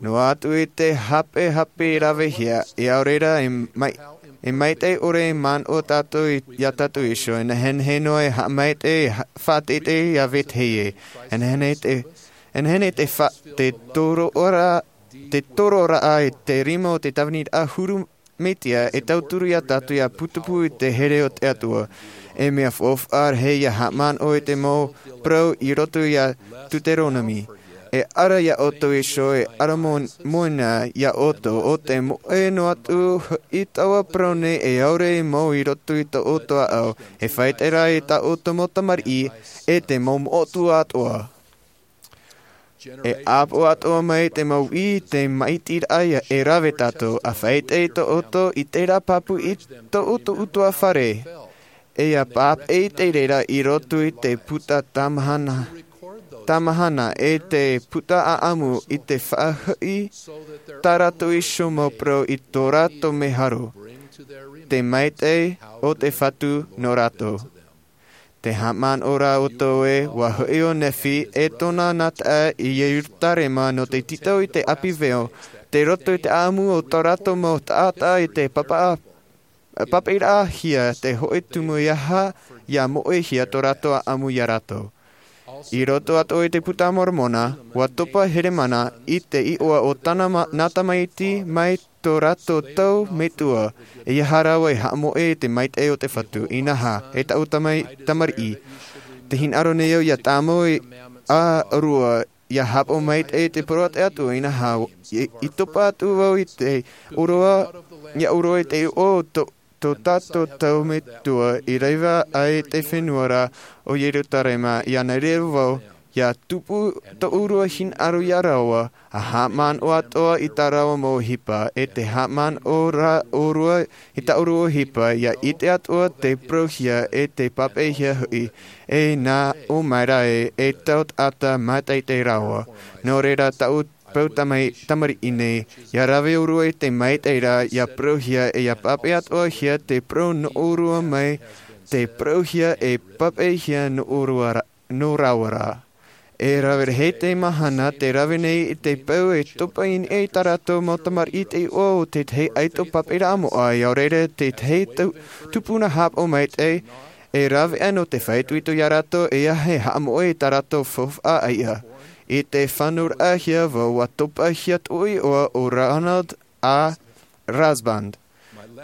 Noa atu i te hapehape ravehia, e ʻaore ra e mai-, e maitaʻi ʻore e manaʻo tātou i, ia tātou iho, e nehenehe noa e haʻamaitaʻi, e ha-, faʻateitei ia vetahi ē. E nehenehe te, e nehenehe te fa-, te toroʻa, te toroʻa i te rima o te tāviniraʻa huru Mesia e tauturu ia tātou ʻia putapū i te here o te Atua. E mea faufaʻa rahi ʻia haʻamanaʻo i te mau parau i roto ia Teuteronome. E ara iā ʻoutou iho, e ara mo-, moʻe na iā ʻoutou, ʻo te moʻe noa atu i taua parau nei e ʻaore i mau i roto i tō ʻoutou ʻāʻau, e faʻaʻite ra i tā ʻoutou mau tamariʻi, e te mau moʻotua atoʻa. E ʻāpoʻo atoʻa mai te mau ʻī, te maitiraʻa e rave tātou, ʻa faʻaʻite i tō ʻoutou i terā pāpū i tō ʻoutou ʻutuāfare. E ʻia pāpaʻi i te reira i roto i te puta tāmahana, tāmahana, e te puta ʻāʻamu i te faʻahoʻi tā rātou iho mau parau i tō rātou meharo, te maitaʻi o te Fatu nō rātou. Te haʻamanaʻo ra ʻoutou ē, ʻua hoʻi ʻo Nephi e tōna nā taʻa i Ierutarema nō te tītau i te ʻāpī veo, tei roto i te ʻāʻamu o tō rātou mau taʻata i te pāpaʻi, pāpaʻiraʻahia te hōʻē tumu e aha, ʻia moʻehia tō rātou ʻāʻamu iā rātou. I roto atoʻa i te Puta a Moromona, ʻua topa Heremana i te iʻoa o tāna ma-, nā tamaiti mai tō rātou tau metua, e aha rāua e haʻamoʻe i te maitaʻi o te Fatu, inaha, e tāʻu tamai-, tamariʻi. Tē hinaʻaro nei au ʻia tāmau i a rua, ʻia haʻapaʻo maitaʻi i te parau a te Atua, inaha, i, i topa atu vau i te ʻōroʻa, ʻia ʻōroʻa i te iʻoa o tō, tō tātou tau metua i rave ai te fenua ra ʻo Ierutarema, ʻia naʻinaʻi vau, ʻia tupu tō ʻōrua hinaʻaro iā rāua, ʻa haʻamanaʻo atoʻa i tā rāua mau ʻohipa, e te haʻamanaʻo ra ʻōrua i tā ʻōrua ʻohipa, ʻia ʻite atoʻa te parauhia e te pāpaʻihia hoʻi, e nā ʻō mai ra ē, e tau taʻata mātaʻitaʻi rāua. Nō reira tāʻu paʻi tamai-, tamariʻi nei, ʻia rave ʻōrua i te maitaʻi ra, ʻia parauhia, e ʻia pāpaʻi atoʻahia te parau nō ʻōrua mai, te parauhia e pāpaʻihia nō ʻōrua ra, nō rāua ra. E rave rahi te mahana tē rave nei i te peu e topa i niʻa i tā rātou mau tamariʻi te iʻoa o te tahi ʻaito pāpaʻiraʻa moʻa, ʻaore ra te tahi tu-, tupuna haʻapaʻo maitaʻi, e rave aʻe nō te faʻaitoito iā rātou, e aha e haʻamoʻe i tā rātou faufaʻa ʻaiʻa. I te fānauraʻahia vau, ʻua topahia tōʻu iʻoa ʻo Ronald A. Rasband.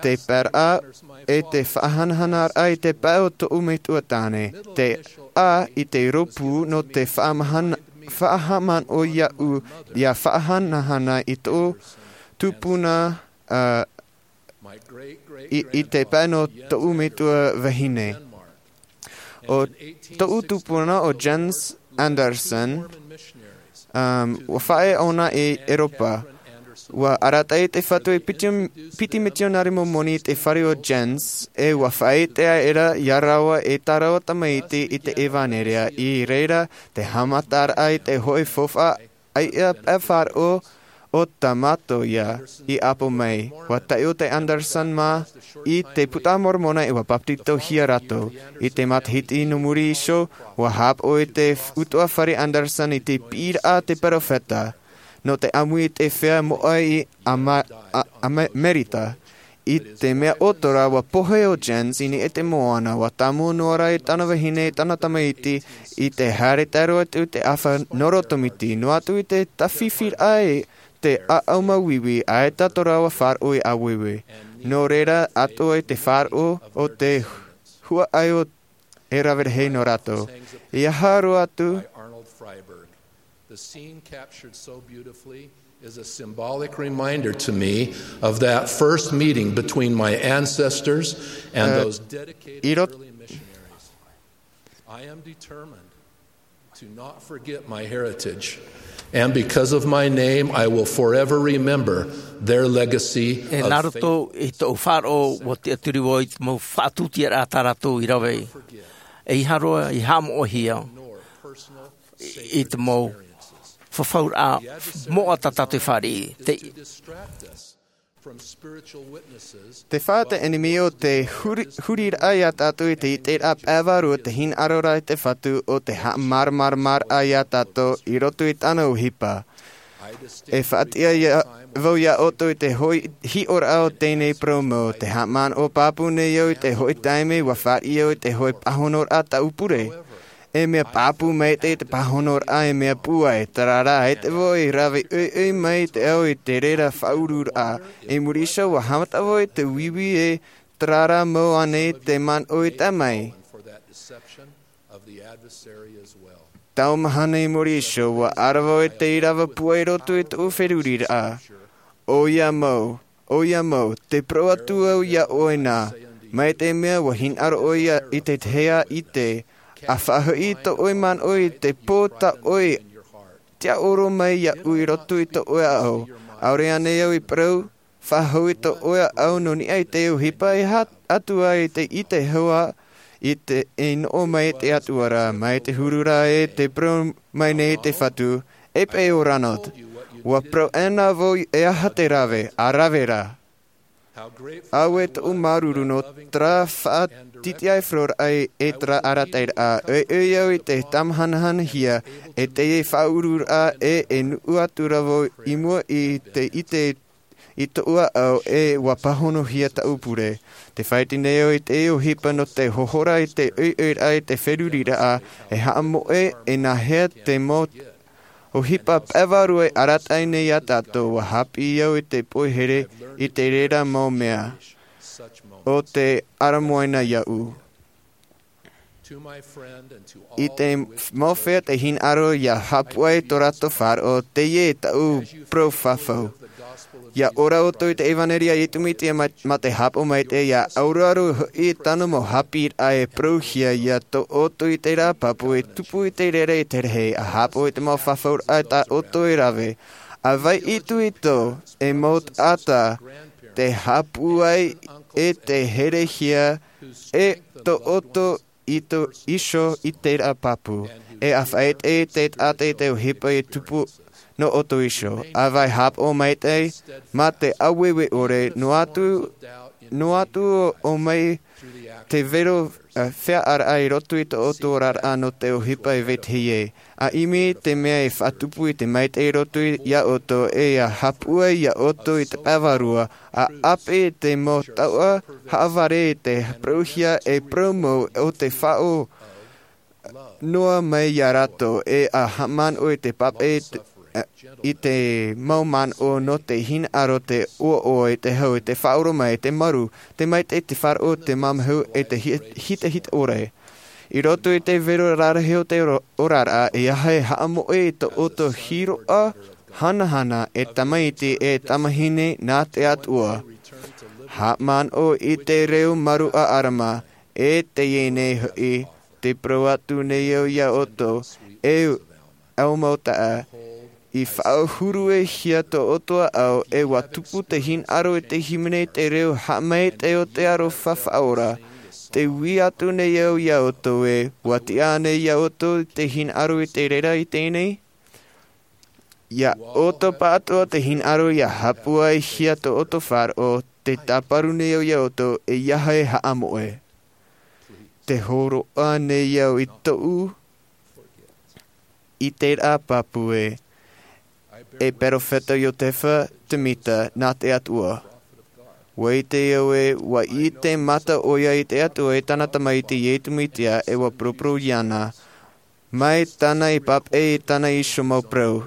Te paeraʻa e te faʻahanahanaraʻa i te pae o tōʻu metua tāne. Te A i te rōpū nō te faʻamahana-, faʻahaʻamanaʻo iāʻu ʻia faʻahanahana i tō tupuna, ā, i, i te pae nō tōʻu metua vahine. ʻO tōʻu tupuna ʻo Jens Andersen, um, ʻua faʻaea ʻōna i ʻEuropa. ʻUa arataʻi te Fatu e piti, piti mitionare Momoni i te fare o Jens, e ʻua faʻaʻite aʻera iā rāua e tā rāua tamaiti i te ʻevanelia, i reira te haʻamataraʻa i te hōʻē faufaʻa ʻaiʻa pae faʻaroʻo ʻo Tamato ia i ʻapo mai. ʻUa taiʻo te Andersen mā i te Puta a Moromona e ʻua papetitohia rātou. I te matahiti nō muri iho, ʻua haʻapaʻo i te f-, ʻutuāfare Andersen i te piʻiraʻa a te peropheta. Nō te ʻāmui i te feiā moʻa i Ama-, a-, Ama-, Amerika. I te mea ʻoto rā, ʻua pohe ʻo Jens i niʻa i te moana, ʻua tāmau noa rā i tāna vahine, tāna tamaiti, i te haere tairoa atu i te ʻāfa nō roto miti, noa atu i te tāfifiraʻa i te ʻāʻau māuiui, ʻaita tō rāua faʻaroʻo i ʻāueue. Nō reira, atoʻa i te faʻaroʻo o te huaʻai o e rave rahi nō rātou. E aha roa atu. The scene captured so beautifully is a symbolic reminder to me of that first meeting between my ancestors and, uh, those dedicated, i rot- early missionaries. I am determined to not forget my heritage, and because of my name, I will forever remember their legacy of faith. E nā roto i tōʻu faʻaroʻo, ʻua tiʻaturi vau i te mau faʻatūtiaraʻa tā rātou i rave. E aha roa i haʻamoʻehia i te mau fafauraʻa moʻa tā tātou e fāriʻi. Te, te fā te ʻenemi o te huri-, huriraʻa iā tātou i te ʻiteraʻa pae vārua, te hinaʻaroraʻa i te Fatu, ʻo te haʻamāramaramaraʻa iā tātou i roto i tāna ʻohipa. E faʻatiʻa ia, vau iā ʻoutou i te hōʻē hiʻoraʻa o teie nei parau mau, te haʻamanaʻo pāpū nei au i te hōʻē taime ʻua fāriʻi au i te hōʻē pāhonoraʻa tāʻu pure. E mea pāpū maitaʻi te pāhonoraʻa, e mea pūai, terā rā, ʻaita vau i rave ʻoiʻoi mai i te ao i te reira faʻauruaraʻa. I muri iho, ʻua haʻamata vau i te uiui, e terā rā mau ānei te manaʻo i tae mai. Tau mahana i muri iho, ua ʻarava au i te ʻīrava pūai i roto i tōʻu feruriraʻa. ʻOia mau, ʻoia mau, tē parau atu au iā ʻoe nā, mai te mea ua hinaʻaro ʻoe i te tahi ʻite, ʻa faʻahoʻi tō ʻoe manaʻo i te pō tā ʻoe tiʻaoro mai iāʻu i roto i tō ʻoe ʻāʻau. ʻAore ānei au i parau, faʻahou i tō ʻoe ʻāʻau nō niʻa i te ʻohipa e aha atu ai te ʻite hau ā i te, e noʻo mai te Atua ra, mai te huru ra e tē parau mai nei te Fatu, e paʻi ʻo Ronald. Ua parau ʻana vau e aha te rave, ʻa rave rā. Auē tōʻu māuruuru nō terā faʻatitiʻaifaroraʻa e terā arataʻiraʻa, e ʻoiʻoi au i te tāmahanahanahia, e te faʻaururaʻa, e, e nuʻu atu ra vau i mua i te ʻite i tōʻu ʻāʻau, e ua pāhonohia tāʻu pure. Tē faʻaʻite nei au i te ʻohipa nō te hohora i te ʻoiʻoiraʻa i te feruriraʻa, e haʻamoʻe, e nāhea te mau ʻohipa pae vārua e arataʻi nei iā tātou, ua haʻapiʻi au i te poihere i te reira mau mea. ʻO te ʻaramoana iāʻu. I te mau feiā tē hinaʻaro ia haʻapuʻai tō rātou faʻaroʻo, teie tāʻu parau fafau. Ia ora ʻoutou i te ʻevanelia a Iesu Mesia mā, mā te haʻapaʻo maitaʻi, ia ʻaroʻaro hoʻi tāna mau haʻapiʻiraʻa e parauhia iā tō ʻoutou i terā pāpū e tupu i te reira i te rahi, ʻa haʻapaʻo i te mau fafauraʻa tā ʻoutou e rave. ʻA vai itoito, e mau taʻata, tē haʻapūai e tē herehia e tō ʻoutou i tō iho i terā pāpū, e ʻa faʻaʻite te taʻata i te ʻohipa e tupu nō ʻoutou iho. ʻA vai haʻapaʻo maitaʻi, mā te ʻāueue ʻore, noa atu, noa atu ʻo mai te vero, eh, feiā ʻāraʻa i roto i tō ʻoutou oraraʻa nō te ʻohipa e vetahi ai. ʻA ʻimi te mea e faʻatupu i te maitaʻi i roto iā ʻoutou, e ʻa haʻapūai iā ʻoutou i te pae vārua, ʻa ʻāpeʻe te mau taoʻa haʻavare i te parauhia e parau mau ʻo te faʻaʻō noa mai iā rātou, e ʻa haʻamanaʻo i te papaʻi i te, i te mau manaʻo nō te hinaʻaro, te ʻoaʻoa, i te hau, i te faʻaoromaʻi, i te maru, te maitaʻi, te faʻaroʻo, te mamahu, e te hi-, hitahita ʻore. I roto i te vero rarahi o te ro-, oraraʻa, e aha e haʻamoʻe i tō ʻoutou hīroʻa hanahana e tamaiti e tamahine nā te Atua. Haʻamanaʻo i te reo maru a ʻArama, e teie nei hoʻi, tē parau atu nei au iā ʻoutou, e ʻaumau taʻa, i faʻahuruehia tō ʻoutou ʻāʻau, e ua tupu te hinaʻaro i te hīmene i te reo haʻamaitaʻi o te aroha faʻaora. Tē ui atu nei au iā ʻoutou ē, ua tiʻa ānei iā ʻoutou te hinaʻaro i te reira i teie nei? Iā ʻoutou pāʻatoʻa te hinaʻaro ia haʻapūaihia tō ʻoutou faʻaroʻo, tē tāparu nei au iā ʻoutou, e aha e haʻamoʻe. Tē hōroʻa nei au i tōʻu, i terā pāpū ē, e Perofeta Iotefa Semita nā te Atua. ʻUa ʻite au ē, ʻua ʻite mata ʻoia i te Atua e tāna Tamaiti Iesu Mesia, e ʻua poroporo iāna, mai tāna i papaʻi i tāna iho mau parau.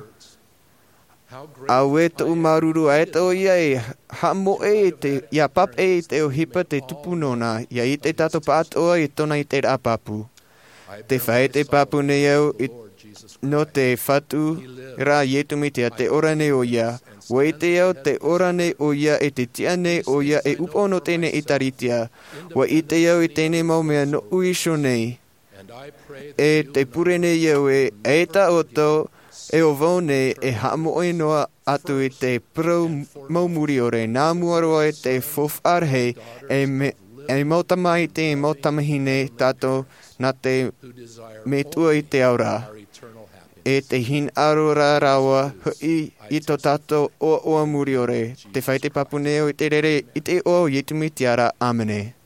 Auē tōʻu māuruuru ʻaita ʻoia e haʻamoʻe i te, ia papaʻi i te ʻohipa tē tupu nōna, ia ʻite tātou pāʻatoʻa i tōna i terā pāpū. Tē faʻaʻite pāpū nei au i, nō te Fatu ra Iesu Mesia, tē ora nei ʻoia. ʻUa ʻite au tē ora nei ʻoia e tē tiʻa nei ʻoia e upoʻo nō teie ʻĒtārētia. ʻUa ʻite au i teie mau mea nōʻu iho nei. E tē pure nei au ē, eʻita ʻoutou, e ʻo vau nei e haʻamoʻe noa atu i te parau mau muriʻore, nā mua roa i te faufaʻa rahi, e me, e mau tamaiti, e mau tamahine tātou nā te Metua i te ao ra. E te hinaʻaro ra rāua hoʻi i tō tātou ʻoaʻoa muriʻore. Tē faʻaʻite pāpū nei au i te reira i te iʻoa o Iesu Mesia ra. ʻĀmene.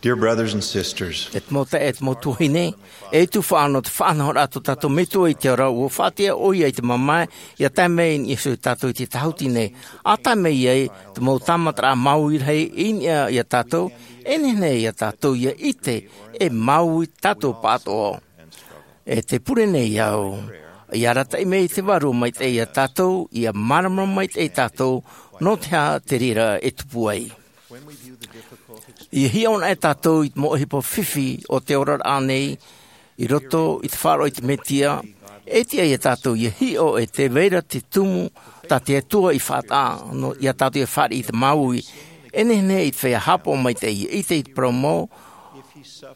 Dear brothers and sisters, E te mau taeaʻe, e te mau tuahine, e tufaʻa nō te faʻanahoraʻa tō tātou Metua i te ao ra, ʻua faʻatiʻa ʻoia i te mamae, ʻia tae mai i niʻa iho ia tātou i te tāhuti nei. ʻA tae mai ai te mau tāmataraʻa māuiui rahi i niʻa ia tātou, e nehenehe ia tātou ʻia ʻite e māuiui tātou pāʻatoʻa. E tē pure nei au, ʻia arataʻi mai te Vārua Maitaʻi ia tātou, ʻia māramarama maitaʻi tātou, nō te aha te reira e tupu ai. Ia hiʻo anaʻe tātou i te mau ʻohipa fifi o te oraraʻa nei i roto i te faʻaroʻo i te Mesia. E tiʻa ia tātou ia hiʻo e tē vai ra te tumu tā te Atua i faʻataʻa ia tātou ia fāriʻi i te māuiui. E nehenehe i te feiā haʻapaʻo maitaʻi ia ʻite i te parau mau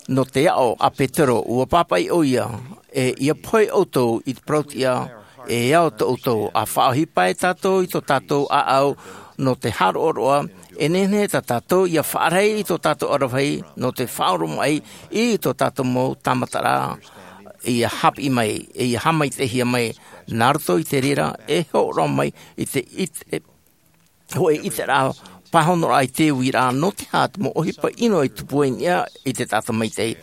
nō te aʻo a Petero, ua pāpaʻi ʻoia, e ia pohe ʻoutou i te parau tiʻa e ao tō ʻoutou. A faʻaʻohipa e tātou i tō tātou ʻāʻau nō te haroʻaroʻa, e nehenehe tā tātou ia faʻarahi i tō tātou ʻaravihi nō te faʻaoromaʻi i tō tātou mau tāmataraʻa ia haʻapiʻi mai, e ia haʻamaitaʻihia mai. Nā roto i te reira e hōroʻa mai i te ʻite, hōʻē ʻiteraʻa pāhonoraʻa i te uiraʻa nō te aha te mau ʻohipa ʻino e tupu ai niʻa i te taʻata maitaʻi.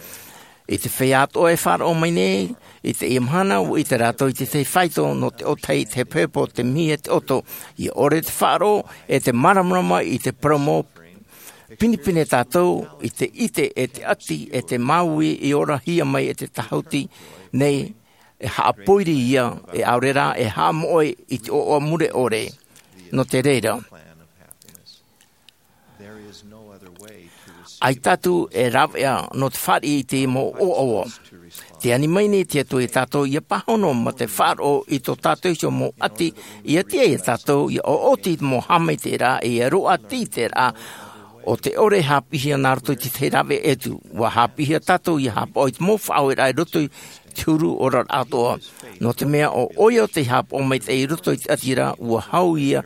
I te feiā atoʻa e faʻaroʻo mai nei i teie mahana, ua ʻite rātou i te tahi faito nō te ʻōtahi i te hepohepo, te mihi e te ʻoto. Ia ʻore te faʻaroʻo e te māramarama i te parau mau pinepine tātou i te ʻite e te ʻati e te māuiui i orahia mai e te tāhuti nei, e haʻapōiri ia, e ʻaore rā e haʻamoʻe i te ʻoaʻoa mure ʻore. Nō te reira, ʻaita atu e rāveʻa nō te fāriʻi i te mau ʻoaʻoa. Tē ani mai nei te Atua ia tātou ia pāhono mā te faʻaroʻo i tō tātou iho mau ʻati, ia tiʻa ia tātou ia ʻoʻoti i te mau haʻamaitaʻiraʻa, ia roaʻa te ʻiteraʻa o te ʻore e haʻapiʻihia nā roto i te tahi rāveʻa ʻē atu. Ua haʻapiʻihia tātou ia haʻapaʻo i te mau faʻaoreraʻa i roto i te huru oraraʻa atoʻa. Nō te mea ʻo ʻoia tei haʻapaʻo maitaʻi i roto i te ʻati ra, ua hau ia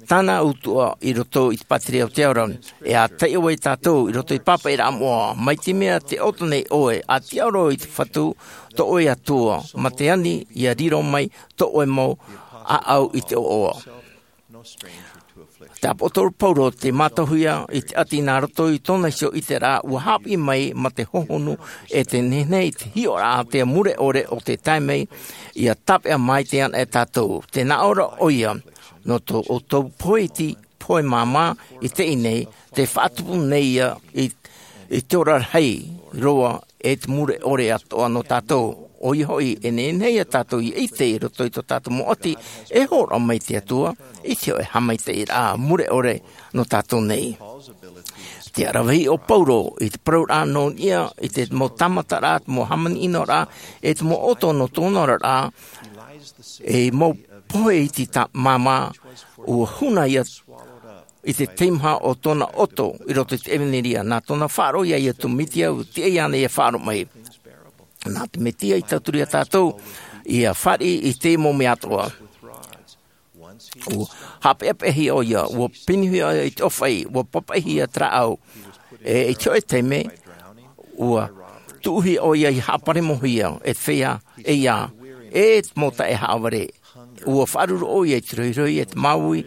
tāna utuʻa i roto i te pātireia o te ao ra. E ʻātaʻi ʻoe ia tātou i roto i te pāpaʻiraʻa moʻa, mai te mea tē ʻoto nei ʻoe, ʻa tiʻa roa i te Fatu, tō ʻoe Atua, mā te ani ia riro mai tō ʻoe mau ʻāʻau i te ʻoaʻoa. Te ʻāpōsetolo Paulo tē mātauhia i te ʻati nā roto i tōna iho ʻiteraʻa, ua haʻapiʻi mai mā te hohonu e te nehenehe i te hiʻoraʻa a te mure ʻore o te tae mai ia tāpeʻa maitaʻi ana e tātou. Tē nā ʻō ra ʻoia, nō tō ʻoutou pohe iti, pohe māmā i teie nei, tē faʻatupu nei ia i, i te ora rahi roa e te mure ʻore atoʻa nō tātou. ʻOia hoʻi, e nehenehe ia tātou ia ʻite i roto i tō tātou mau ʻati, e hōroʻa mai te Atua i te hōʻē haʻamaitaʻiraʻa mure ʻore nō tātou nei. Tē ʻaravihi ʻo Paulo i te parauraʻa nō niʻa i te mau tāmataraʻa, te mau hāmani ʻino ra, e te mau ʻoto nō tōna oraraʻa, e mau pohe iti tā māmā, ua huna ia i te teimaha o tōna ʻoto i roto i te ʻevanelia. Nā tōna faʻaroʻo ia Iesu Mesia, ua tiʻa iāna ia faʻaroʻo mai. Nā te Mesia i tauturu ia tātou ia fāriʻi i te mau mea atoʻa. Ua haʻapeʻapeʻahia ʻoia, ua pinuhia ʻoia i te ʻōfaʻi, ua pāpaʻihia te rāʻau. E i te hōʻē taime, ua tuʻuhia ʻoia ia haʻaparemohia e te feiā, e ia, e te mau taʻehaʻavare. Ua faʻaruru ʻoia i te rohirohi, e te māuiui,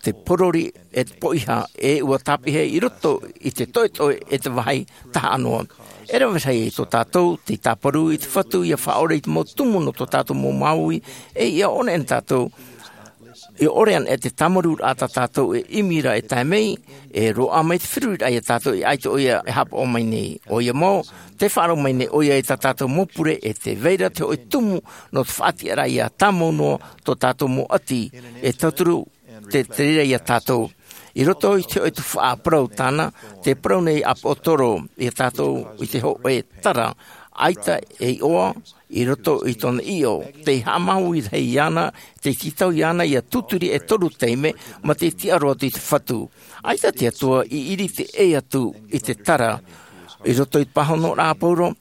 te porori, e te poʻiha, e ua tāpeʻa i roto i te toʻetoʻe, e te vāhi tahaʻa noa. E rave rahi tō tātou tei tāparu i te Fatu ia faʻaora i te mau tumu nō tō tātou mau māuiui, e ia ʻore ana tātou, ia ʻore ana e te tāmarūraʻa tā tātou e ʻimi ra e tae mai, e roaʻa mai te feruriraʻa ia tātou e ʻaita ʻoia e haʻapaʻo mai nei. ʻOia mau, tē faʻaroʻo mai nei ʻoia i tā tātou mau pure, e tē vai ra te hōʻē tumu nō te faʻatiʻaraʻa ia tāmau noa tō tātou mau ʻati, e tauturu te, te reira ia tātou. I roto i te hōʻē tuhaʻa parau tāna, tē parau nei ʻāpōsetolo ia tātou i te hōʻē tara, ʻaita e iʻoa i roto i tōna ʻīʻo, tei haʻamāuiui rahi iāna, tei tītau iāna ia tūturi e toru taime, mā te tiʻa roa atu i te Fatu. ʻAita te Atua i ʻiriti ʻē atu i te tara, i roto i te pāhonoraʻa a Paulo,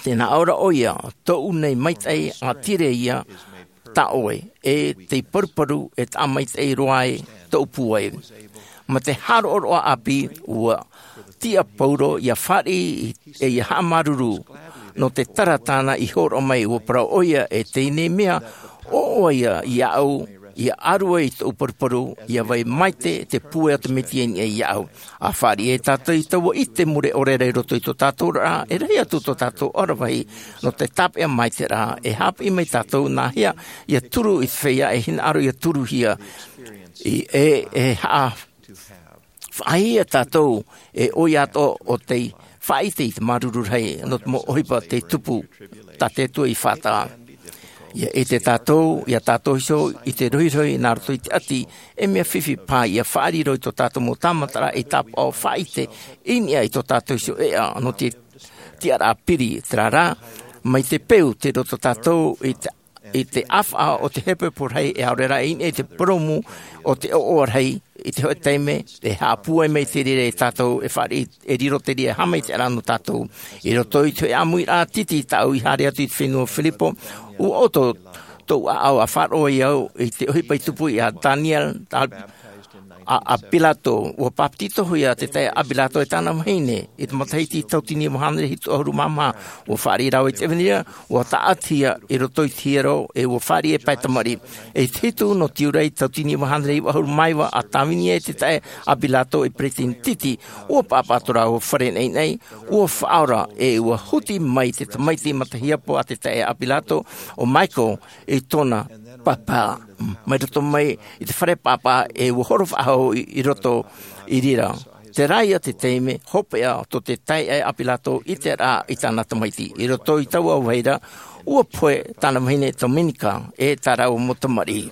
tē nā ʻō ra ʻoia, tōʻu nei maitaʻi ʻātīrā ia tā ʻoe, e tei paruparu e taʻa maitaʻi roa ai tōʻu pūai. Mā te haroʻaroʻa ʻāpī, ua tiʻa Paulo ia fāriʻi e ia haʻamāuruuru nō te tara tāna i hōroʻa mai, ua parau ʻoia, e teie nei mea, ʻoaʻoa ia iāʻu, ia ʻaru ai i tōʻu paruparu, ia vai maite te pūai o te Mesia i niʻa iāʻu. A fāriʻi e tātou i taua ʻite mure ʻore ra i roto i tō tātou oraraʻa, e rahi atu tō tātou ʻaravihi nō te tāpeʻa maitaʻi ra, e haʻapiʻi mai tātou nāhea ia turu i te feiā e hinaʻaro ia turuhia, i, e, e haʻa-, faʻaʻite tātou e ʻoia atoʻa ʻo tei faʻaʻite i te māuruuru rahi nō te mau ʻohipa tei tupu, tā te Atua i faʻataʻa. Ia ʻite tātou, ia tātou iho i te rohirohi nā roto i te ʻati, e mea fifi paha ia faʻariro i tō tātou mau tāmataraʻa e tāpaʻo faʻaʻite i niʻa i tō tātou iho ʻēʻa nō te tiʻaraʻa piri, terā rā, mai te peu tei roto tātou i te, i te ʻāfaʻa o te hepohepo rahi e ʻaore rā i niʻa i te purōmu o te ʻoaʻoa rahi, i te hōʻē taime e haʻapūai mai te reira e tātou e fāriʻi, e riro te reira e haʻamaitaʻiraʻa nō tātou. I roto i te hōʻē ʻāmuiraʻa titi tāʻu i haere atu i te fenua o Filipo, ʻua ʻoto tōʻu ʻāʻau a faʻaroʻo ai au i te ʻohipa i tupu iā Daniel a, a, a Pilato. Ua pāpetito hoʻi ā te taeaʻe Pilato e tāna vahine i te matahiti tautini iva hānere hitu ʻahuru mā maha. Ua fāriʻi rāua i te ʻevanelia, ua tāʻatihia i roto i te hiero, e ua fāriʻi e pae tamariʻi. I te hitu nō Tiurai tautini iva hānere iva ʻahuru mā iva, a tāvini ai te taeaʻe Pilato ei peresideni titi, ua pāpā tō rāua fare naʻinaʻi, ua faʻaora, e ua huti mai te tamaiti matahiapo a te taeaʻe Pilato, ʻo Michael, i tōna pāpā. Mai roto mai i te fare pāpā, e ua horo faʻahou i, i roto i reira. Terā ia te taime hopeʻa tō te taeaʻe Pilato i te ʻiteraʻa i tāna tamaiti. I roto i taua vahine, ua pohe tāna vahine Domenica, e tā rāua mau tamariʻi.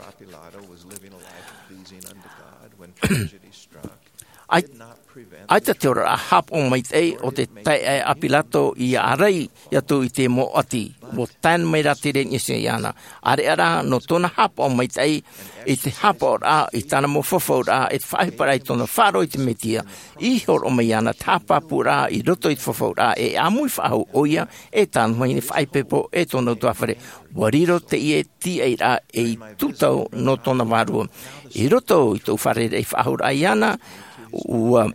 ʻAi-, ʻaita te oraraʻa haʻapaʻo maitaʻi o te taeaʻe Pilato ia ʻārai atu i te mau ʻati. Ua tae mai rā te reira i niʻa iāna. ʻĀreʻa rā nō tōna haʻapaʻo maitaʻi i te haʻapaʻoraʻa i tāna mau fafauraʻa, i te faʻaʻohiparaʻa i tōna faʻaroʻo i te Mesia, i hōroʻa mai iāna te haʻapāpūraʻa i roto i te fafauraʻa, e ʻāmui faʻahou ʻoia, e tāna vahine faʻaipoipo, e tōna ʻutuāfare. Ua riro teie tiaʻiraʻa ei tūtau nō tōna vārua. I roto i tōʻu fārereiraʻa faʻahouraʻa iāna, ua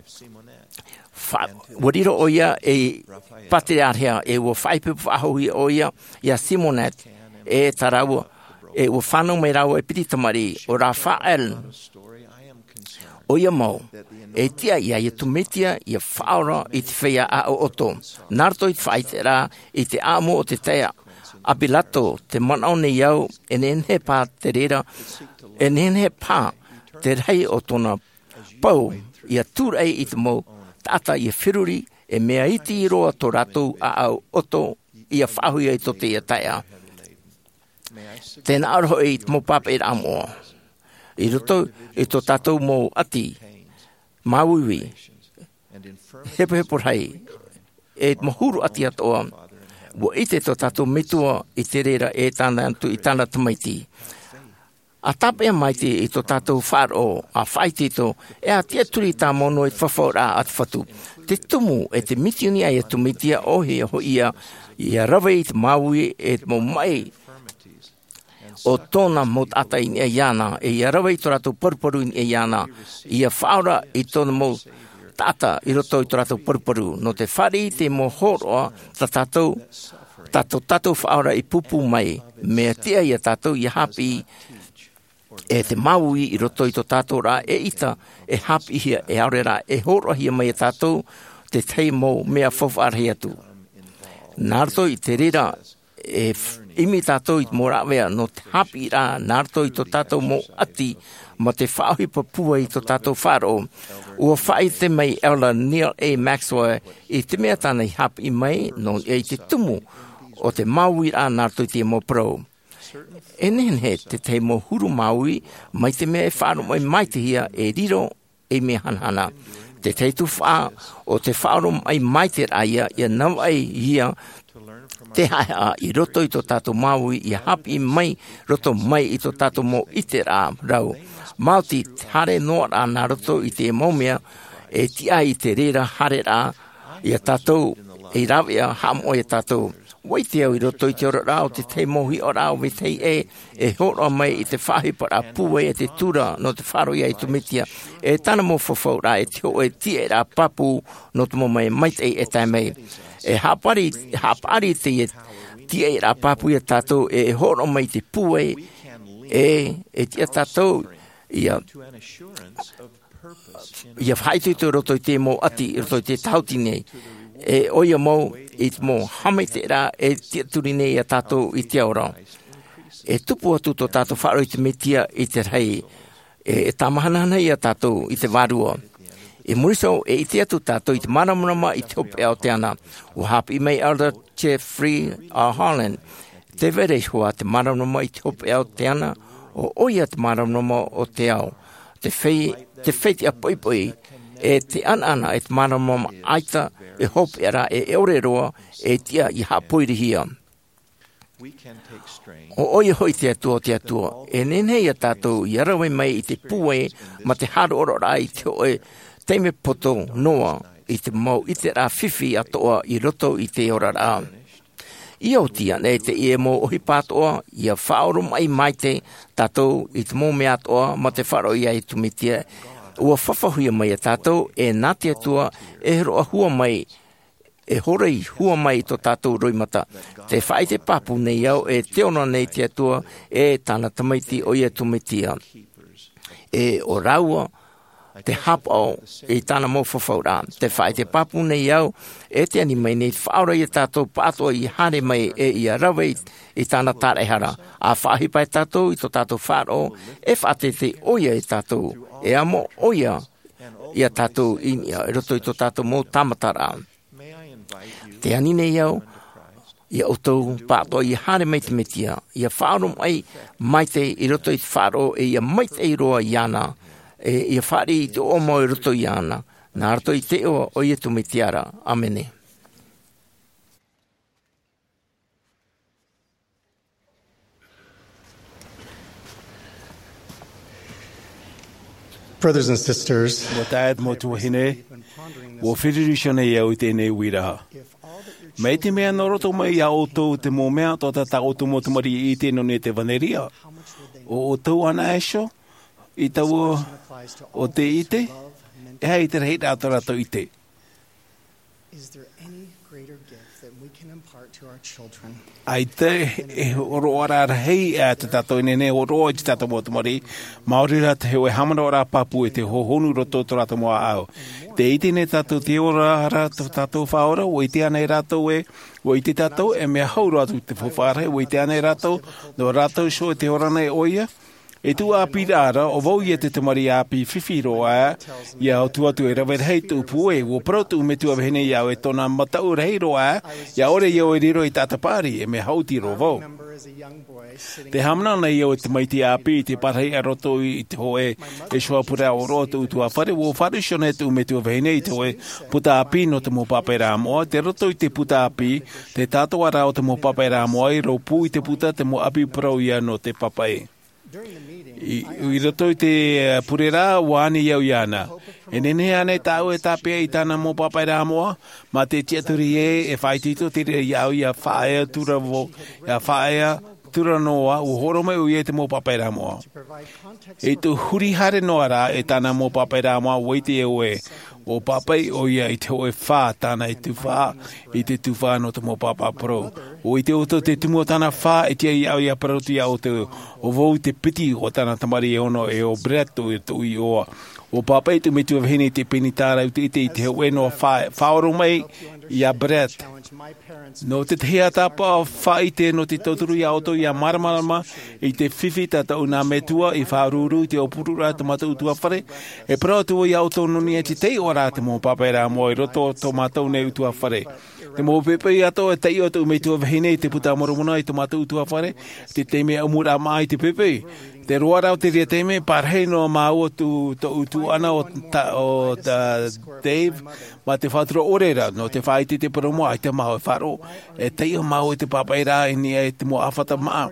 fa-, ua riro ʻoia ei pātereāreha, e ua faʻaipoipo faʻahou ʻoia iā Simonette, e tā rāua, e ua fānau mai rāua e piti tamariʻi, ʻo Raphaël. ʻOia mau, e tiʻa iā Iesu Mesia ia faʻaora i te feiā ʻoʻoto. Nā roto i te faʻaʻiteraʻa i te ʻāʻamu o te taeaʻe Pilato, tē manaʻo nei au, e nehenehe paha te reira, e nehenehe paha te rahi o tōna pau, ia tūraʻi i te mau taʻata ia feruri, e mea iti roa tō rātou ʻāʻau ʻoʻoto, ia faʻahoʻihia i tō teie taeaʻe. Tē nā ʻō ra hoʻi i te mau pāpaʻiraʻa moʻa. I roto i tō tātou mau ʻati māuiui, hepohepo rahi, e te mau huru ʻati atoʻa, ua ʻite tō tātou Metua i te reira e tāna atu i tāna tamaiti. ʻA tāpeʻa maitaʻi i tō tātou faʻaroʻo, ʻa faʻaitoito, e ʻa tiʻaturi tāmau noa i te fafauraʻa a te Fatu. Te tumu e te misioni a Iesu Mesia ʻoia hoʻi ia, ia rave i te māuiui e te mau maʻi o tōna mau taʻata i niʻa iāna, e ia rave i tō rātou paruparu i niʻa iāna, ia faʻaora i tōna mau taʻata i roto i tō rātou paruparu. Nō te fāriʻi i te mau hōroʻa tā tātou, tā tō tātou Faʻaora i pūpū mai, mea tiʻa iā tātou ia haʻapiʻi, e te māuiui i roto i tō tātou ra e ʻita, e haʻapiʻihia, e ʻaore rā e hōroʻahia mai iā tātou te tahi mau mea faufaʻa rahi atu. Nā roto i te reira, e f-, ʻimi tātou i te mau rāveʻa nō te haʻapiʻiraʻa nā roto i tō tātou mau ʻati, mā te faʻaʻohipa pūai i tō tātou faʻaroʻo. Ua faʻaʻite mai Elder Neal A. Maxwell i te mea tāna i haʻapiʻi mai, nō niʻa i te tumu o te māuiuraʻa nā roto i te mau parau. E nehenehe te tahi mau huru māuiui, mai te mea e faʻaroʻo mai maitaʻihia e riro ei mea hanahana. Te tahi tuhaʻa o te faʻaroʻo mai maitaʻi ra ia, ia navaʻi ia te haʻehaʻa i roto i tō tātou māuiui, ia haʻapiʻi mai roto mai i tō tātou mau ʻiteraʻa rau. Maoti te haere noa ra nā roto i te mau mea, e tiʻa i te reira haereraʻa iā tātou, ei rāveʻa haʻamoʻe iā tātou. Ua ʻite au i roto i te oraraʻa o te tahi mau hiʻoraʻa o vetahi ʻē, e hōroʻa mai i te faʻaʻohiparaʻa pūai e te tura nō te faʻaroʻo iā Iesu Mesia, e tāna mau fafauraʻa, e te hōʻē tiaʻiraʻa pāpū nō te mau mea maitaʻi e tae mai. E haʻapaʻari, haʻapaʻari teie tiaʻiraʻa pāpū iā tātou, e hōroʻa mai i te pūai, e, e tiʻa tātou ia ia faʻaitoito i roto i te mau ʻati, i roto i te tautini. E ʻoia mau, i te mau haʻamaitaʻiraʻa e tiʻaturi nei iā tātou i te ao ra. E tupu atu tō tātou faʻaroʻo i te Mesia i te rahi. E, e tāmahanahana iā tātou i te Vārua. I muri iho, e ʻite atu tātou i te māramarama i te hopeʻa o te ana. Ua haʻapiʻi mai Elder Jeffrey R. Holland, Te vai ra iho ā te māramarama i te hopeʻa o te ana, ʻo ʻoia te māramarama o te ao, te fei-, te fetiʻa poʻipoʻi, e te ʻanaʻana e te māramarama ʻaita e hopeʻa ra e ʻore roa, e tiʻa ia haʻapoirihia. ʻO ʻoia hoʻi te Atua o te Atua, e nehenehe ia tātou ia rave mai i te pūai mā te haroʻaroʻaraʻa i te hōʻē taime poto noa i te mau ʻiteraʻa fifi atoʻa i roto i te oraraʻa. ʻIa oti ānei teie mau ʻohipa atoʻa, ʻia faʻaoromaʻi maitaʻi tātou i te mau mea atoʻa mā te faʻaroʻo ia Iesu Mesia, ʻua fafauhia mai ia tātou, e nā te Atua, e hōroʻa hua mai, e hōroi hua mai i tō tātou roimata. Tē faʻaʻite pāpū nei au, e tē ora nei te Atua, e tāna Tamaiti ʻo Iesu Mesia. E ʻo rāua te haʻapaʻo i tāna mau fafauraʻa. Tē faʻaʻite pāpū nei au, e tē ani mai nei te Faʻaora ia tātou pāʻatoʻa ʻia haere mai, e ʻia rave i, i tāna tāraʻehara. ʻA faʻaʻohipa ia tātou i tō tātou faʻaroʻo, e faʻateitei ʻoia ia tātou, e amo ʻoia ia tātou i niʻa, i roto i tō tātou mau tāmataraʻa. Tē ani nei au ia ʻoutou pāʻatoʻa ʻia haere mai te Mesia, ʻia faʻaoromaʻi maitaʻi i roto i te faʻaroʻo, e ʻia maitaʻi roa iāna, e ʻia fāriʻi i te ʻoaʻoa mau i roto iāna. Nā roto i te iʻoa o Iesu Mesia ra. ʻĀmene. Brothers and sisters, Mau taeaʻe, mau tuahine, ʻua fāriu iho nei au i teie nei uiraʻa. Mai te mea nō roto mai iā ʻoutou te mau mea atoʻa tā ʻoutou mau tamariʻi i ʻite nō niʻa i te ʻevanelia, ʻo ʻoutou anaʻe iho i taua o te ʻite, e aha te rahiraʻa o tā rātou ʻite? Is there any greater gift that we can impart to our children? ʻAita e hōroʻaraʻa rahi ā tā tātou e nehenehe e hōroʻa i tā tātou mau tamariʻi, maori rā te hōʻē haʻamanaʻoraʻa pāpū e te hohonu i roto i tō rātou mau ʻāʻau. Tē ʻite nei tātou te ora ra tō tātou Faʻaora, ʻua ʻite ānei rātou ē, ʻua ʻite tātou, e mea hau roa atu te faufaʻa rahi, ʻua ʻite ānei rātou, nō rātou iho e te ora nei ʻoia, e tuatāpaparaʻa, ʻo vau ia te tamariʻi ʻāpī fifi roa, ʻia ʻoto atu e rave rahi tōʻu pūai, ʻua parau tōʻu metua vahine iāʻu e tōna mataʻu rahi roa, ʻia ʻore au e riro i te taʻata paʻari, e mea haʻuti roa vau. Tē haʻamanaʻo nei au e tamaiti ʻāpī i te parahi ʻa roto i te hōʻē, e hōʻē puta ʻōroʻa o tōʻu ʻutuāfare, ʻua fāriu iho nei tōʻu metua vahine i te hōʻē puta ʻāpī nō te mau pāpaʻiraʻa moʻa, tei roto i te puta ʻāpī, te tātōʻaraʻa o te mau pāpaʻiraʻa moʻa, i rōpū i te puta te mau ʻāpī parau ia nō te pāpaʻi. I, i roto i te, eh, pure ra, ʻua ani au iāna. E nehenehe ānei tāʻu e tāpeʻa i tāna mau pāpaʻiraʻa moʻa, mā te tiʻaturi ē, e faʻaitoito te reira iāʻu ʻia faʻaea atu ra vau, ʻia faʻaea atu ra noa, ʻua hōroʻa mai ʻoia i te mau pāpaʻiraʻa moʻa. I te huri haere noa ra e tāna mau pāpaʻiraʻa moʻa, ʻua ʻite au ē, ʻua pāpaʻi ʻoia i te hōʻē fā tāna e tufaʻa, i te tufaʻa nō te mau pāpaʻi parau. ʻUa ʻite ʻoutou te tumu o tāna fā, e tiʻa iāʻu ʻia parau atu iā ʻoutou, ʻo vau te piti o tāna tamariʻi e ono, e ʻo Brett tōʻu iʻoa. ʻUa pāpaʻi tōʻu metua vahine i te peni tāraʻa ʻua ʻite i te hōʻē noa fā, faʻaoromaʻi iā Brett. Nō te tahi ʻātāpaʻo faʻaʻite nō te tauturu iā ʻoutou ʻia māramarama i te fifi tā tōʻu nā metua i faʻaruru i te ʻōpururaʻa tō mātou ʻutuāfare, e parau atu vau iā ʻoutou nō niʻa i te taiʻoraʻa te mau pāpaʻiraʻa moʻa i roto tō mātou nei ʻutuāfare. Te mau poʻipoʻi atoʻa e taiʻo tōʻu metua vahine i te Buka a Moromona i tō mātou ʻutuāfare, te taime ʻamuraʻa māʻa i te poʻipoʻi. Te roaraʻa o te reira taime, pārahi noa māua tō, tōʻu tuaʻana o ta-, o ta-, Dave, mā te faʻatura ʻore ra, nō te faʻaʻite i te parau moʻa, ʻaita māua e faʻaroʻo, e taiʻo māua i te pāpaʻiraʻa i niʻa i te mau ʻāfata māʻa.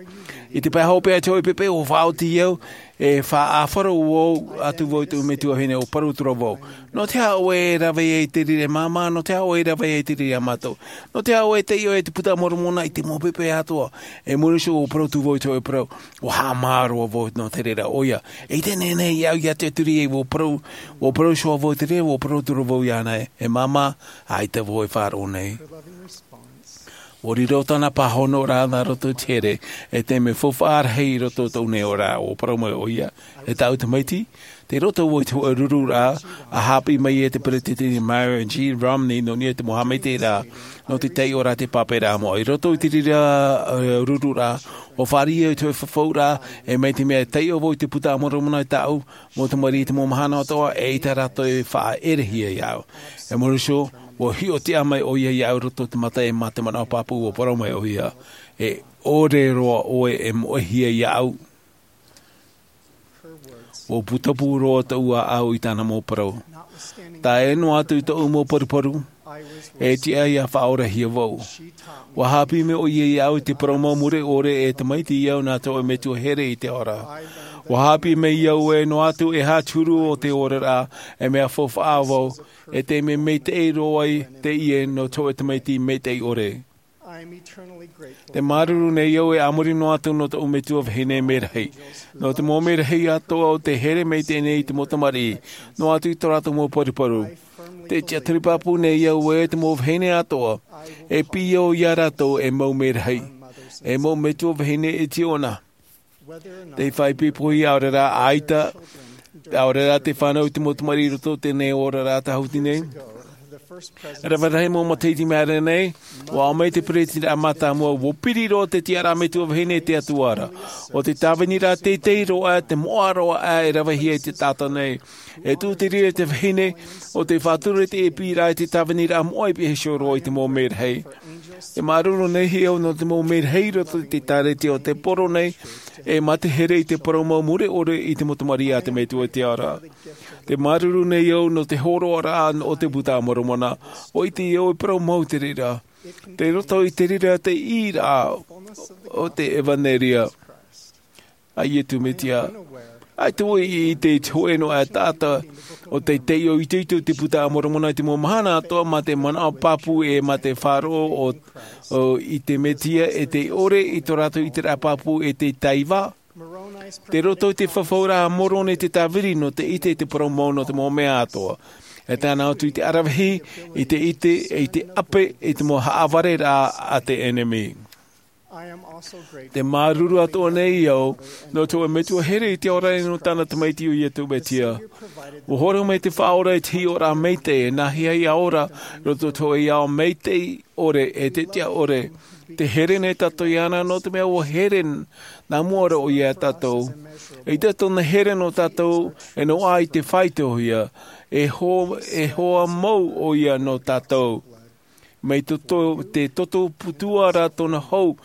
I te pae hopeʻa i te hōʻē poʻipoʻi, ʻua faʻaoti au, e faʻaʻāfaro vau, atu vau i tōʻu metua vahine, ʻua parau atu ra vau. Nō te aha ʻoe e rave ai i te reira, māmā, nō te aha ʻoe e rave ai i te reira iā mātou? Nō te aha ʻoe e taiʻo i te Buka a Moromona i te mau poʻipoʻi atoʻa? E moni iho ʻua parau atu vau i te hōʻē parau, ʻua haʻamā roa vau nō te reira, ʻoia. E ʻite nehenehe iāʻu ʻia tiʻaturi ai, ʻua parau, ʻua parau iho vau i te reira, ʻua parau atu ra vau iāna ē, e māmā, ʻaita vau e faʻaroʻo nei. ʻUa riro tāna pāhonoraʻa nā roto i te here, e te mea faufaʻa rahi i roto i tōʻu nei oraraʻa, ʻua parau mai ʻoia, e tāʻu tamaiti, tei roto vau i te hōʻē rururaʻa, ʻa haʻapiʻi mai e te peretiteni Myron G. Romney nō niʻa i te mau haʻamaitaʻiraʻa, nō te taiʻoraʻa te pāpaʻiraʻa moʻa. I roto i te reira, e, rururaʻa, ʻua fāriʻi au i te hōʻē fafauraʻa, e mai te mea e taiʻo vau i te Buka a Moromona i tāʻu mau tamariʻi i te mau mahana atoʻa, eʻita rātou e faʻaʻerehia iāʻu. E moni iho, Ua hiʻo tiʻa mai ʻoia iāʻu i roto i te mata e mā te manaʻo pāpū, ua parau mai ʻoia, e ʻore roa ʻoe e moʻehia iāʻu. Ua putapū roa tōʻu ʻāʻau i tāna mau parau. Tae noa atu i tōʻu mau paruparu, e tiʻa ia faʻaorahia vau. Ua haʻapiʻi mai ʻoia iāʻu i te parau mau mure ʻore, e tamaiti au nā tōʻu metua here i te ao ra. Ua haʻapiʻi mai au e noa atu e aha te huru o te oraraʻa, e mea faufaʻa vau, e te mea maitaʻi roa ai teie nō tōʻu tamaiti maitaʻi ʻore. Te māuruuru nei au e a muri noa atu nō tōʻu metua vahine merahi, nō te mau merahi atoʻa o te here maitaʻi nei i te mau tamariʻi, noa atu i tō rātou mau paruparu. Te tiʻaturi pāpū nei au e te mau vahine atoʻa, e piʻi au iā rātou e mau merahi, e mau metua vahine e tiʻona. Te faʻaipoipo ia ʻaore rā ʻaita, ʻaore rā te fānau i te mau tamariʻi i roto i teie nei oraraʻa tāhuti nei. Rave rahi mau matahiti mai ra nei, ua ʻō mai te peretiteni mātāmua, ua piri roa te tiʻaraʻa metua vahine i te Atua ra. ʻO te tāviniraʻa teitei roa, te moʻa roa e ravehia i te taʻata nei. E tūtiri te vahine, ʻo te faʻatura te ʻēpīraʻa i te tāviniraʻa moʻa i piha iho roa i te mau merahi. Te māuruuru nei au nō te mau merahi i roto i te ʻēkālesia o te poro nei, e mā te here i te parau mau mure ʻore i te mau tamariʻi a te metua i te ao ra. Te māuruuru nei au nō te hōroaraʻa o te Buka a Moromona, ʻua ʻite au e parau mau te reira. Tei roto i te reira te ʻīraʻa o te ʻevanelia a Iesu Mesia. ʻAita vau i ʻite i te hōʻē noa e taʻata, ʻo tei taiʻo itoito i te Buka a Moromona i te mau mahana atoʻa mā te manaʻo pāpū e mā te faʻaroʻo o, o, i te Mesia e tei ʻore i tō rātou ʻiteraʻa pāpū e tei taiva. Tei roto i te fafauraʻa a Moroni te tāviri nō te ʻite i te parau mau nō te mau mea atoʻa. E tae noa atu i te ʻaravihi, i te ʻite, i te ʻape, i te mau haʻavareraʻa a te ʻenemi. Te māuruuru atoʻa nei au nō tōʻu metua here i te ao ra nō tāna tamaiti ʻo Iesu Mesia. Ua hōroʻa mai te Faʻaora i te hiʻoraʻa maitaʻi, e nā hea ia ora, roto i tōʻu ao maitaʻi ʻore, e te tiʻa ʻore. Te here nei tātou iāna nō te mea ua here nā mua ra ʻoia iā tātou. ʻEita tōna here nō tātou, e noaʻa i te faʻaitoitohia, e hoa, e hoa mau ʻoia nō tātou. Mai tō, tō, te toto putuara tōna hau,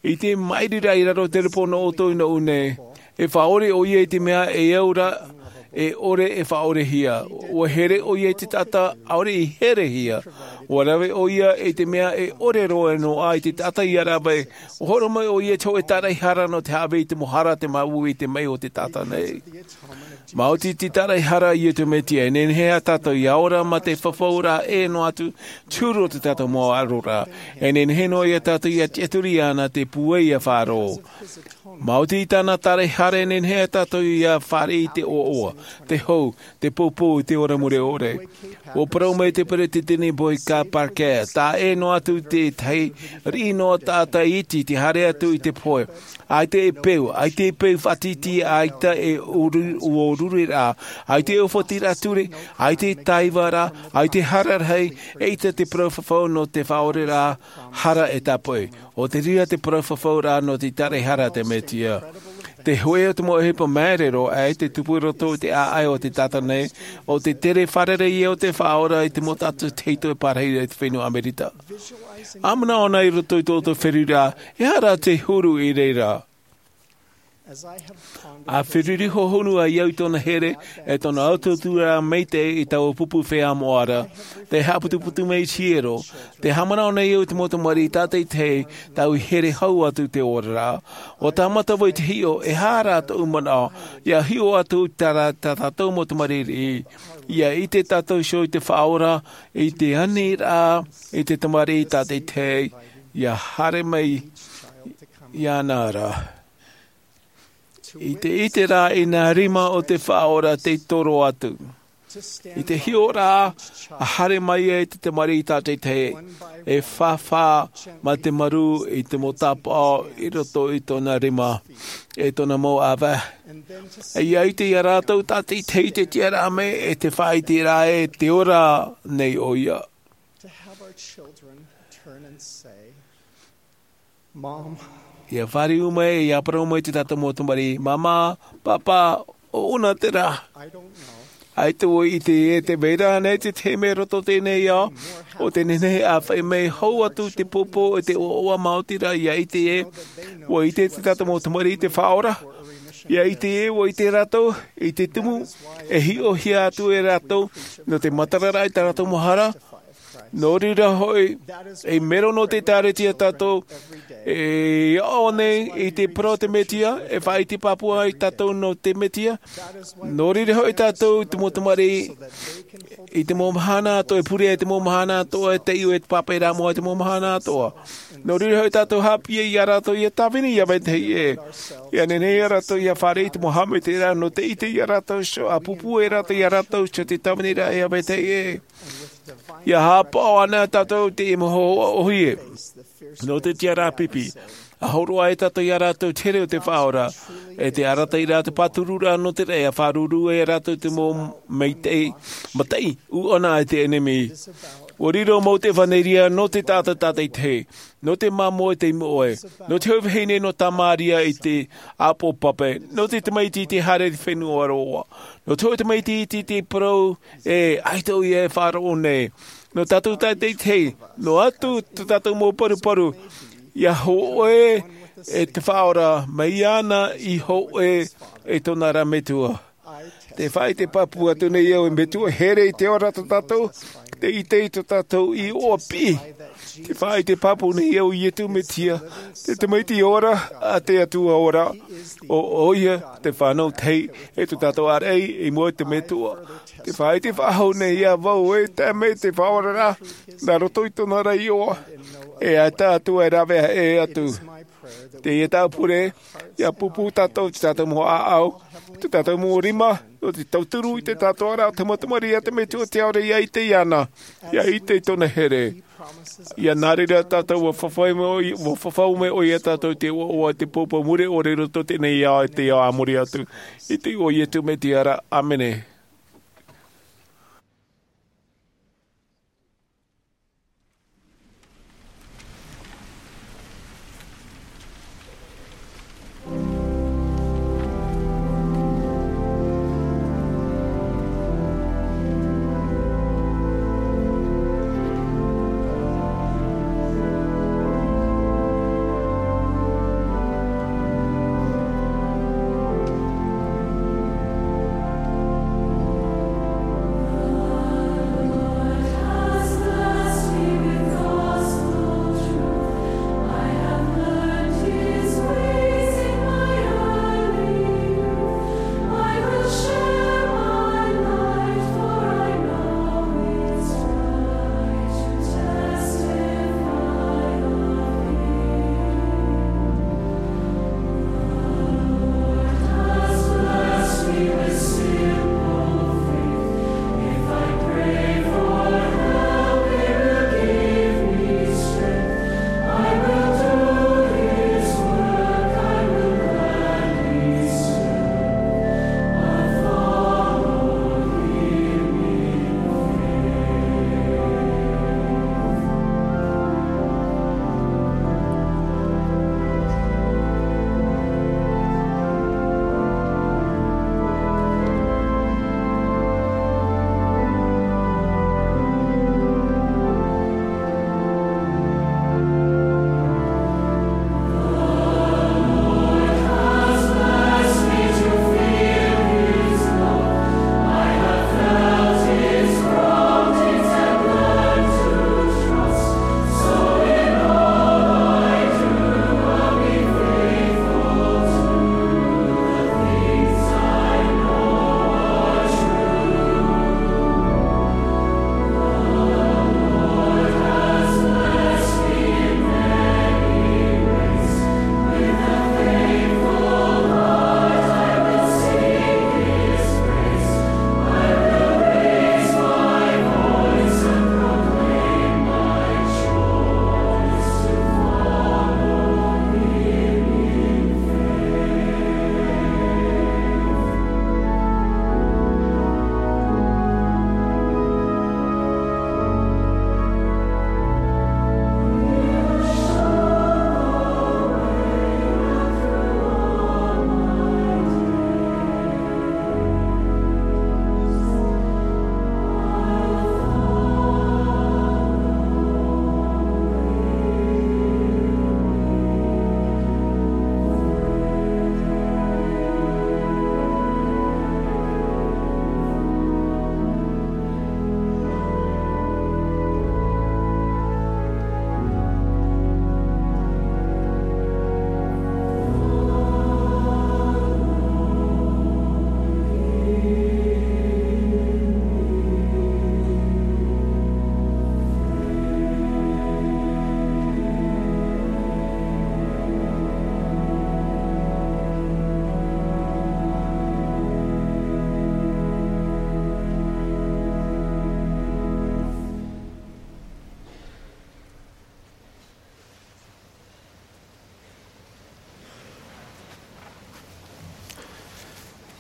i te maʻiriraʻa i raro i te repo nō ʻoutou i nō ʻu nei. E faʻaʻore ʻoia i te mea e au ra, e ʻore e faʻaʻorehia. Ua here ʻoia i te taʻata ʻaore i herehia. Ua rave ʻoia i te mea e ʻore roa noa i te taʻata ia rave. Ua hōroʻa mai ʻoia i te hōʻē tāraʻehara nō te haʻavī i te mau hara, te māuiui i te maʻi o te taʻata nei. Maoti te tāraʻehara a Iesu Mesia, e nehenehe ia tātou ia ora mā te fafauraʻa ʻē noa atu, te huru o tō tātou mau ʻaroraʻa. E nehenehe noa ia tātou ia tiʻaturi iāna te pūai ia faʻaroʻo. Maoti tāna tāraʻehara, e nehenehe ia tātou ia fāriʻi i te ʻoaʻoa, te hau, te poupou i te ora mure ʻore. Ua parau mai te peretiteni Boyd K. Packer, tā ʻē noa atu te tahi riʻi noa taʻata iti i te haere atu i te pohe. ʻAita e peu, ʻaita e peu faʻatītī, ʻaita e ʻōru-, ʻōrureraʻa, ʻaita e ʻōfatiraʻa ture, ʻaita e taivaraʻa, ʻaita e hara rahi, ʻeita te parau fafau nō te faʻaʻoreraʻa hara e tāpoʻi. ʻO te reira te parau fafauraʻa nō te tāraʻehara a te Mesia. Te hōʻē o te mau ʻohipa māuruuru, ʻaita e tupu i roto i te ʻāʻai o te taʻata nei, ʻo te tere fārerei o te Faʻaora i te mau taʻata tahito e pārahi i te fenua ʻAmerika. ʻA manaʻo anaʻe i roto i tō ʻoutou feruriraʻa, ʻeʻere te huru i reira. ʻA feruri hohonu ai au i tōna here, e tōna ʻautuʻuturaʻa maitaʻi i taua pupu feiā moʻa ra, tē haʻaputuputu mai i te hiero, tē haʻamanaʻo nei au i te mau tamariʻi tātaʻitahi, tāʻu i here hau atu i te oraraʻa. ʻUa tāmata vau i te hiʻo, e aha rā tōʻu manaʻo, ʻia hiʻo atu i tā rā-, tā tātou mau tamariʻi, ʻia ʻite tātou iho i te Faʻaora, i te aniraʻa, i te tamariʻi tātaʻitahi, ʻia haere mai iāna ra. I te ʻite rā i nā rima o te Faʻaora tei toro atu. I te hiʻoraʻa, ʻa haere mai ai te tamariʻi tātaʻitahi, e fāfā mā te marū i te mau tāpaʻo i roto i tōna rima, e tōna mau ʻāvae. ʻIa ʻite ia rātou tātaʻitahi te tiʻaraʻa mai e te faʻaʻiteraʻa e te ora nei ʻoia. To have our children turn and say, Mom, ʻIa fāriu mai, ʻia parau mai te tātou mau tamariʻi, Māmā, Pāpā, ʻo ʻoia terā. I don't know. ʻAita ʻoe i ʻite ē, tē vai ra ānei te tahi mea i roto i teie nei ao, ʻo tē nehenehe ʻā faʻi mai hou atu te pōpō e te ʻoaʻoa maoti ra, ʻia ʻite ē, ʻua ʻite te tātou mau tamariʻi i te Faʻaora, ʻia ʻite ē, ʻua ʻite rātou, i te tumu, e hiʻohia atu e rātou, nō te matara raʻa i tā rātou mau hara, nō reira hoʻi, e mero nō te ʻĒkālesia tātou, e aʻo nei i te parau o te Mesia, e faʻaʻite pāpū ai tātou nō te Mesia, nō reira hoʻi tātou i te mau tamariʻi, i te mau mahana atoʻa, e pure ai te mau mahana atoʻa, e taiʻo e te pāpaʻi rā mua i te mau mahana atoʻa. Nō reira hoʻi tātou haʻapiʻi ia rātou ʻia tāvini ʻia vetahi ʻē. ʻIa nehenehe ia rātou ʻia fāriʻi i te mau haʻamaitaʻiraʻa nō te ʻite ia rātou iho, ʻa pūpū e rātou ia rātou iho te tāvini ra ʻia vetahi ʻē. ʻIa haʻapaʻo anaʻe tātou i te mau hōhoʻa ʻōhie nō te tiʻaraʻa pipi. ʻA hōroʻa ai tātou ia rātou i te here o te Faʻaora, e te arataʻiraʻa, te pātururaʻa nō te raʻi, ʻa fāruru ai rātou i te mau maitaʻi, mataʻi ʻūʻana a te ʻenemi. ʻUa riro mau te ʻevanelia nō te taʻata tātaʻitahi, nō te māmā e te iʻoa, nō te hau vahine nō Tamaria i te ʻāpoʻo pape, nō te tamaiti i te haere i te fenua roa, nō te hau tamaiti i te, te parau ē, ʻaita ʻoia e faʻaroʻo nei. Nō tātou tātaʻitahi, noa atu tō tātou mau paruparu, ʻia hōʻē e te Faʻaora, mai iāna i hōʻē e tōna ra Metua. Te faʻaʻite pāpū atu nei au, e Metua here i te ora tā tātou, te ʻite i tō tātou iʻoa piʻi. Te faʻaʻite pāpū nei au, Iesu Mesia, te tamaiti ora a te Atua ora, ʻo ʻoia te fānau tahi e tō tātou āraʻi i mua i te Metua. Te faʻaʻite faʻahou nei au, e tae mai te Faʻaora ra, nā roto i tōna ra iʻoa, e ʻaita atu e rāveʻa ʻē atu. Teie tāʻu pure, ʻia pūpū tātou i tō tātou mau ʻāʻau, tō tātou mau rima, nō te tauturu i te taʻatoʻaraʻa o te mau tamariʻi a te Metua Tiaʻi ora, ʻia ʻite iāna, ʻia ʻite i tōna here. ʻIa nā reira tātou ʻua fafau mai ʻoia, ʻua fafau mai ʻoia ia tātou i te ʻoaʻoa, i te pōpō mure ʻore i roto i teie nei ao, i te ao a muri atu. I te iʻoa o Iesu Mesia ra, ʻāmene.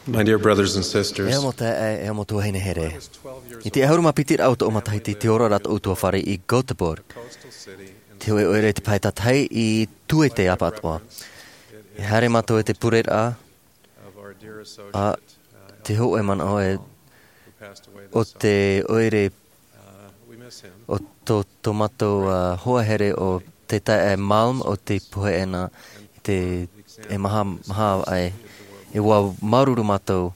My dear brothers and sisters, E amo taeaʻe, e amo tuahine here. I te ʻahuru mā piti raʻa o tōʻu matahiti, tei ora ra tōʻu tuafare i Göteborg. Te hōʻē ʻoire te pae tātahi i Tuete ʻapatoʻa. E haere mātou i te pureraʻa, a te hōʻē manaʻo e o te ʻoire o tō, tō mātou, ā, hoa here o te taeaʻe Malm o te pohe ʻana i te, e maha, maha ai. E ua māuruuru mātou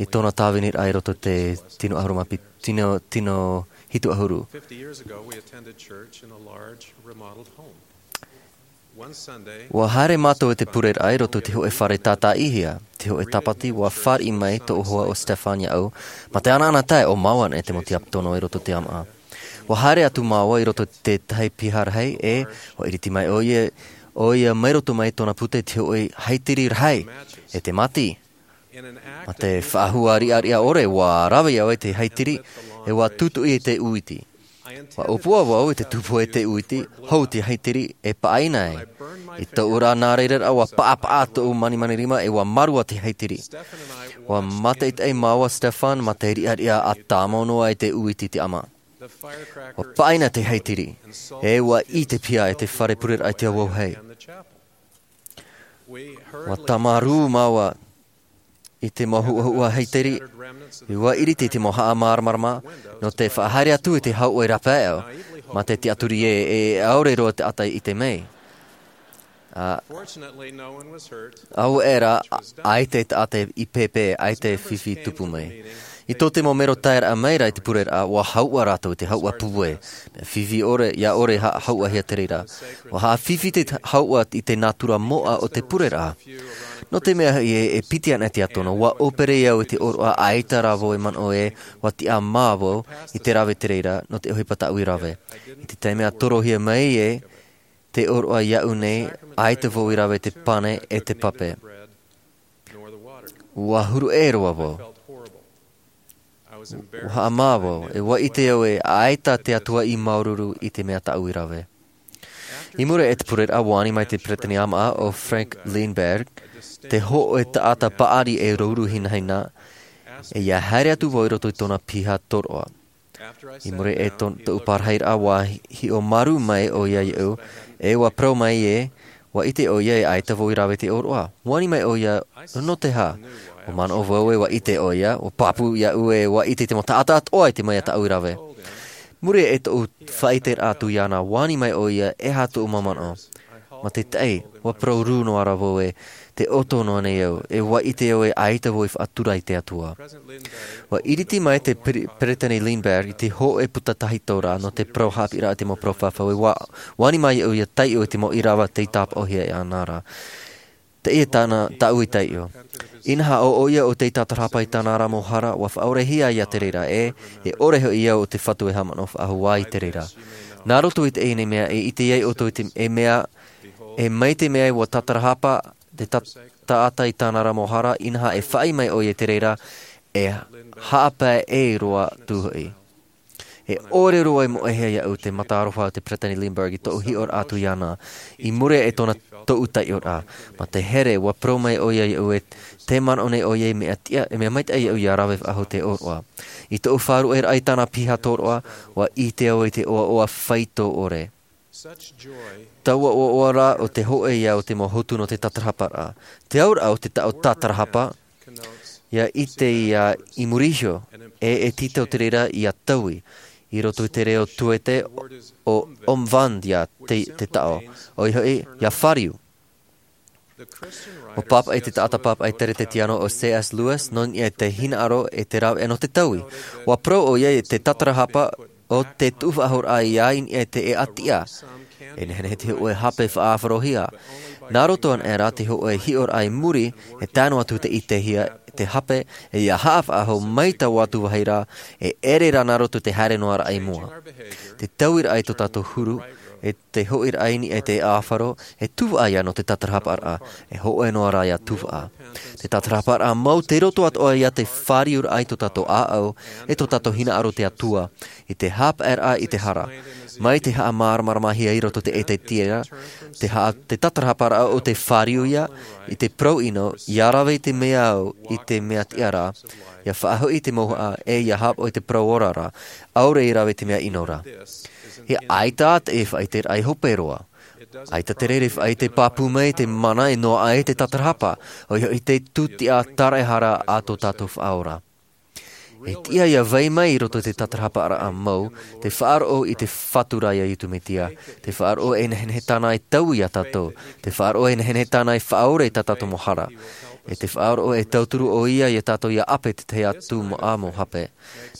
i tōna tāviniraʻa i roto i te tino ʻahuru mā piti, tino, tino hitu ʻahuru. Fifty years ago, we attended church in a large, remodeled home. One Sunday, Ua haere mātou i te pureraʻa i roto i te hōʻē fare tātaʻihia, te hōʻē tāpati, ua fāriʻi mai tōʻu hoa ʻo Stefan iāʻu, mā te anaana tae ʻo māua nei te mau tiapono i roto i te ʻāmaʻa. Ua haere atu māua i roto i te tahi piha rahi, e ua ʻiriti mai ʻoia, ʻoia mai roto mai tōna pute te hōʻē haitiri rahi, e te māti. Mā te faʻahou riʻariʻa ʻore, ua rave au i te haitiri, e ua tūtuʻi i te uiti. Ua ʻōpua vau i te tupu e te uiti, hou te haitiri, e paʻina ai. I tōʻu ra nā reira ra, ua paʻapaʻa tōʻu manimani rima, e ua mārua te haitiri. Ua mātaʻitaʻi māua Stefan, mā te riʻariʻa ʻa tāmau noa i te uiti i te ʻāmaʻa. Ua paʻina te haitiri, e ua ʻī te piha e te fare pureraʻa i te auahi. Ua tāmarū māua i te mau huʻahuʻa haitiri, ua ʻiriti i te mau haʻamāramarama, nō te faʻahaere atu i te hauʻa rāpae, mā te tiʻaturi ē, e ʻaore roa te taʻata i ʻite mai. Ā, Fortunately, no one was hurt. Auē rā, ʻaita te taʻata i pēpē, ʻaita te fifi tupu mai. I tō te mau mero taeraʻa mai ra i te pureraʻa, ua hauʻa rātou i te hauʻa pupu. Mea fifi ʻore, ʻia ʻore ha-, hauʻahia te reira. Ua haʻafifi te hauʻa i te nātura moʻa o te pureraʻa. Nō te mea hoʻi ē, e piti ana te atono, ua ʻōpere au i te ʻōroʻa ʻaita rā vau e manaʻo ē, ua tiʻamā vau i te rave te reira, nō te ʻohipa tāʻui rave. I te taime a torohia mai ē, te ʻōroʻa iāʻu nei, ʻaita vau i rave te pane e te pape. Ua huru ʻē roa vau. Ua haʻamā vau, e ua ʻite au ē, ʻaita te Atua i māuruuru i te mea tāʻu i rave. I muri i te pureraʻa, ua ani mai te peresideni ʻāmaʻa ʻo Frank Lindberg, te hōʻē taʻata paʻari e ruru hinahina, e ʻia haere atu vau i roto i tōna piha tōroʻa. I muri i tō-, tōʻu parahiraʻa, ua hi-, hiʻo marū mai ʻoia iāʻu, e ua parau mai ē, ua ʻite ʻoia ē ʻaita vau i rave te ʻōroʻa. Ua ani mai ʻoia, nō te aha? Ua manaʻo vau ē ua ʻite ʻoia, ua pāpū iāʻu ē ua ʻite te mau taʻata atoʻa i te mea tāʻu i rave. Muri i tōʻu faʻaʻiteraʻa atu iāna, ua ani mai ʻoia, e aha tōʻu mau manaʻo? Mā te taʻi, ua parau rū noa ra vau ē, tē ʻoto noa nei au, e ua ʻite au ē ʻaita vau i faʻatura i te Atua. Ua ʻiriti mai te Pere-, Peresideni Lindberg i te hōʻē puta tahito ra nō te parau haʻapiʻiraʻa i te mau parau fafau, e ua, ua ani mai iāʻu ʻia taiʻo i te mau ʻīrava tei tāpaʻohia iāna ra. Teie tāna, tāʻu i taiʻo. Inaha ʻo ʻoia ʻo tei tātarahapa i tāna ra mau hara, ua faʻaorehia ia te reira ē, e ʻore hoʻi au ʻo te Fatu e haʻamanaʻo faʻahou i te reira. Nā roto i teie nei mea, e ʻite ai ʻoutou i te, e mea, e mai te mea ua tātarahapa te ta-, taʻata i tāna ra mau hara, inaha e faʻaʻī mai ʻoia i te reira, e haʻapae ʻē roa atu hoʻi. E ʻore roa i moʻehia iāʻu te mata aroha o te Peresideni Lindberg i tōʻu hiʻoraʻa atu iāna, i muri i tōna, tōʻu taiʻoraʻa. Mā te here, ua parau mai ʻoia iāʻu ē, tē manaʻo nei ʻoia i mea tiʻa, e mea maitaʻi iāʻu ʻia rave faʻahou te ʻōroʻa. I tōʻu faʻaruʻeraʻa i tāna piha tōroʻa, ua ʻite au i te ʻoaʻoa faito ʻore. Taua ʻoaʻoa ra ʻo te hōʻē ia o te mau hotu nō te tātarahaparaʻa. Te auraʻa o te taʻo tātarahapa, ʻia ʻite ia i muri iho, e, e tītau te reira ʻia taui, i roto i te reo Tuete ʻo omvandja te, te taʻo, ʻoia hoʻi, ʻia fāriu. ʻUa pāpaʻi te taʻata pāpaʻi Teretetiano ʻo C S Lewis, nō niʻa i te hinaʻaro e te rāveʻa nō te taui. ʻUa parau ʻoia i te tātarahapa ʻo te tuʻu faʻahou raʻa i niʻa i te ʻēʻa tiʻa. E nehenehe te hōʻē hape faʻaʻāfarohia. Nā roto anaʻe rā te hōʻē hiʻoraʻa i muri, e tae noa atu te ʻitehia te hape, e ʻia haʻafaʻahou mai taua atu vāhi ra, e ʻere rā nā roto te haere noa raʻa i mua. Te tauiraʻa i tō tātou huru, e te hoʻiraʻa i niʻa i te ʻāfaro, e tuvaʻa ia nō te tātarahaparaʻa, e hōʻē noa rā ia tuvaʻa. Te tātarahaparaʻa mau tei roto atoʻa ia te fāriuraʻa i tō tātou ʻāʻau, e tō tātou hinaʻaro i te Atua, i te haʻapaʻeraʻa i te hara. Mai te haʻamāramaramahia i roto i te ʻētētiera, te ha-, te tatarahaparaʻa o te fāriu ia i te parau ʻino, ia rave i te mea au i te mea tiʻa ra, ia faʻahoʻi i te mouhaʻa, e ia hāpaʻo i te parau ora ra, ʻaore i rave i te mea ʻino ra. E ʻaita te faʻaiteraʻa i hope roa. ʻAita te reira e faʻaite pāpū mai te mana e noaʻa ai te tatarahapa, ʻoia hoʻi te tūtiʻa taraehara a tō tātou Faʻaora. E tiʻa ia vai mai i roto i te tatarahaparaʻa mau, te faʻaroʻo i te Fatu ra ia Iesu Mesia, te faʻaroʻo e nehenehe tāna e taui ia tātou, te faʻaroʻo e nehenehe tāna e faʻaora i tā tātou mau hara, e te faʻaroʻo e tauturu ʻoia ia tātou ia ʻape i te tahi atu mau, ā, mau hape.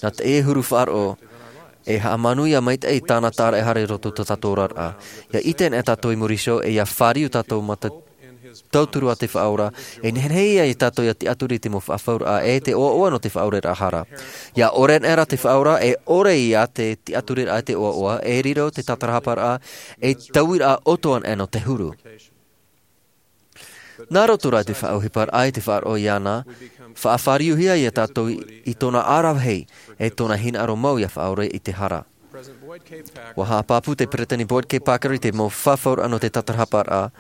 Nā te huru faʻaroʻo, e haʻamanuia maitaʻi tāna taraehara i roto i tō tātou oraraʻa. Ia ʻite anaʻe tātou i muri iho, e ia fāriu tātou mā te tauturu a te Faʻaora, e nehenehe ia tātou ia tiʻaturi i te mau faʻafauraʻa e te ʻoaʻoa nō te faʻaoraraʻa hara. Ia ʻore anaʻe ra te Faʻaora, e ʻore ia te tiʻaturiraʻa i te ʻoaʻoa, e riro te tatarahaparaʻa, e tauiraʻa ʻoto anaʻe nō te huru. Nā roto rā i te faʻaʻohiparaʻa i te faʻaroʻo iāna, faʻafāriuhia ia tātou i tōna ʻaravihi, e tōna hinaʻaro mau ia faʻaora i te hara. ʻUa haʻapāpū te Peresideni Boyd K. Packer i te mau faʻafauraʻa nō te tatarahaparaʻa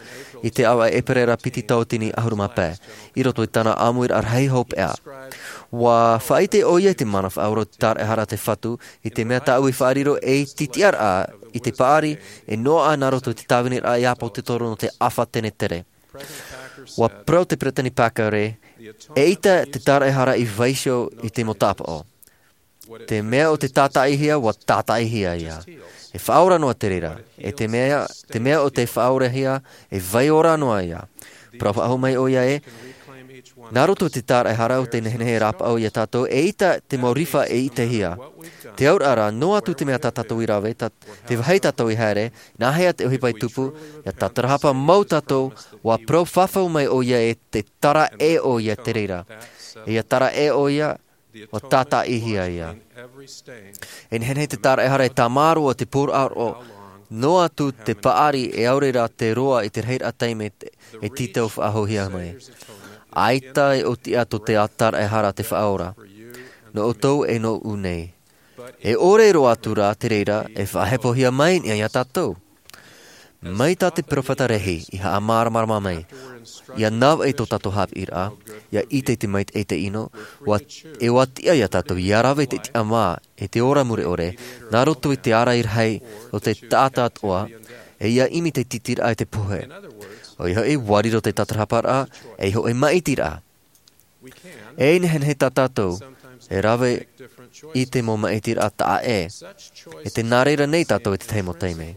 i te ʻāvaʻe ʻEperēra piti tauatini ʻahuru mā pae, i roto i tāna ʻāmuiraʻa rahi hopeʻa. ʻUa faʻaʻite ʻoia i te mana faʻaora o te taraehara a te Fatu, i te mea tāʻu i faʻariro ei tītiʻaraʻa i te paʻari, e noaʻa nā roto i te tāviniraʻa i ʻāpōsetolo nō te ʻāfa tenetere. ʻUa parau te Peresideni Packer ē, eʻita te taraehara i vaiiho i te mau tāpaʻo. Te mea o te tātaʻihia, ʻua tātaʻihia ia. E faʻaora noa te reira. E te mea, te mea o te faʻaorahia, e vai ora noa ia. Parau faʻahou mai ʻoia ē, nā roto i te taraehara o te nehenehe e rāpaʻo ia tātou, eʻita te mau rifa e ʻitehia. Te auraʻa rā, noa atu te mea tā tātou i rave, tā, te vāhi tātou i haere, nāhea te ʻohipa i tupu, ia tatarahapa mau tātou, ʻua parau faʻahou mai ʻoia ē, te tara ʻē ʻoia te reira. E ia tara ʻē ʻoia, ʻua tātaʻihia ia. E nehenehe te taraehara e tāmāroa te pūraʻaraʻa, noa atu te paʻari e ʻaore rā te roa i te rahiraʻa taime e tītau faʻahouhia mai. ʻAita e ʻōtiʻa tō te taraehara a te Faʻaora. Nō ʻoutou e nō ʻu nei. E ʻore roa atu rā te reira e faʻahepohia mai nei ia tātou. Mai tā te peropheta Lehi i haʻamāramarama mai, ia navaʻi tō tātou haʻapiʻiraʻa, ia ʻite i te maitaʻi i te ʻino, ʻua, e ʻua tiʻa ia tātou ia rave i te tiʻamā, e te ora mure ʻore, nā roto i te ārai rahi o te taʻata atoʻa, e ia ʻimi te tītīraʻa i te pohe. ʻOia hoʻi, ʻua riro te tatarahaparaʻa, e hoʻi maʻitiraʻa. E nehenehe tā tātou e rave i te mau maʻitiraʻa taʻa ʻē, e tē nā reira nei tātou i te tahi mau taime.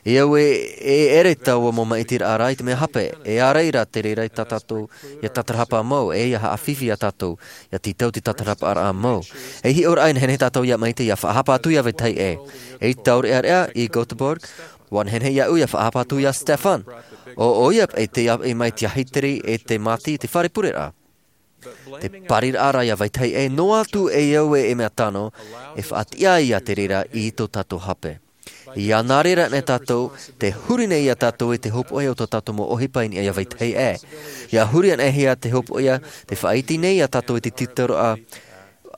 E au ē, e ʻere taua mau maʻitiraʻa rā i te mea hape, e ārai rā te reira i tā tātou ia tatarahapa mau, e ia haʻafifi ia tātou, ia tītau te tatarahaparaʻa mau. E hiʻoraʻa e nehenehe tātou ia maite ia faʻahapa atu ia vetahi ʻē. E taureʻareʻa i Göteborg, ʻua nehenehe iāʻu ia faʻahapa atu ia Stefan. ʻO, ʻoia paʻi tei ʻāvaʻe mai te hiteri e te māti i te fare pureraʻa. Te pariraʻa rā ia vetahi ʻē, noa atu e au ē e mea tano, e faʻatiʻa ia te reira i tō tātou hape. Ia nā reira anaʻe tātou, tē huri nei ia tātou i te hopoiʻa o tō tātou mau ʻohipa i niʻa ia vetahi ʻē. Ia huri anaʻe hia te hopoiʻa, tē faʻaiti nei ia tātou i te tītauraʻa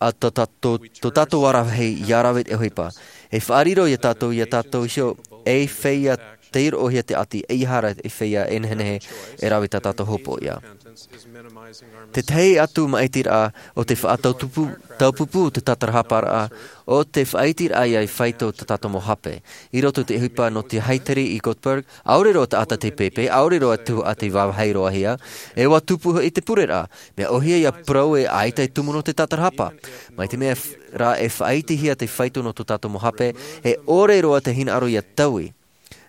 a tō, tō, tō, tō tātou āravihi ia rave i te ʻohipa. E faʻariro ia tātou, ia tātou iho, ei feiā tei roʻohia te ʻati, ʻeiaha rā ei feiā e nehenehe e rave i tā tātou hopoiʻa. Te tahi atu maʻitiraʻa o te faʻataupupū, taupupū te tatarahaparaʻa, ʻo te faʻaitiraʻa ia i faito tā tātou mau hape. I roto i te ʻohipa nō te hiteri i Göteborg, ʻaore roa taʻata tei pēpē, ʻaore roa tuhaʻa tei vāvāhi roa hia, e ʻua tupu hoʻi te pureraʻa, mea ʻōhie ia parau ē ʻaita e tumu noa te tatarahapa. Mai te mea f-, rā e faʻaitihia te faito nō tō tātou mau hape, e ʻore roa te hinaʻaro ia taui.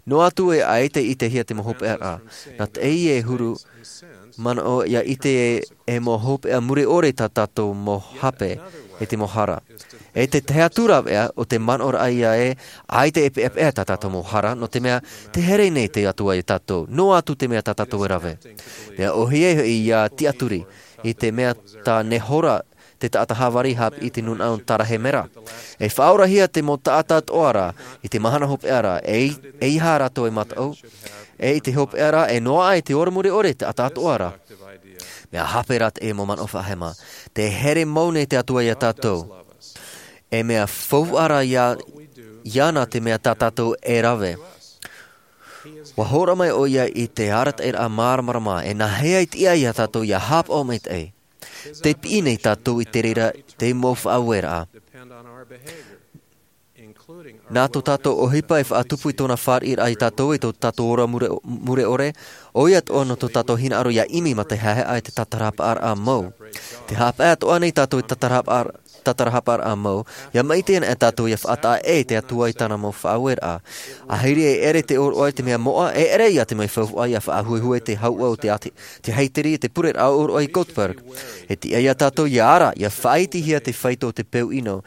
Noa atu ē ʻaita e ʻitehia te mau hopeʻaraʻa. Nā teie e huru manaʻo ia ʻite ē, e mau hopeʻa mure ʻore tā tātou mau hape, e te mau hara. E te tahi atu rāveʻa o te manaʻoraʻa ia ē, ʻaita e peʻapeʻa tā tātou mau hara, nō te mea, tē here nei te Atua ia tātou, noa atu te mea tā tātou e rave. Mea ʻōhie hoʻi ia tiʻaturi, i te mea tā Nehora te taʻata Hāvari haʻapiʻi i te nūnaʻa o Tarahemera. E faʻaorahia te mau taʻata atoʻa ra, i te mahana hopeʻa ra, e, ʻeiaha rātou e mataʻu, e i te hopeʻa ra, e noaʻa i te ora mure ʻore te taʻata atoʻa ra. Mea hape rā te mau manaʻo faʻahema. Tē here mau nei te Atua ia tātou. E mea faufaʻa rā iā, iāna te mea tā tātou e rave. Ua hōroʻa mai ʻoia i te arataʻiraʻa māramarama, e nāhea i tiʻa iā tātou ia haʻapaʻo maitaʻi. Tē piʻi nei tātou i te reira te mau faʻaueraʻa. Nā tō tātou ʻohipa e faʻatupu i tōna fāriʻiraʻa iā tātou i tō tātou ora mure, mure ʻore, ʻoia atoʻa nō tō tātou hinaʻaro ia ʻimi mā te haʻehaʻa i te tātarahaparaʻa mau. Tē haʻapaʻo atoʻa nei tātou i te tātarahapa, tātarahaparaʻa mau, ia maʻiti ana e tātou ia faʻataʻa ʻē i te Atua i tāna mau faʻaueraʻa. Ahiri e ʻere te ʻōroʻa i te mea moʻa, e ʻere ia te mea faufaʻa ia faʻahuehue te hauʻa o te ati, te haiteri, te pureraʻa ʻōroʻa i Göteborg. E tiʻa iā tātou ia ara, ia faʻaitihia te faito o te peu ʻino.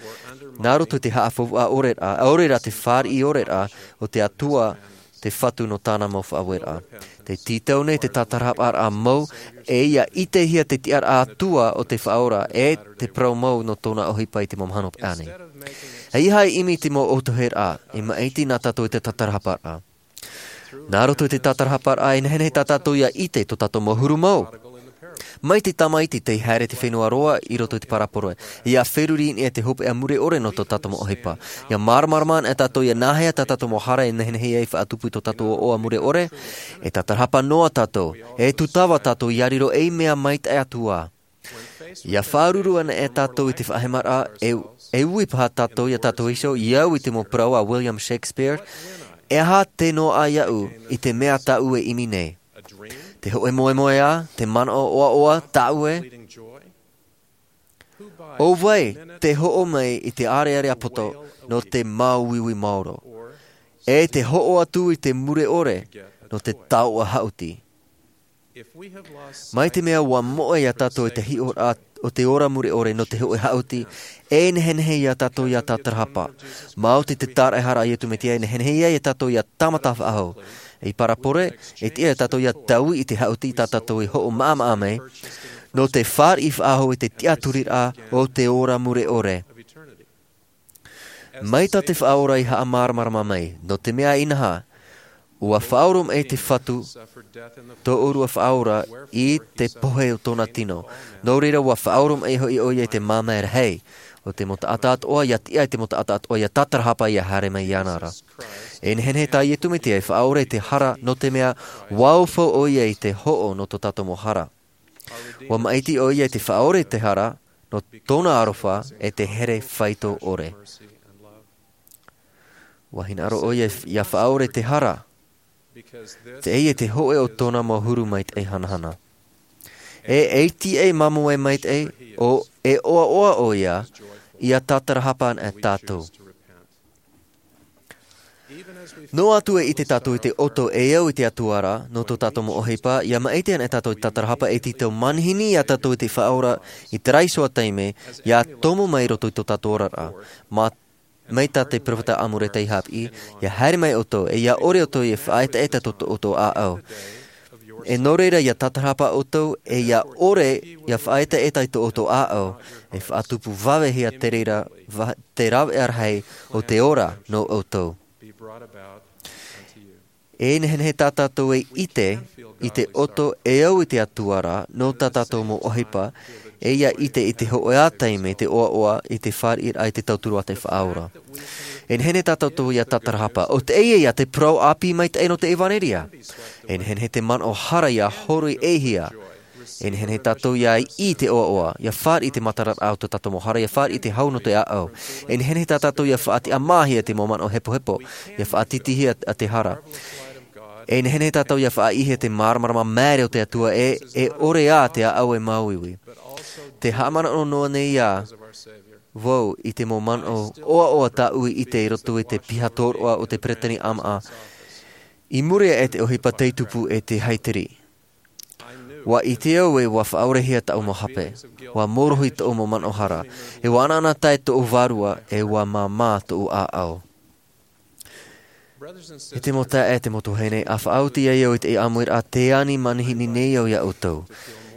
Nā roto i te haʻafaufaʻa ʻore rā, ʻaore rā te fāriʻi ʻore rā o te Atua, te Fatu nō tāna mau faʻaueraʻa. Tē tītau nei te tātarahaparaʻa mau, e ia ʻitehia te tiʻaraʻa Atua o te Faʻaora, e te parau mau nō tōna ʻohipa i te mau mahana paʻari nei. ʻEiaha e ʻimi i te mau ʻōtoheraʻa, e maʻiti nā tātou i te tātarahaparaʻa. Nā roto i te tātarahaparaʻa, e nehenehe tā tātou ia ʻite tō tātou mau huru mau. Mai te tamaiti tei haere i te fenua roa i roto i te parapore, ia feruri i niʻa i te hopeʻa mure ʻore nō tō tātou mau ʻohipa. Ia māramarama ana e tātou ia nāhea tā tātou mau hara e nehenehe ai e faʻatupu i tō tātou ʻoaʻoa mure ʻore, e tātarahapa noa tātou, e tūtava tātou ia riro ei mea maitaʻi atu ā. Ia faʻaruru ana e tātou i te faʻahemaraʻa, e, e ui paha tātou iā tātou iho, ia au i te mau parau a William Shakespeare, e aha te noaʻa iāʻu i te mea tāʻu e ʻimi nei? Te hōʻē moemoeā, te manaʻo ʻoaʻoa tāʻu ē? ʻO vai te hoʻo mai i te ʻārearea poto nō te māuiui maoro, e te hoʻo atu i te mure ʻore nō te taoʻa haʻuti? Mai te mea ua moʻe iā tātou i te hiʻoraʻa o te ora mure ʻore nō te hōʻē haʻuti, e nehenehe iā tātou ia tātarahapa. Maoti te tāraʻehara a Iesu Mesia, e nehenehe ai iā tātou ia tāmata faʻahou. I parapore, e tiʻa iā tātou ia taui i te haʻuti tā tātou i hoʻo maʻamaʻa mai, nō te fāriʻi faʻahou i te tiʻaturiraʻa o te ora mure ʻore. Mai tā te Faʻaora i haʻamāramarama mai, nō te mea inaha, ua faʻaoromaʻi te Fatu, tō ʻōrua Faʻaora, i te pohe o tōna tino. Nō reira, ua faʻaoromaʻi hoʻi ʻoia i te māmā e rahi, ʻo te mau taʻata atoʻa, ia tiʻa i te mau taʻata atoʻa, ia tātarahapa ia haere mai iāna ra. E nehenehe tā Iesu Mesia e faʻaora i te hara, nō te mea, ua aufau ʻoia i te hoʻo nō tō tātou mau hara. Ua maʻiti ʻoia i te faʻaora i te hara, nō tōna aroha e te here faito ʻore. Ua hinaʻaro ʻoia ia faʻaora i te hara, teie te hōʻē o tōna mau huru maitaʻi hanahana. E, e tiʻa e māmoe maitaʻi, ʻo, e ʻoaʻoa ʻoia, ia tātarahapa ana e tātou. Noa atu e ʻite tātou i te ʻoto e au i te Atua ra, nō tō tātou mau ʻohipa, ia maʻiti ana e tātou i te tātarahapa e tītau manihini iā tātou i te Faʻaora, i terā iho ā taime, ia tomo mai i roto i tō tātou oraraʻa. Mā, mai tā te peropheta Amuleka i haʻapiʻi, ia haere mai ʻoutou, e ia ʻore ʻoutou ia faʻaetaeta tō, tō ʻoutou ʻāʻau. E nō reira ia tātarahapa ʻoutou, e ia ʻore ia faʻaetaeta i tō ʻoutou ʻāʻau, e faʻatupu vavehia te reira, va-, te rāveʻa rahi o te ora nō ʻoutou. E nehenehe tā tātou e ʻite i te ʻoto e au i te Atua ra, nō tā tātou mau ʻohipa, e ia ʻite i te hōʻē ā taime te ʻoaʻoa i te fāriʻiraʻa i te tauturu a te Faʻaora. E nehenehe tā tātou ia tātarahapa, ʻo teie ia te parau ʻāpī maitaʻi nō te ʻevanelia. E nehenehe te manaʻo hara ia horoʻihia. E nehenehe tātou ia ʻī i te ʻoaʻoa, ia fāriʻi i te matararaʻa o tō tātou mau hara, ia fāriʻi i te hau nō te ʻāʻau. E nehenehe tā tātou ia faʻatiʻamāhia i te mau manaʻo hepohepo, ia faʻatītīhia te hara. E nehenehe tātou ia faʻaʻīhia te māramarama maere o te Atua e, e ʻore ā te ʻāʻau e māuiui. Tē haʻamanaʻo noa nei ā vau i te mau manaʻo ʻoaʻoa tāʻu i ʻite i roto i te piha tōroʻa o te Peretānia Āmaʻa, i muri aʻe i te ʻohipa tei tupu e te haiteri. Ua ʻite au ē ua faʻaorehia tāʻu mau hape, ua mōrohi tōʻu mau manaʻo hara, e ua ʻanaʻanatae tōʻu vārua, e ua māmā tōʻu ʻāʻau. E te mau taeaʻe, e te mau tuahine, ʻa faʻaoti ai au i te ʻāmuiraʻa tē ani manihini nei au iā ʻoutou.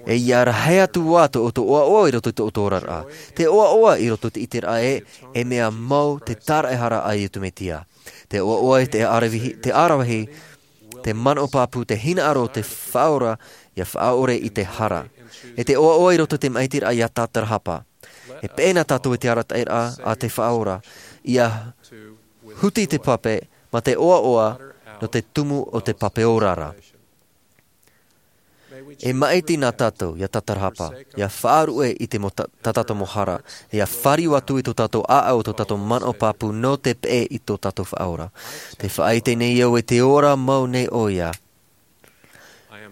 E ia rahi atu ā tō ʻoutou ʻoaʻoa i roto i tō ʻoutou oraraʻa. Te ʻoaʻoa i roto i te ʻiteraʻa ē, e mea mau te tāraʻehara a Iesu Mesia. Te ʻoaʻoa i te ʻaravihi, te ʻaravihi, te manaʻo pāpū, te hinaʻaro o te Faʻaora, ia faʻaʻore i te hara. E te ʻoaʻoa i roto i te maʻitiraʻa ia tātarahapa. E peʻe na tātou i te arataʻiraʻa a te Faʻaora, ʻia huti te pape ma te ʻoaʻoa nō te tumu o te pape ora ra. E maʻiti na tātou ʻia tatarahapa, ʻia faʻaruʻe i te mau ta-, tā tātou mau hara, ʻia fāriu atu i tō tātou ʻāʻau, tō tātou manaʻo pāpū nō te peʻe i tō tātou Faʻaora. Tē faʻaʻite nei au ē tē ora mau nei ʻoia.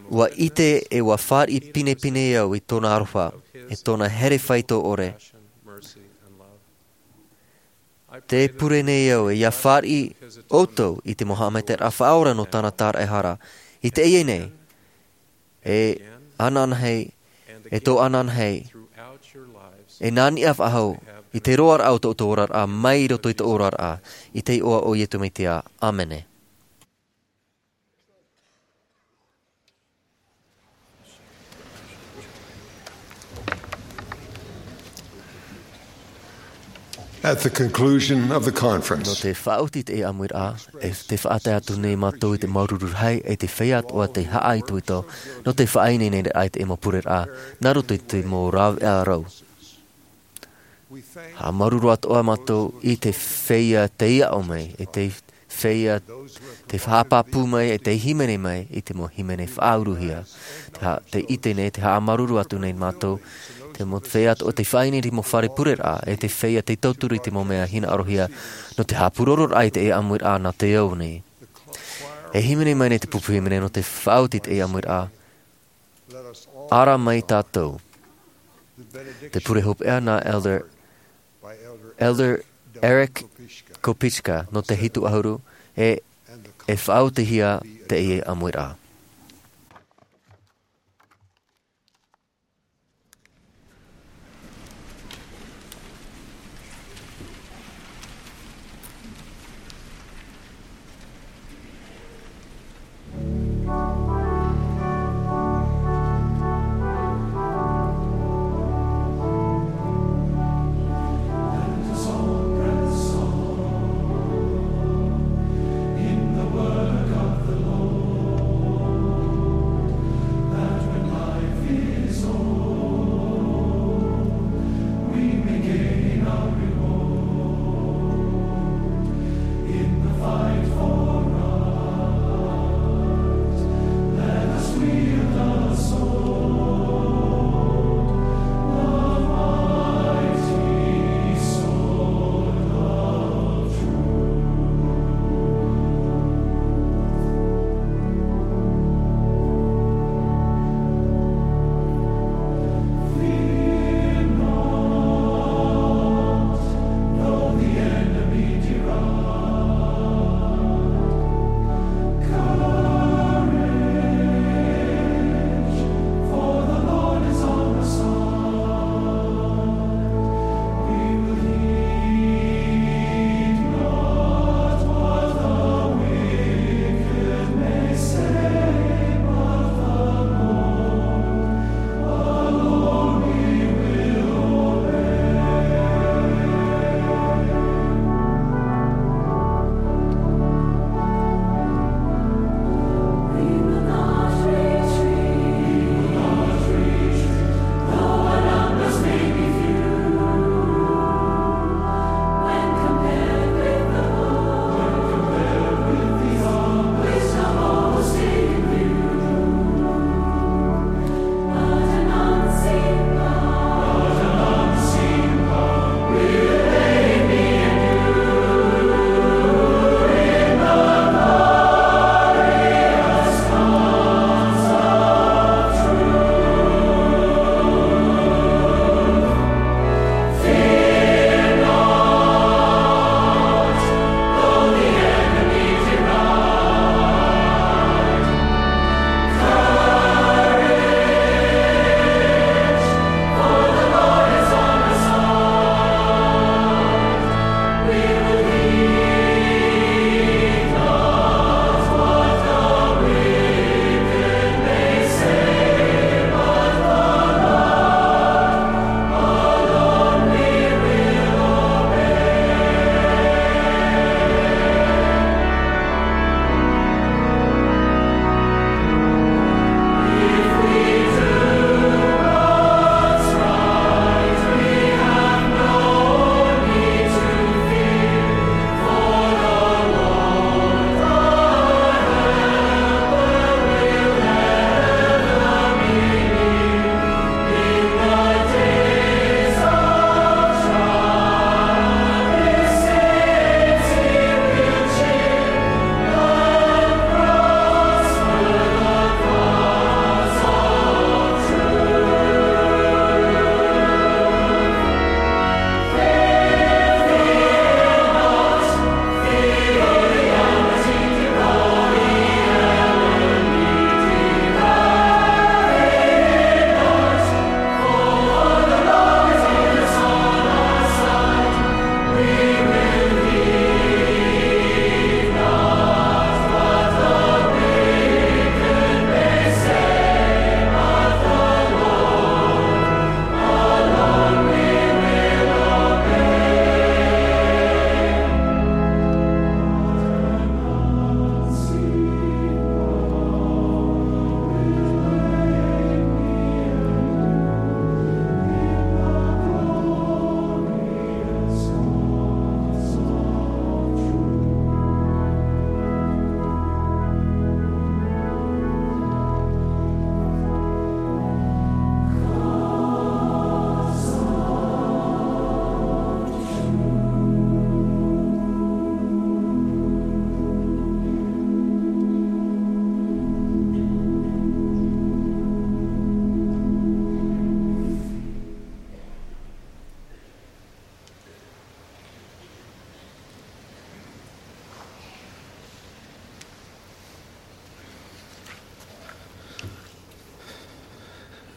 ʻUa ʻite ē ʻua fāriʻi pinepine au i tōna aroha, e tōna here faito ʻore. Tē pure nei au ē ʻia fāriʻi ʻoutou i te mau haʻamaitaʻiraʻa faʻaora nō tāna tāraʻehara. I teie nei, e ananahi, e tō ananahi, e nā niʻa faʻahou, i te roaraʻa o tō, tō oraraʻa, mai roto i tō oraraʻa, i te iʻoa o Iesu Mesia. ʻĀmene. At the conclusion of the conference, nō te faʻaoti i te ʻāmuiraʻa, e tē faʻatae atu nei mātou i te māuruuru rahi, e te feiā atoʻa tei haʻaitoito, nō te faʻaineineraʻa i te mau pureraʻa, nā roto i te mau rāveʻa rau. Haʻamāuruuru atoʻa mātou i te feiā tei aʻo mai, e te feiā tei haʻapāpū mai, e tei hīmene mai i te mau hīmene faʻauruhia. Te ha-, tē ʻite nei, tē haʻamāuruuru atu nei mātou, te mau feiā atoʻa tei faʻaineine i te mau fare pureraʻa, e te feiā tei tauturu i te mau mea hinaʻarohia, nō te haʻapūrororaʻa i te ʻāmuiraʻa nā te ao nei. E hīmene mai nei te pupu hīmene nō te faʻaoti i te ʻāmuiraʻa. Ara mai tātou. Te pure hopeʻa nā Elder, Elder Eric Kopischka nō te hitu ʻahuru, e, e faʻaotihia teie ʻāmuiraʻa.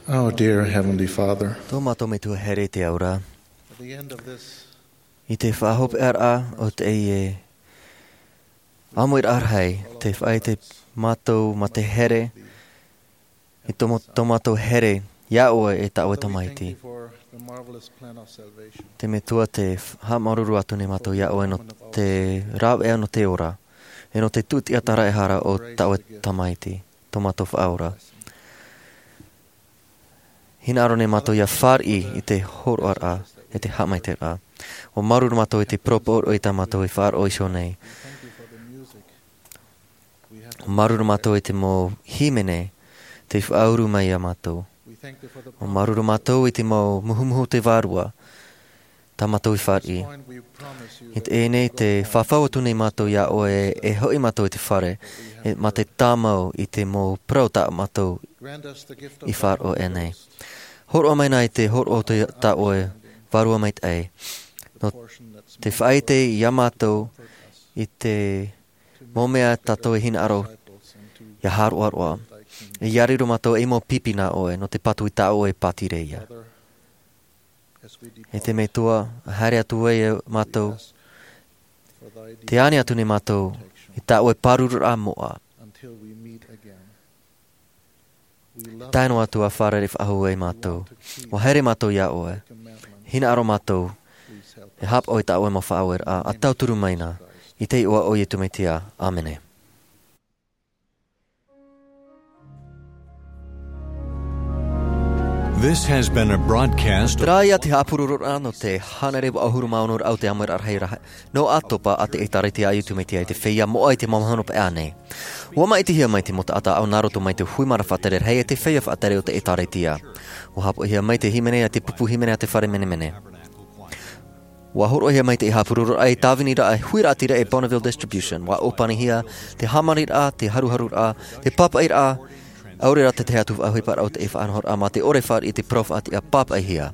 Our dear Heavenly Father, Tō mātou Metua here i te ao ra, at the end of this i te faʻahopeʻaraʻa o teie ʻāmuiraʻa rahi, tē faʻaʻite mātou mā te here i tō, tō mātou here iā ʻoe e tā ʻoe Tamaiti. Te Metua, tē haʻamāuruuru atu nei mātou iā ʻoe nō te rāveʻa nō te ora, e nō te tūtiʻa tāraehara o tā ʻoe Tamaiti, tō mātou Faʻaora. Hinaʻaro nei mātou ʻia fāriʻi i te hōroʻaraʻa, e te haʻamaitaʻiraʻa. ʻUa māuruuru mātou i te parau pāʻoʻo i tā mātou e faʻaroʻo iho nei. ʻUa māuruuru mātou i te mau hīmene tei faʻauru mai iā mātou. ʻUa māuruuru mātou i te mau muhumuhu o te Vārua tā mātou i fāriʻi. I teie nei, tē fafau atu nei mātou iā ʻoe e hoʻi mātou i te fare, e, mā te tāmau i te mau parau tā mātou i faʻaroʻo nei. Hōroʻa mai na i te hōroʻa o te, tā ʻoe Vārua Maitaʻi, nō te faʻaʻite iā mātou i te mau mea tātou e hinaʻaro ʻia hāroʻaroʻa. E ʻia riro mātou ei mau pipi nā ʻoe, nō te patu i tā ʻoe pātireia. E te Metua, haere atu ai mātou, tē ani atu nei mātou i tā ʻoe pārururaʻa moʻa. Tae noa atu ā fārerei faʻahou ai mātou. ʻUa haere mātou iā ʻoe. Hinaʻaro mātou e haʻapaʻo i tā ʻoe mau faʻaueraʻa, ʻa tauturu mai na, i te iʻoa o Iesu Mesia. ʻĀmene. This has been a broadcast. Terā ia te haʻapurororaʻa nō te hānere vaʻu ʻahuru mā ono ra o te ʻāmuiraʻa rahi nō ʻĀtopa a te ʻĒtārētia a Iesu Mesia i te feiā moʻa i te mau mahana paʻi nei. ʻUa māʻitihia mai te mau taʻata ʻāʻau nā roto mai te hui marae faʻatere rahi e te feiā faʻatere o te ʻĒtārētia. ʻUa haʻapaʻohia mai te hīmene a te pupu hīmene a te fare menemene. ʻUa hōroʻahia mai te haʻapurororaʻa i tāviniraʻa e huiraʻatira e Bonneville Distribution. ʻUa ʻōpanihia te hāmaniraʻa, te haruharuraʻa, te pāpaʻiraʻa, ʻaore rā te tahi atu faʻaʻohiparaʻa o te faʻanahoraʻa mā te ʻore fāriʻi i te parau faʻatiʻa pāpaʻihia.